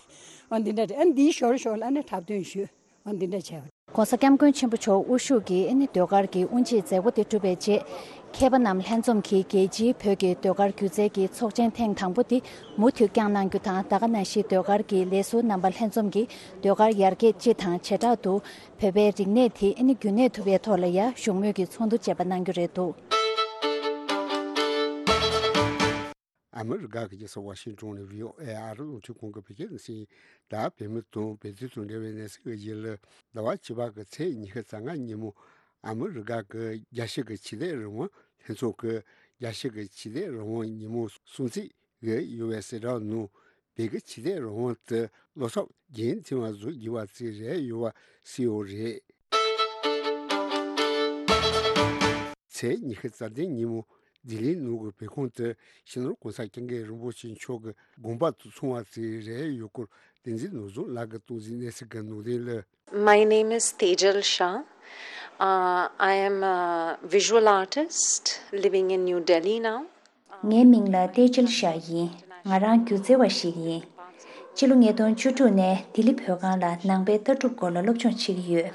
ཨ་འདི་འདྲ་རེད། ཨ་འདིའི་ཞོར་ཞོར་ལ་ཨ་ནི་འཁྲབ་སྟོན་ཞུས། ཨ་འདི་འདྲ་བྱས། ྋགོང་ས་ྋསྐྱབས་མགོན་ཆེན་པོ་མཆོག་དབུ་བཞུགས་ཀྱིས་ཨ་ནི་ཟློས་གར་གྱི་དབུ་འབྱེད་མཛད་སྒོ་དེ་གྲུབ་པའི་རྗེས། མཁས་པ་རྣམས་ལྷན་འཛོམས་ཀྱིས་རྒྱལ་སྤྱིའི་བོད་ཀྱི་ཟློས་གར་སྒྱུ་རྩལ་གྱི་ཚོགས་ཆེན་ཐེངས་དང་པོ་དེ་མུ་མཐུད་བསྐྱངས་གནང་རྒྱུ་དང་། ད་ག་ནང་བཞིན་ཟློས་གར་གྱི་ལས་ཟུར་རྣམ་པ་ལྷན་འཛོམས་ཀྱིས་ཟློས་གར་ཡར་རྒྱས་སྤྱི་དང་བྱེ་བྲག་ཏུ་བོད་པའི་རིག་གནས་དེ་ཨ་ནི་རྒྱུན་གནས་ཐུབ་པའི་ཐོག་ལ་ཡ་བཞུགས་མོལ་གྱི་ཚོགས་འདུ་བཅས་པ་གནང་རྒྱུ་རེད་འདུག་ཨ་མི་རི་ཀ་གི་རྒྱལ་ས་ཝ་ཤིང་ཊོན་ནས་བྷི་ཨོ་ཨེ་ཨ་རི་རླུང་འཕྲིན་ཁང་གི་བོད་སྐད་སྡེ་ཚན་ཡིན། ད་བོད་མི་དང་བོད་དོན་དང་འབྲེལ་བའི་གནས་ཚུལ་གྱི་ཡུལ་ལ། ཟླ་བ་བཅུ་པ་གི་ཚེས་ཉི་ཤུ་རྩ་ལྔ་ཉིན་མོ་ཨ་མི་རི་ཀ་གི་རྒྱལ་སྤྱི་གི་ཆོས་དད་རང་དབང་ལྷན་ཚོགས་ཀྱི་རྒྱལ་སྤྱི་གི་ཆོས་དད་རང་དབང་ཉིན་མོ་སྲུང་བརྩི་གི་ཡོད་པའི་གསལ་བསྒྲགས་ནང་། བོད་ཀྱི་ཆོས་དད་རང་དབང་དེ་བློ་འཚབ་རྒྱུན་འཛིན་པ་བཟོ་དགོས་པ་ཞིག་རེད་ཡོད་པ་གསལ་པོ་རེད། ཚེས་ཉི་ཤུ་རྩ་བདུན་ཉིན་མོ་ལྡི་ལིའི་ནང་གི་བོད་ཁང་དུ་སྤྱི་ནོར་༧གོང་ས་༧སྐྱབས་མགོན་རིན་པོ་ཆེ་མཆོག་གི་དགོངས་པ་དང་མཚུངས་པ་ཞིག་རེད་ཡོད་སྐོར་བསྟན་འཛིན་ནོར་བཟང་ལགས་ཀྱིས་གཏོང་གཟིགས་གནས་ཚུལ་གྱི་ནང་དོན་ལ། My name is Tejal Shah. Uh, I am a visual artist living in New Delhi now. ངའི་མིང་ལ་ཏེ་ཇལ་ཤཱ་ཡིན། ང་རང་སྒྱུ་རྩལ་བ་ཞིག་ཡིན། སྤྱི་ལོ་ཉིས་སྟོང་བཅུ་དྲུག་ནས་ལྡི་ལི་བོད་ཁང་ལ་ནང་པའི་ལྟ་གྲུབ་སྐོར་ལ་སློབ་སྦྱོང་བྱེད་ཀྱི་ཡོད།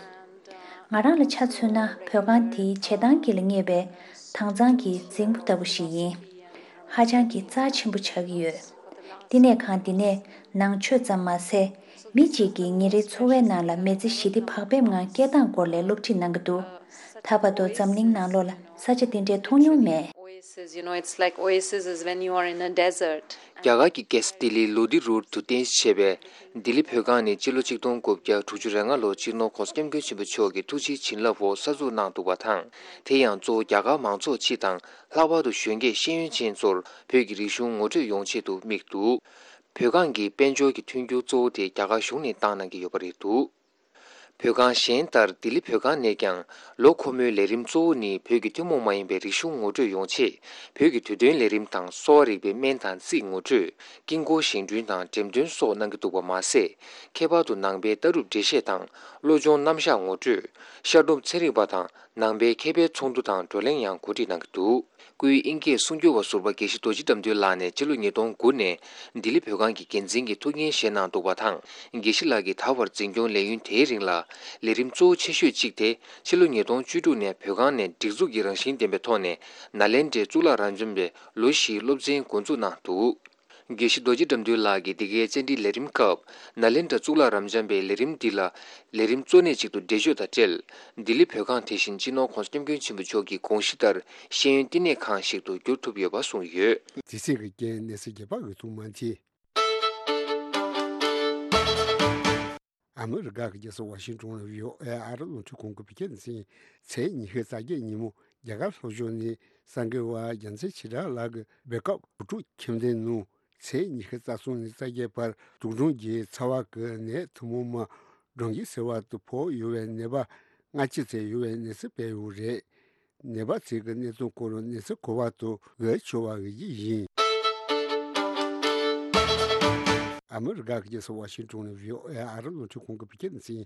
ང་རང་ལ་ཆ་མཚོན་ན་བོད་ཁང་དེའི་བྱེ་ཐང་དཀྱིལ་ལ་རྙེད་པའི་དྭངས་གཙང་གི་རྫིང་བུ་ལྟ་བུ་ཞིག་ཡིན། ཧ་ཅང་གི་རྩ་ཆེན་པོ་ཆགས་ཀྱི་ཡོད། བསྟི་གནས་ཁང་འདི་ནས་ནང་ཆོས་ཙམ་མ་ཟད། མི་གཅིག་གིས་ཉིན་རེའི་འཚོ་བའི་ནང་ལ་མི་ཚེ་ཞི་བདེ་བག་ཕེབས་ངང་སྐྱེལ་སྟངས་སྐོར་ལ་སློབ་ཁྲིད་གནང་གི་འདུག་ད་བར་དུ་འཛམ་གླིང་ནང་ལོགས་ལ་ས་ཆ་དེ་འདྲའི་མཐོང་མྱོང་མེད། Oasis, you know, it's like oasis is when you are in a desert. རྒྱ་གར་གྱི་རྒྱལ་ས་ལྡི་ལིའི་ལོ་ལྡི་རོལ་དུ་རྟེན་གཞི་བྱས་པའི་ལྡི་ལི་བོད་ཁང་ནི་སྤྱི་ལོ་ཆིག་སྟོང་དགུ་བརྒྱ་དྲུག་ཅུ་རེ་ལྔ་ལོར་སྤྱི་ནོར་༧གོང་ས་༧སྐྱབས་མགོན་ཆེན་པོ་མཆོག་གི་ཐུགས་རྗེའི་བྱིན་རླབས་འོག་གསར་འཛུགས་གནང་འདུག་པ་དང་། དེ་ཡང་གཙོ་བོ་རྒྱ་གར་མང་ཚོགས་སྤྱི་དང་། ལྷག་པར་དུ་གཞོན་སྐྱེས་ཤེས་ཡོན་ཅན་ཚོར་བོད་ཀྱི་རིག་གཞུང་ངོ་སྤྲོད་ཡོང་ཆེད་དུ་དམིགས་འདུག་བོད་ཁང་གི་དཔལ་འབྱོར་གྱི་མཐུན་འགྱུར་གཙོ་བོ་དེ་རྒྱ་གར་གཞུང་ནས་བཏང་གནང་གི་ཡོད་པ་རེད་འདུག་བོད་ཁང་གཞན་ལྟར་ལྡི་ལི་བོད་ཁང་ནས་ཀྱང་ལོ་འཁོར་མོའི་ལས་རིམ་གཙོ་བོ་ནི་བོད་ཀྱི་ཐུན་མོང་མ་ཡིན་པའི་རིག་གཞུང་ངོ་སྤྲོད་ཡོང་ཆེད་བོད་ཀྱི་དུས་སྟོན་ལས་རིམ་དང་གསོ་བ་རིག་པའི་སྨན་དང་རྩིས་ངོ་སྤྲོད། དཀྱིལ་འཁོར་བཞེངས་སྐྲུན་དང་འགྲེམས་སྟོན་སོགས་གནང་གི་འདུག་པ་མ་ཟད། ཁྱད་པར་དུ་ནང་པའི་ལྟ་གྲུབ་འགྲེལ་བཤད་དང་བློ་སྦྱོང་རྣམ་གཞག་ངོ་སྤྲོད། ཤར་གདོང་ཚན་རིག་པ་དང་ནང་པའི་མཁས་པའི་ཚོགས་འདུ་དང་བགྲོ་གླེང་ཡང་གོ་སྒྲིག་གནང་གི་འདུག་སྐུའི་ཨིན་སྐད་གསུང་སྒྱུར་བ་ཟུར་པ་དགེ་བཤེས་རྡོ་རྗེ་དགྲ་འདུལ་ལགས་ནས་ཕྱི་ལོ་ཉིས་སྟོང་དགུ་ནས་ལྡི་ལི་བོད་ཁང་གི་འགན་འཛིན་གྱི་ཐུགས་འགན་བཞེས་གནང་འདུག་པ་དང་། དགེ་བཤེས་ལགས་ཀྱིས་ད་བར་འཛིན་སྐྱོང་ལས་ཡུན་དེའི་རིང་ལ་ལས་རིམ་གཙོ་བོ་ཆེ་ཤོས་གཅིག་དེ་ཕྱི་ལོ་ཉིས་སྟོང་བཅུ་དྲུག་ནས་བོད་ཁང་ནས་སྒྲིག་འཛུགས་ཀྱི་རང་བཞིན་ལྡན་པའི་ཐོག་ནས་ནཱ་ལེནྡྲའི་གཙུག་ལག་རབ་འབྱམས་པའི་ལོ་བཞིའི་སློབ་ཚན་འགོ་འཛུགས་གནང་འདུག་དགེ་བཤེས་རྡོ་རྗེ་དགྲ་འདུལ་ལགས་ཀྱིས་འདི་གའི་བཅར་འདྲིའི་ལས་རིམ་སྐབས་ནཱ་ལེནྡྲ་གཙུག་ལག་རབ་འབྱམས་པའི་ལས་རིམ་འདི་ལ་ལས་རིམ་གཙོ་གནད་ཅིག་ཏུ་འགྲེལ་བརྗོད་དང་འབྲེལ། ལྡི་ལི་བོད་ཁང་དེ་བཞིན་སྤྱི་ནོར་༸གོང་ས་༸སྐྱབས་མགོན་ཆེན་པོ་མཆོག་གི་དགོངས་གཞི་ལྟར་ཤེས་ཡོན་བསྟི་གནས་ཁང་ཞིག་ཏུ་འགྱུར་ཐུབ་ཡོད་པ་གསུངས་ཡོད། དེ་སྲིད་ཀྱི་རྐྱེན་གནས་ཚུལ་རྒྱས་པ་འོད་ཐུང་མ་མཐིལ། ཨ་མི་རི་ཀ་གི་རྒྱལ་ས་ཝ་ཤིང་ཏོན་ལ་ཡོད་ཨེ་ཨ་རི་རླུང་འཕྲིན་ཁང་གི་བོད་སྐད་སྡེ་ཚན་ཚེས་ཉི་ཤུ་རྩ་བརྒྱད་ཉིན་མོ་རྒྱ་གར་ལྷོ་ཕྱོགས་ནས་གསར་འགོད་པ་རྒྱལ་མཚན་ཆོས་གྲགས་ལགས་ཀྱི་སྦེལ་ཀོབ་བོད་ཕྲུག་ཁྱིམ་སྡེའི་ནང་ཚེས་ཉི་ཤུ་རྩ་གསུམ་ནས་རྩ་བརྒྱད་བར་དུག་སྦྲང་གི་ཚ་བ་གི་ནད་ཐུན་མོང་མ་སྦྲང་གི་སེར་བ་དུ་ཕོག་ཡོད་པའི་ནད་པ་ལྔ་བཅུ་ཙམ་ཡོད་པའི་གནས་ཚུལ་སྤེལ་ཡོད་རེད། ནད་པ་ཚོས་ཀྱི་གནས་ཚུལ་སྐོར་གནས་ཚུལ་གོ་བ་དུ་འོས་ཆོག་པ་འོས་ཀྱི་ཡིན། ཨ་མི་རི་ཀ་གི་རྒྱལ་ས་ཝ་ཤིང་ཏོན་ནས་བྷི་ཨོ་ཨེ་ཨ་རི་རླུང་འཕྲིན་ཁང་གི་བོད་སྐད་སྡེ་ཚན་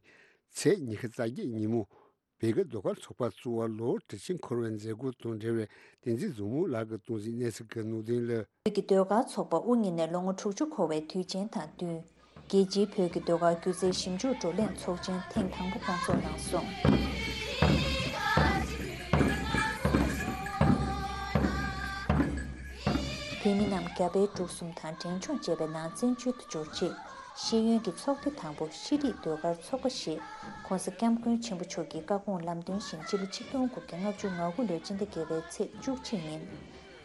ཚེས་ཉི་ཤུ་རྩ་བརྒྱད་ཉིན་མོ་བོད་ཀྱི་ཟློས་གར་ཚོགས་པ་བཙུགས་པ་ལོ་དྲུག་ཅུ་འཁོར་བའི་མཛད་སྒོ་དང་འབྲེལ་བའི་བསྟན་འཛིན་བཟང་མོ་ལགས་ཀྱིས་གཏོང་གཟིགས་གནས་ཚུལ་གྱི་ནང་དོན་ལ། བོད་ཀྱི་ཟློས་གར་ཚོགས་པ་དབུ་བརྙེས་ནས་ལོ་ངོ་དྲུག་ཅུ་འཁོར་བའི་དུས་ཆེན་དང་བསྟུན། རྒྱལ་སྤྱིའི་བོད་ཀྱི་ཟློས་གར་སྒྱུ་རྩལ་ཞིབ་འཇུག་བགྲོ་གླེང་ཚོགས་ཆེན་ཐེངས་དང་པོ་སྐོང་ཚོགས་གནང་སོང་། བོད་མི་རྣམས་རྒྱ་བལ་འབྲུག་གསུམ་དང་འབྲེལ་ལྗོངས་བཅས་པའི་ནང་བཙན་བྱོལ་དུ་འབྱོར་རྗེས། ཤེས་ཡོན་གྱི་ཚོགས་སྡེ་དང་པོ་ཤེས་རིག་ཟློས་གར་ཚོགས་པ་ཞེས་༸གོང་ས་༸སྐྱབས་མགོན་ཆེན་པོ་མཆོག་གི་བཀའ་དགོངས་ལམ་སྟོན་བཞིན་སྤྱི་ལོ་ཆིག་སྟོང་དགུ་བརྒྱ་ལྔ་བཅུ་ང་དགུ་ལོའི་སྤྱི་ཟླ་བརྒྱད་པའི་ཚེས་བཅུ་གཅིག་ཉིན།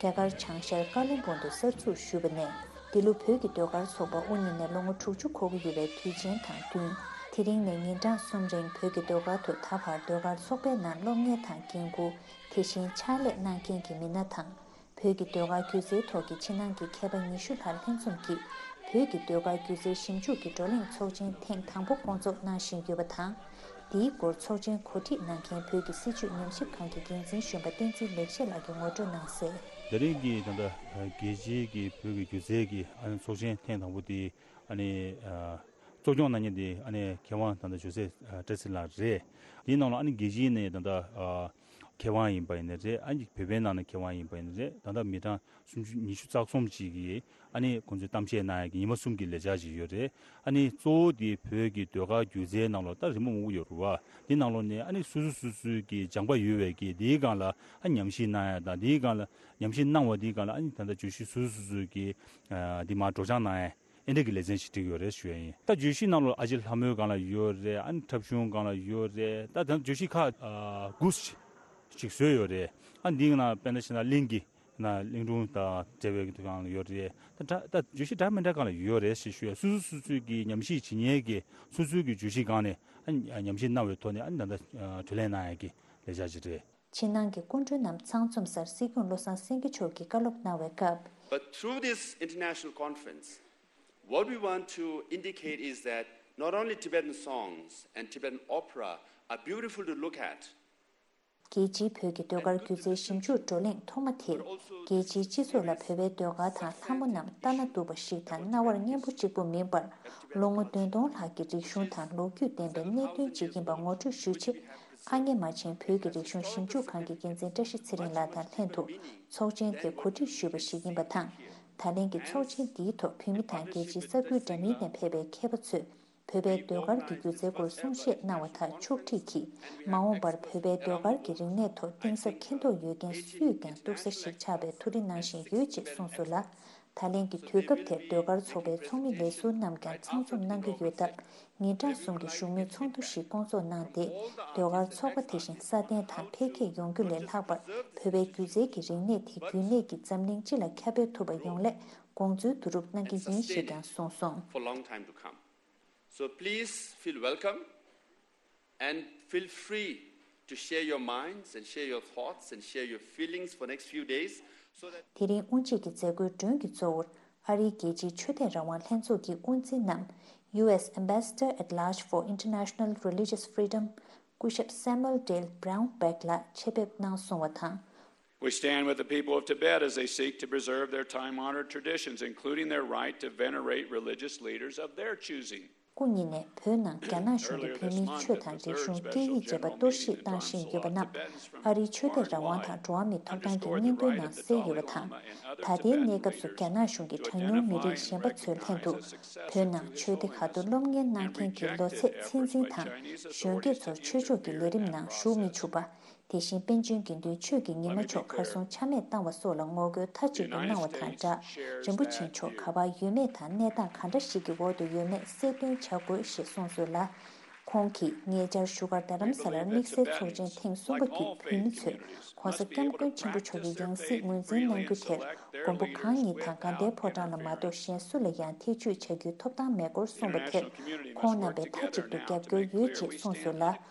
རྒྱ་གར་བྱང་ཤར་ཀ་ལོན་སྦུག་ཏུ་གསར་འཛུགས་ཞུས་པ་ནས་འདི་ལོ་བོད་ཀྱི་ཟློས་གར་ཚོགས་པ་དབུ་བརྙེས་ནས་ལོ་ངོ་དྲུག་ཅུ་འཁོར་གྱི་ཡོད་པའི་དུས་ཆེན་དང་བསྟུན། དེ་རིང་ནས་ཉིན་གྲངས་གསུམ་རིང་བོད་ཀྱི་ཟློས་གར་དུ་ད་བར་ཟློས་གར་ཚོགས་པའི་ནང་སློབ་གཉེར་དང་འགན་འཁུར། དེ་བཞིན་ཕྱག་ལས་གནང་མཁན་གྱི་མི་སྣ་དང་། བོད་ཀྱི་ཟློས་གར་སྒྱུ་རྩལ་ཐོག་གི་ཕྱི་ནང་གི་མཁས་པ་ཉི་ཤུ་ལྷག་ལྷན་འཛོམས་ཀྱིས་བོད་ཀྱི་ཟློས་གར་སྒྱུ་རྩལ་ཞིབ་འཇུག་གི་བགྲོ་གླེང་ཚོགས་ཆེན་ཐེངས་དང་པོ་སྐོང་ཚོགས་གནང་བཞིན་ཡོད་པ་དང་། འདིའི་སྐོར་ཚོགས་ཆེན་གོ་སྒྲིག་གནང་མཁན་བོད་ཀྱི་སྲིད་བྱུས་ཉམས་ཞིབ་ཁང་གི་འགན་འཛིན་གཞོན་པ་བསྟན་འཛིན་ལེགས་བཤད་ལགས་ཀྱིས་ངོ་སྤྲོད་གནང་གསལ། དེ་རིང་གི་ད་ལྟ་རྒྱལ་སྤྱིའི་གི་བོད་ཀྱི་སྒྱུ་རྩལ་གྱི་ཨ་ནི་ཚོགས་ཆེན་ཐེངས་དང་པོ་དེ་ཨ་ནི་གཙོ་སྐྱོང་གནང་མཁན་དེ་ཨ་ནི་མཁས་དབང་ད་ལྟ་ཇོ་སེ་བཀྲ་ཤིས་ལགས་རེད། དེའི་ནང་ལ་ཨ་ནི་རྒྱལ་སྤྱིའི་ནས་ད་ལྟ་མཁས་དབང་ཡིན་པ་ཡིན་ན་རེད། ཨ་ནི་བོད་པའི་ནང་ནས་མཁས་དབང་ཡིན་པ་ཡིན་ན་རེད། ད་ལྟ་མི་གྲངས་སུམ་ཅུ་ཉི་ཤུ་རྩ་གསུམ་ཅིག་གིས་ཨ་ནི་ཁོང་ཚོས་གཏམ་བཤད་གནང་ཡག་གི་ཉི་མ་གསུམ་གྱི་ལས་འཆར་ཅིག་ཡོད་རེད། ཨ་ནི་གཙོ་བོ་དེ་བོད་ཀྱི་ཟློས་གར་སྒྱུ་རྩལ་ནང་ལོགས་ད་རི་མོ་མང་པོ་ཡོད་རེད་བ། དེ་ནང་ལོགས་ནས་ཨ་ནི་སོ་སོ་སོ་སོའི་གི་སྦྱངས་པ་ཡོད་པའི་གི་དེའི་སྒང་ལ་ཨ་ཉམས་ཞིབ་གནང་ཡག་དང་། དེའི་སྒང་ལ་ཉམས་ཞིབ་གནང་བ་དེའི་སྒང་ལ་ཨ་ནི་ད་ལྟ་བརྗོད་གཞི་སོ་སོ་སོ་སོའི་གི་ཨ་དེ་མར་སྒྲོག་སྦྱང་གནང་ཡག་ཨེ་འདྲ་གི་ལེ་ཚན་ཞིག་བསྒྲིགས་ཡོད་རེད་ཞུ་ཡ་ཡིན། ད་བརྗོད་གཞི་ནང་ལོགས་ཨ་ཅེ་ལྷ་མོའི་སྒང་ལ་ཡོད་རེད། ཨ་ནི་འཁྲབ་གཞུང་སྒང་ལ་ཡོད་རེད། ད་ད་བརྗོད་གཞི་ཁག་ཨ་དགུ་ཞིག་བཟོས་ཡོད་རེད། ཨ་འདིའི་ནང་དཔེར་ན་བཤད་ན་གླིང་གི་ན་གླིང་སྒྲུང་དང་འབྲེལ་བའི་སྒང་ལ་ཡོད་རེད། ད་ད་ད་བརྗོད་གཞི་འདྲ་མི་འདྲ་སྒང་ལ་ཡོད་རེད་ཞེས་ཞུ་ཡ། སོ་སོ་སོ་སོའི་གི་ཉམས་ཞིབ་བྱེད་མཁན་གྱི་སོ་སོའི་གི་བརྗོད་གཞི་སྒང་ནས་ཨ་ཉམས་ཞིབ་གནང་བའི་ཐོག་ནས་ཨ་ནི་ད་ལྟ་བགྲོ་གླེང་གནང་ཡ་གི་ལས་འཆར་ཅིག་རེད། ཕྱི་ནང་གི་སྐུ་མགྲོན་རྣམས་ཚང་འཛོམས་སར་སྲིད་སྐྱོང་བློ་བཟང་སེང་གེ་མཆོག་གིས་བཀའ་སློབ་གནང་བའི་སྐབས། But through this international conference, what we want to indicate is that not only Tibetan songs and Tibetan opera are beautiful to look at, རྒྱལ་སྤྱིའི་བོད་ཀྱི་ཟློས་གར་སྒྱུ་རྩལ་ཞིབ་འཇུག་བགྲོ་གླེང་ཐོག་མ་དེར། རྒྱལ་སྤྱིའི་སྤྱི་ཚོགས་ལ་བོད་པའི་ཟློས་གར་དང་ལྷ་མོ་རྣམས་ལྟ་ན་སྡུག་པ་ཞིག་དང་རྣ་བར་སྙན་པོ་གཅིག་པུ་མིན་པར། ལོ་ངོ་བདུན་སྟོང་ལྷག་གི་རིག་གཞུང་དང་ལོ་རྒྱུས་ལྡན་པའི་གནད་དོན་ཅིག་ཡིན་པ་ངོ་སྤྲོད་ཞུ་ཆེད། ཨ་མྱེས་རྨ་ཆེན་བོད་ཀྱི་རིག་གཞུང་ཞིབ་འཇུག་ཁང་གི་འགན་འཛིན་བཀྲ་ཤིས་ཚེ་རིང་ལགས་དང་ལྷན་དུ་ཚོགས་ཆེན་དེ་གོ་སྒྲིག་ཞུས་པ་ཞིག་ཡིན་པ་དང་། ད་ལན་གྱི་ཚོགས་ཆེན་འདིའི་ཐོག་བོད་མི་དང་རྒྱལ་སྤྱིའི་ས་ཁུལ་འདྲ་མིན་ནས་ཕེབས་པའི་མཁས་པ་ཚོས། བོད་པའི་ཟློས་གར་གྱི་སྒྱུ་རྩལ་སྐོར་གསུང་བཤད་གནང་བ་དག་ཕྱོགས་སྒྲིག་གིས། མ་འོངས་པར་བོད་པའི་ཟློས་གར་གྱི་རིག་གནས་ཐོག་གཏིང་ཟབ་མཁྱེན་རྟོགས་ཡོད་མཁན་སུས་ཀྱང་གཏུག་ས་ཞིག་ཆགས་པའི་ཐུགས་རེ་གནང་བཞིན་ཡོད་ཅེས་གསུངས་སོང་ལ། ད་ལན་གྱི་དུས་སྐབས་དེར་ཟློས་གར་ཚོགས་པའི་ཚོགས་མི་ལས་ཟུར་རྣམས་ཀྱང་ཚང་འཛོམས་གནང་གི་ཡོད་སྟབས། ཉིན་གྲངས་གསུམ་གྱི་བཞུགས་མོལ་ཚོགས་འདུ་ཞིག་སྐོང་ཚོགས་གནང་སྟེ། ཟློས་གར་ཚོགས་པ་དེ་བཞིན་སྲ་བརྟན་དང་འཕེལ་རྒྱས་ཡོང་རྒྱུ་ལས་ལྷག་པར། བོད་པའི་སྒྱུ་རྩལ་གྱི་རིག་གནས་དེ་རྒྱུན་གནས་ཀྱིས་འཛམ་གླིང་སྤྱི་ལ་ཁྱབ་སྤེལ་ཐུབ་པ་ཡོང་སླད་དགོངས་ཚུལ་བསྡུ་རུབ་གནང་གི་ཡིན་ཞེས་ཀྱང་གསུངས་སོང་། For long time to come. So please feel welcome and feel free to share your minds and share your thoughts and share your feelings for next few days, so that དེ་རིང་དབུ་འབྱེད་ཀྱི་མཛད་སྒོའི་མགྲོན་གྱི་གཙོ་བོར་ཨ་རིའི་རྒྱལ་སྤྱིའི་ཆོས་དད་རང་དབང་ལྷན་ཚོགས་ཀྱི་དབུ་འཛིན་ནམ། U S Ambassador at Large for International Religious Freedom སྐུ་ཞབས་Samuel Dale Brown Beck ལགས་ཆེད་ཕེབས་གནང་སོང་བ་དང་། We stand with the people of Tibet as they seek to preserve their time-honored traditions, including their right to venerate religious leaders of their choosing. སྐུ་ཉིད་ནས་བོད་ནང་རྒྱ་ནག་གཞུང་གིས་བོད་མིའི་ཆོས་དང་རིག་གཞུང་སྐད་ཡིག་བཅས་པ་གཏོར་བཤིག་བཏང་བཞིན་ཡོད་པ་རྣམས་ཨ་རིའི་ཆོས་དད་རང་དབང་དང་འགྲོ་བ་མིའི་ཐོབ་ཐང་གི་སྙིང་དོན་ནང་གསལ་ཡོད་པ་དང་། ད་ལྟའི་གནས་སྐབས་སུ་རྒྱ་ནག་གཞུང་གིས་གྲངས་ཉུང་མི་རིགས་གཞན་པ་ཚོའི་ལྷན་དུ་བོད་ནང་ཆོས་སྡེ་ཁག་ཏུ་སློབ་གཉེར་གནང་མཁན་གྱི་ལོ་ཚད་ཚད་འཛིན་དང་གཞོན་སྐྱེས་ཚོར་ཆོས་ཕྱོགས་ཀྱི་ལས་རིམ་ནང་ཞུགས་མི་ཆུག་པ། དེ་བཞིན་པཎ་ཆེན་དགེ་འདུན་ཆོས་ཀྱི་ཉི་མ་མཆོག་གར་སོང་ཆ་མེད་བཏང་བ་སོགས་ལ་ངོ་རྒོལ་མཐའ་གཅིག་ཏུ་གནང་བ་དང་སྦྲགས། རིན་པོ་ཆེ་མཆོག་ག་པར་ཡོད་མེད་དང་གནས་སྟངས་ག་འདྲ་ཞིག་གི་འོག་ཏུ་ཡོད་མེད་གསལ་སྟོན་བྱ་དགོས་ཞེས་གསུངས་སོང་ལ། ཁོང་གིས་ཉེ་ཆར་བཞུགས་སྒར་རྡ་རམ་ས་ལར་དམིགས་བསལ་ཚོགས་ཆེན་ཐེངས་གསུམ་པ་དེས་བོད་མི་ཚོས་༸གོང་ས་༸སྐྱབས་མགོན་ཆེན་པོ་མཆོག་གི་ཡང་སྲིད་ངོས་འཛིན་གནང་རྒྱུ་དེར་མགོན་པོ་གང་ཉིད་དང་དགའ་ལྡན་ཕོ་བྲང་ལ་མ་གཏོགས་གཞན་སུ་ལ་ཡང་ཐེ་བྱུས་བྱ་རྒྱུའི་ཐོབ་ཐང་མེད་སྐོར་གསུངས་པ་དེར་ཁོང་རྣམ་པས་མཐའ་གཅིག་ཏུ་རྒྱབ་སྐྱོར་ཡོད་ཅེས་གསུངས་སོང་ལ།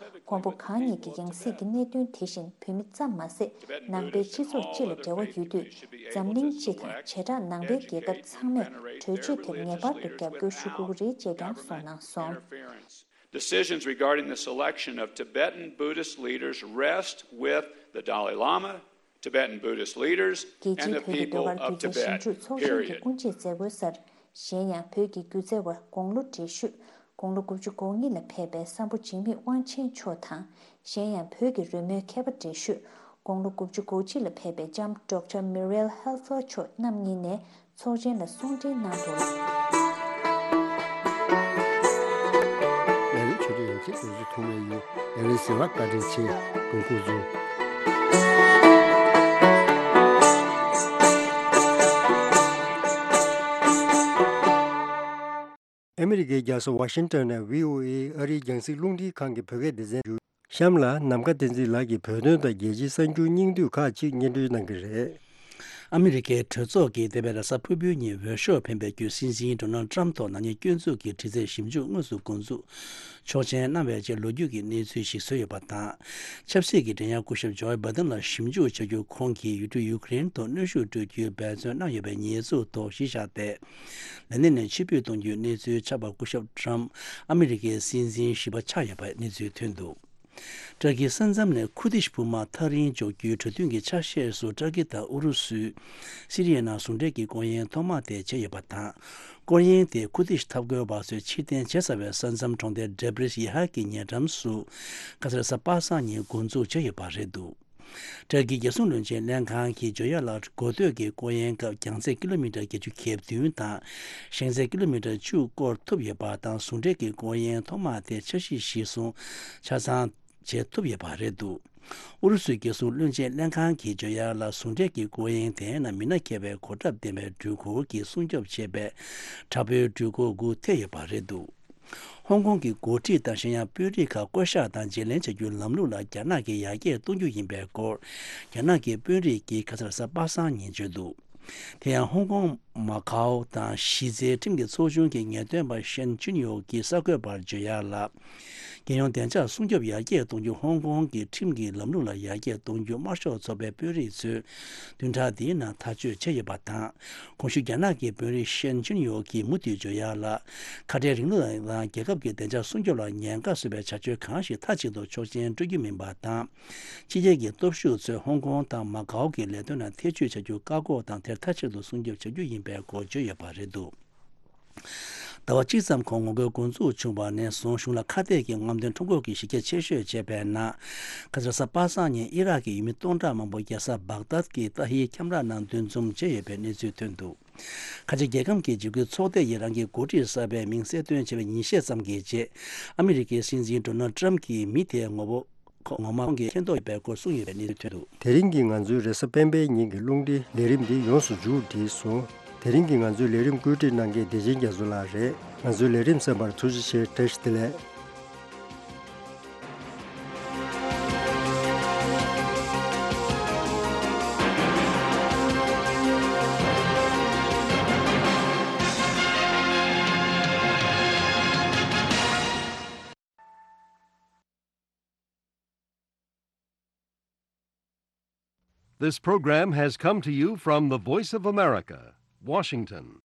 མགོན་པོ་གང་ཉིད་ཀྱི་ཡང་སྲིད་ཀྱི་གནད་དོན་དེ་བཞིན་བོད་མི་ཙམ་མ་ཟད་ནང་པའི་སྤྱི་ཚོགས་སྤྱི་ལ་འབྲེལ་བ་ཡོད་དུས་འཛམ་གླིང་སྤྱི་དང་བྱེ་བྲག་ནང་པའི་རྒྱལ་ཁབ་ཚང་མས་གྲོས་ཆོད་དེར་ངེས་པར་དུ་རྒྱབ་སྐྱོར་ཞུ་དགོས་ཀྱི་རེད་ཅེས་ཀྱང་གསུངས་གནང་སོང་། Decisions regarding the selection of Tibetan Buddhist leaders rest with the Dalai Lama, Tibetan Buddhist leaders, རྒྱལ་and སྤྱིའི་the བོད་ཀྱི་people ཟློས་གར་of སྒྱུ་རྩལ་Tibet, ཞིབ་འཇུག་ཚོགས་ཆེན་གྱི་period. དབུ་འབྱེད་མཛད་སྒོའི་སར། གཞན་ཡང་བོད་ཀྱི་སྒྱུ་རྩལ་བ་དགུང་ལོ་བགྲེས་ཤོས་དགུང་ལོ་དགུ་བཅུ་གོ་གཉིས་ལ་ཕེབས་པའི་སམ་བྷོ་འཇིགས་མེད་དབང་ཆེན་མཆོག་དང་། གཞན་ཡང་བོད་ཀྱི་རོལ་མོའི་མཁས་པ་བགྲེས་ཤོས་དགུང་ལོ་དགུ་བཅུ་གོ་གཅིག་ལ་ཕེབས་པའི་ལྕམ་ཌོག་ཊར་མི་རེལ་ཧེལ་ཕོར་མཆོག་རྣམ་གཉིས་ནས་ཚོགས་ཆེན་ལ་གསུང་འཕྲིན་གནང་འདུག་ལས་རིམ་ཆོས་སྒྲིག་ཡོང་ཆེད་དུ་བཟོ་ཐུབ་མེད་ཡིན། ལས་རིམ་གསན་པར་བཀའ་དྲིན་ཆེ། དགོས་མཁོ་ཚོ། ཨ་མི་རི་ཀའི་རྒྱལ་ས་ཝ་ཤིང་ཏོན་ནས་བྷི་ཨོ་ཨེ་ཨ་རིའི་རྒྱང་སྲིང་རླུང་འཕྲིན་ཁང་གི་བོད་སྐད་སྡེ་ཚན་བརྒྱུད། གཤམ་ལ་ནམ་མཁའ་བསྟན་འཛིན་ལགས་ཀྱིས་བོད་དོན་དང་རྒྱལ་སྤྱིའི་གསར་འགྱུར་སྙིང་བསྡུས་ཁག་ཅིག་སྙན་སྒྲོན་གནང་གི་རེད། ཨ་མི་རི་ཀའི་གྲོས་ཚོགས་ཀྱིས་འདས་པའི་རེས་གཟའ་ཕུར་བུའི་ཉིན་འོས་ཤོག་འཕེན་པའི་བརྒྱུད་སྲིད་འཛིན་ཌོ་ནལ་ཊམ་ཐོག་ནག་ཉེས་སྐྱོན་འཛུགས་ཀྱི་དྲི་རྩད་ཞིབ་འཇུག་དངོས་སུ་འགོ་འཛུགས་ཆོག་མཆན་གནང་བའི་རྗེས་ལོ་རྒྱུས་ཀྱི་གནས་ཚུལ་ཞིག་བཟོས་ཡོད་པ་དང་། ཆབ་སྲིད་ཀྱི་འགྲན་ཡ་སྐུ་ཞབས་ཇོ་བྷའི་ཌེན་ལ་ཞིབ་འཇུག་བྱ་རྒྱུ་ཁོང་གིས་ཡུལ་གྲུ་ཡུ་ཀེ་རེན་དུ་གནོན་ཤུགས་སྤྲོད་རྒྱུའི་འབད་བརྩོན་གནང་ཡོད་པའི་ཉེས་འཛུགས་ཐོག་གཞི་བཞག་སྟེ། ལས་གནས་ནས་ཕྱིར་འབུད་གཏོང་རྒྱུའི་གནས་ཚུལ་ཆགས་པར་སྐུ་ཞབས་ཊམ་ཨ་མི་རི་ཀའི་སྲིད་འཛིན་བཞི་པ་ཆགས་ཡོད་པའི་གནས་ཚུལ་ཐོན་འདུག་ཏྲ་ཀིའི་ས་མཚམས་ནས་ཁུར་དིཤ་དཔུང་དམག་ཐག་རིང་འཇོག་རྒྱུའི་གྲོས་མཐུན་གྱི་ཆ་ཤས་སུ་ཏྲ་ཀི་དང་ཨུ་རུ་སུས་སི་རི་ཡའི་ནང་ཟུང་འབྲེལ་གྱི་སྐོར་གཡེང་ཐོག་མ་དེ་བྱས་ཡོད་པ་དང་། སྐོར་གཡེང་དེ་ཁུར་དིཤ་འཐབ་རྒོལ་བ་ཚོས་ཕྱིར་འཐེན་བྱས་ཚར་བའི་ས་མཚམས་གྲོང་རྡལ་ཌེ་བྷ་རིས་ཡེ་ཧ་གི་ཉེ་འགྲམ་སུ་ཁ་སང་རེས་གཟའ་པ་སངས་ཉིན་འགོ་འཛུགས་བྱས་ཡོད་པ་རེད་འདུག་ཏྲ་ཀིའི་རྒྱལ་སྲུང་བློན་ཆེན་ལྷན་ཁང་གིས་ཇོ་ཡ་ལ་འགོ་སྟོད་ཀྱི་སྐོར་གཡེང་སྐབས་རྒྱང་ཚད་ཀི་ལོ་མི་ཊར་བརྒྱད་ཅུ་གྱ་བདུན་དང་ཞེང་ཚད་ཀི་ལོ་མི་ཊར་བཅུ་སྐོར་ཐུབ་ཡོད་པ་དང་། ཟུང་འབྲེལ་གྱི་སྐོར་གཡེང་ཐོག་མ་དེ་འཆར་གཞི་གཞིར་བཟུང་ཆ་ཚང་བྱེད་ཐུབ་ཡོད་པ་རེད་འདུག་ཨུ་རུ་སུའི་རྒྱལ་སྲུང་བློན་ཆེན་ལྷན་ཁང་གིས་ཇོ་ཡ་ལ་ཟུང་འབྲེལ་གྱི་སྐོར་གཡེང་དེའི་ནང་མི་སྣ་མཁས་པའི་གོ་ཁྲབ་ལྡན་པའི་འགྲུལ་འཁོར་གྱིས་སྲུང་སྐྱོབ་བྱས་པའི་དྲག་པོའི་འགྲུལ་འཁོར་དགུ་ཐེ་ཡོད་པ་རེད་འདུག་ཧོང་ཀོང་གི་འགོ་ཁྲིད་དང་གཞན་ཡང་དཔོན་རིགས་ཁག་བསྐོ་གཞག་དང་བརྗེ་ལེན་བྱ་རྒྱུའི་ལམ་ལུགས་ལ་རྒྱ་ནག་གིས་ཡར་རྒྱས་གཏོང་རྒྱུ་ཡིན་པའི་སྐོར། རྒྱ་ནག་གི་དཔོན་རིགས་ཀྱིས་ཁ་སང་རེས་གཟའ་པ་སངས་ཉིན་བརྗོད་འདུག་དེ་ཡང་ཧོང་ཀོང་མ་ཁའོ་དང་གཞི་རྩའི་ཁྲིམས་ཀྱི་ཚོགས་ཆུང་གི་ངེས་སྟོན་པ་ཤན་ཅུན་ཡོ་གིས་གསར་འགོད་པར་བརྗོད་ཡག་ལ། རྒྱལ་ཡོངས་བདེ་འཇགས་སྲུང་སྐྱོབ་ཡར་རྒྱས་གཏོང་རྒྱུ་ཧོང་ཀོང་གི་ཁྲིམས་ཀྱི་ལམ་ལུགས་ལ་ཡར་རྒྱས་གཏོང་རྒྱུ་དམར་ཤོག་ཚོགས་པའི་དཔོན་རིགས་ཚོས་བདུན་ཕྲག་འདིའི་ནང་ཐག་གཅོད་བྱས་ཡོད་པ་དང་། གོང་ཞུས་རྒྱ་ནག་གི་དཔོན་རིགས་ཤན་ཅུན་ཡོ་གིས་མུ་མཐུད་བརྗོད་ཡག་ལ། ཁ་བྲལ་རིང་ལུགས་དང་རྒྱལ་ཁབ་ཀྱི་བདེ་འཇགས་སྲུང་སྐྱོབ་ལ་ཉེན་ཁ་བཟོ་བའི་བྱ་སྤྱོད་གང་ཞིག་མཐའ་གཅིག་ཏུ་ཆོག་མཆན་སྤྲོད་རྒྱུ་མིན་པ་དང་། ཕྱི་རྒྱལ་གྱི་སྟོབས་ཤུགས་ཚོས་ཧོང་ཀོང་དང་མ་ཀའོ་གི་ལས་དོན་ལ་ཐེ་བྱུས་བྱ་རྒྱུ་བཀག་འགོག་དང་དེར་མཐའ་གཅིག་ཏུ་སྲུང་སྐྱོབ་བྱ་རྒྱུ་ཡིན་པའི་སྐོར་བརྗོད་ཡོད་པ་རེད་འདུག་ཟླ་བ་གཅིག་ཙམ་གོང་ངོ་རྒོལ་འགོ་འཛུགས་བྱུང་བ་ནས་བཟུང་གཞུང་ལ་ཁ་གཏད་ཀྱི་རྔམ་སྟོན་ཁྲོམ་སྐོར་གྱི་གཞི་རྒྱ་ཆེ་ཤོས་བྱས་པའི་ནང་། ཁ་སང་རེས་གཟའ་པ་སངས་ཉིན་ཨི་རག་གི་ཡུལ་མི་སྟོང་ཕྲག་མང་པོ་རྒྱལ་ས་བག་དཱད་ཀྱི་ཏཱ་ཧིར་ཁྱམས་ར་ནང་འདུ་འཛོམས་བྱས་ཡོད་པའི་གནས་ཚུལ་ཐོན་འདུག་ཁ་ཆེ་རྒྱལ་ཁམས་ཀྱི་འཇིགས་སྐུལ་ཚོགས་སྡེ་ཡིས་རང་གི་འགོ་ཁྲིད་གསར་པའི་མིང་གསལ་སྟོན་བྱས་པའི་ཉིན་ཤས་ཙམ་གྱི་རྗེས། ཨ་མི་རི་ཀའི་སྲིད་འཛིན་ཌོ་ནལ་ཊམ་གྱིས་མི་དེའི་ངོ་བོ་ཁོ་ངོ་མ་ཁོང་གིས་མཁྱེན་རྟོགས་ཡོད་པའི་སྐོར་གསུངས་ཡོད་པའི་གནས་ཚུལ་ཐོན་འདུག་དེ་རིང་གི་ང་ཚོའི་རེས་གཟའ་སྤེན་པའི་ཉིན་གྱི་རླུང་འཕྲིན་ལས་རིམ་འདི་ཡོངས་སུ་མཇུག་བསྒྲིལ་སོང་། དེ་རིང་གི་ང་ཚོའི་ལས་རིམ་བཀོད་སྒྲིག་གནང་མཁན་བདེ་ཆེན་རྒྱ་མཚོ་ལགས་རེད། ང་ཚོའི་ལས་རིམ་གསན་པར་ཐུགས་རྗེ་ཆེ། བཀྲ་ཤིས་བདེ་ལེགས། This program has come to you from the Voice of America, Washington.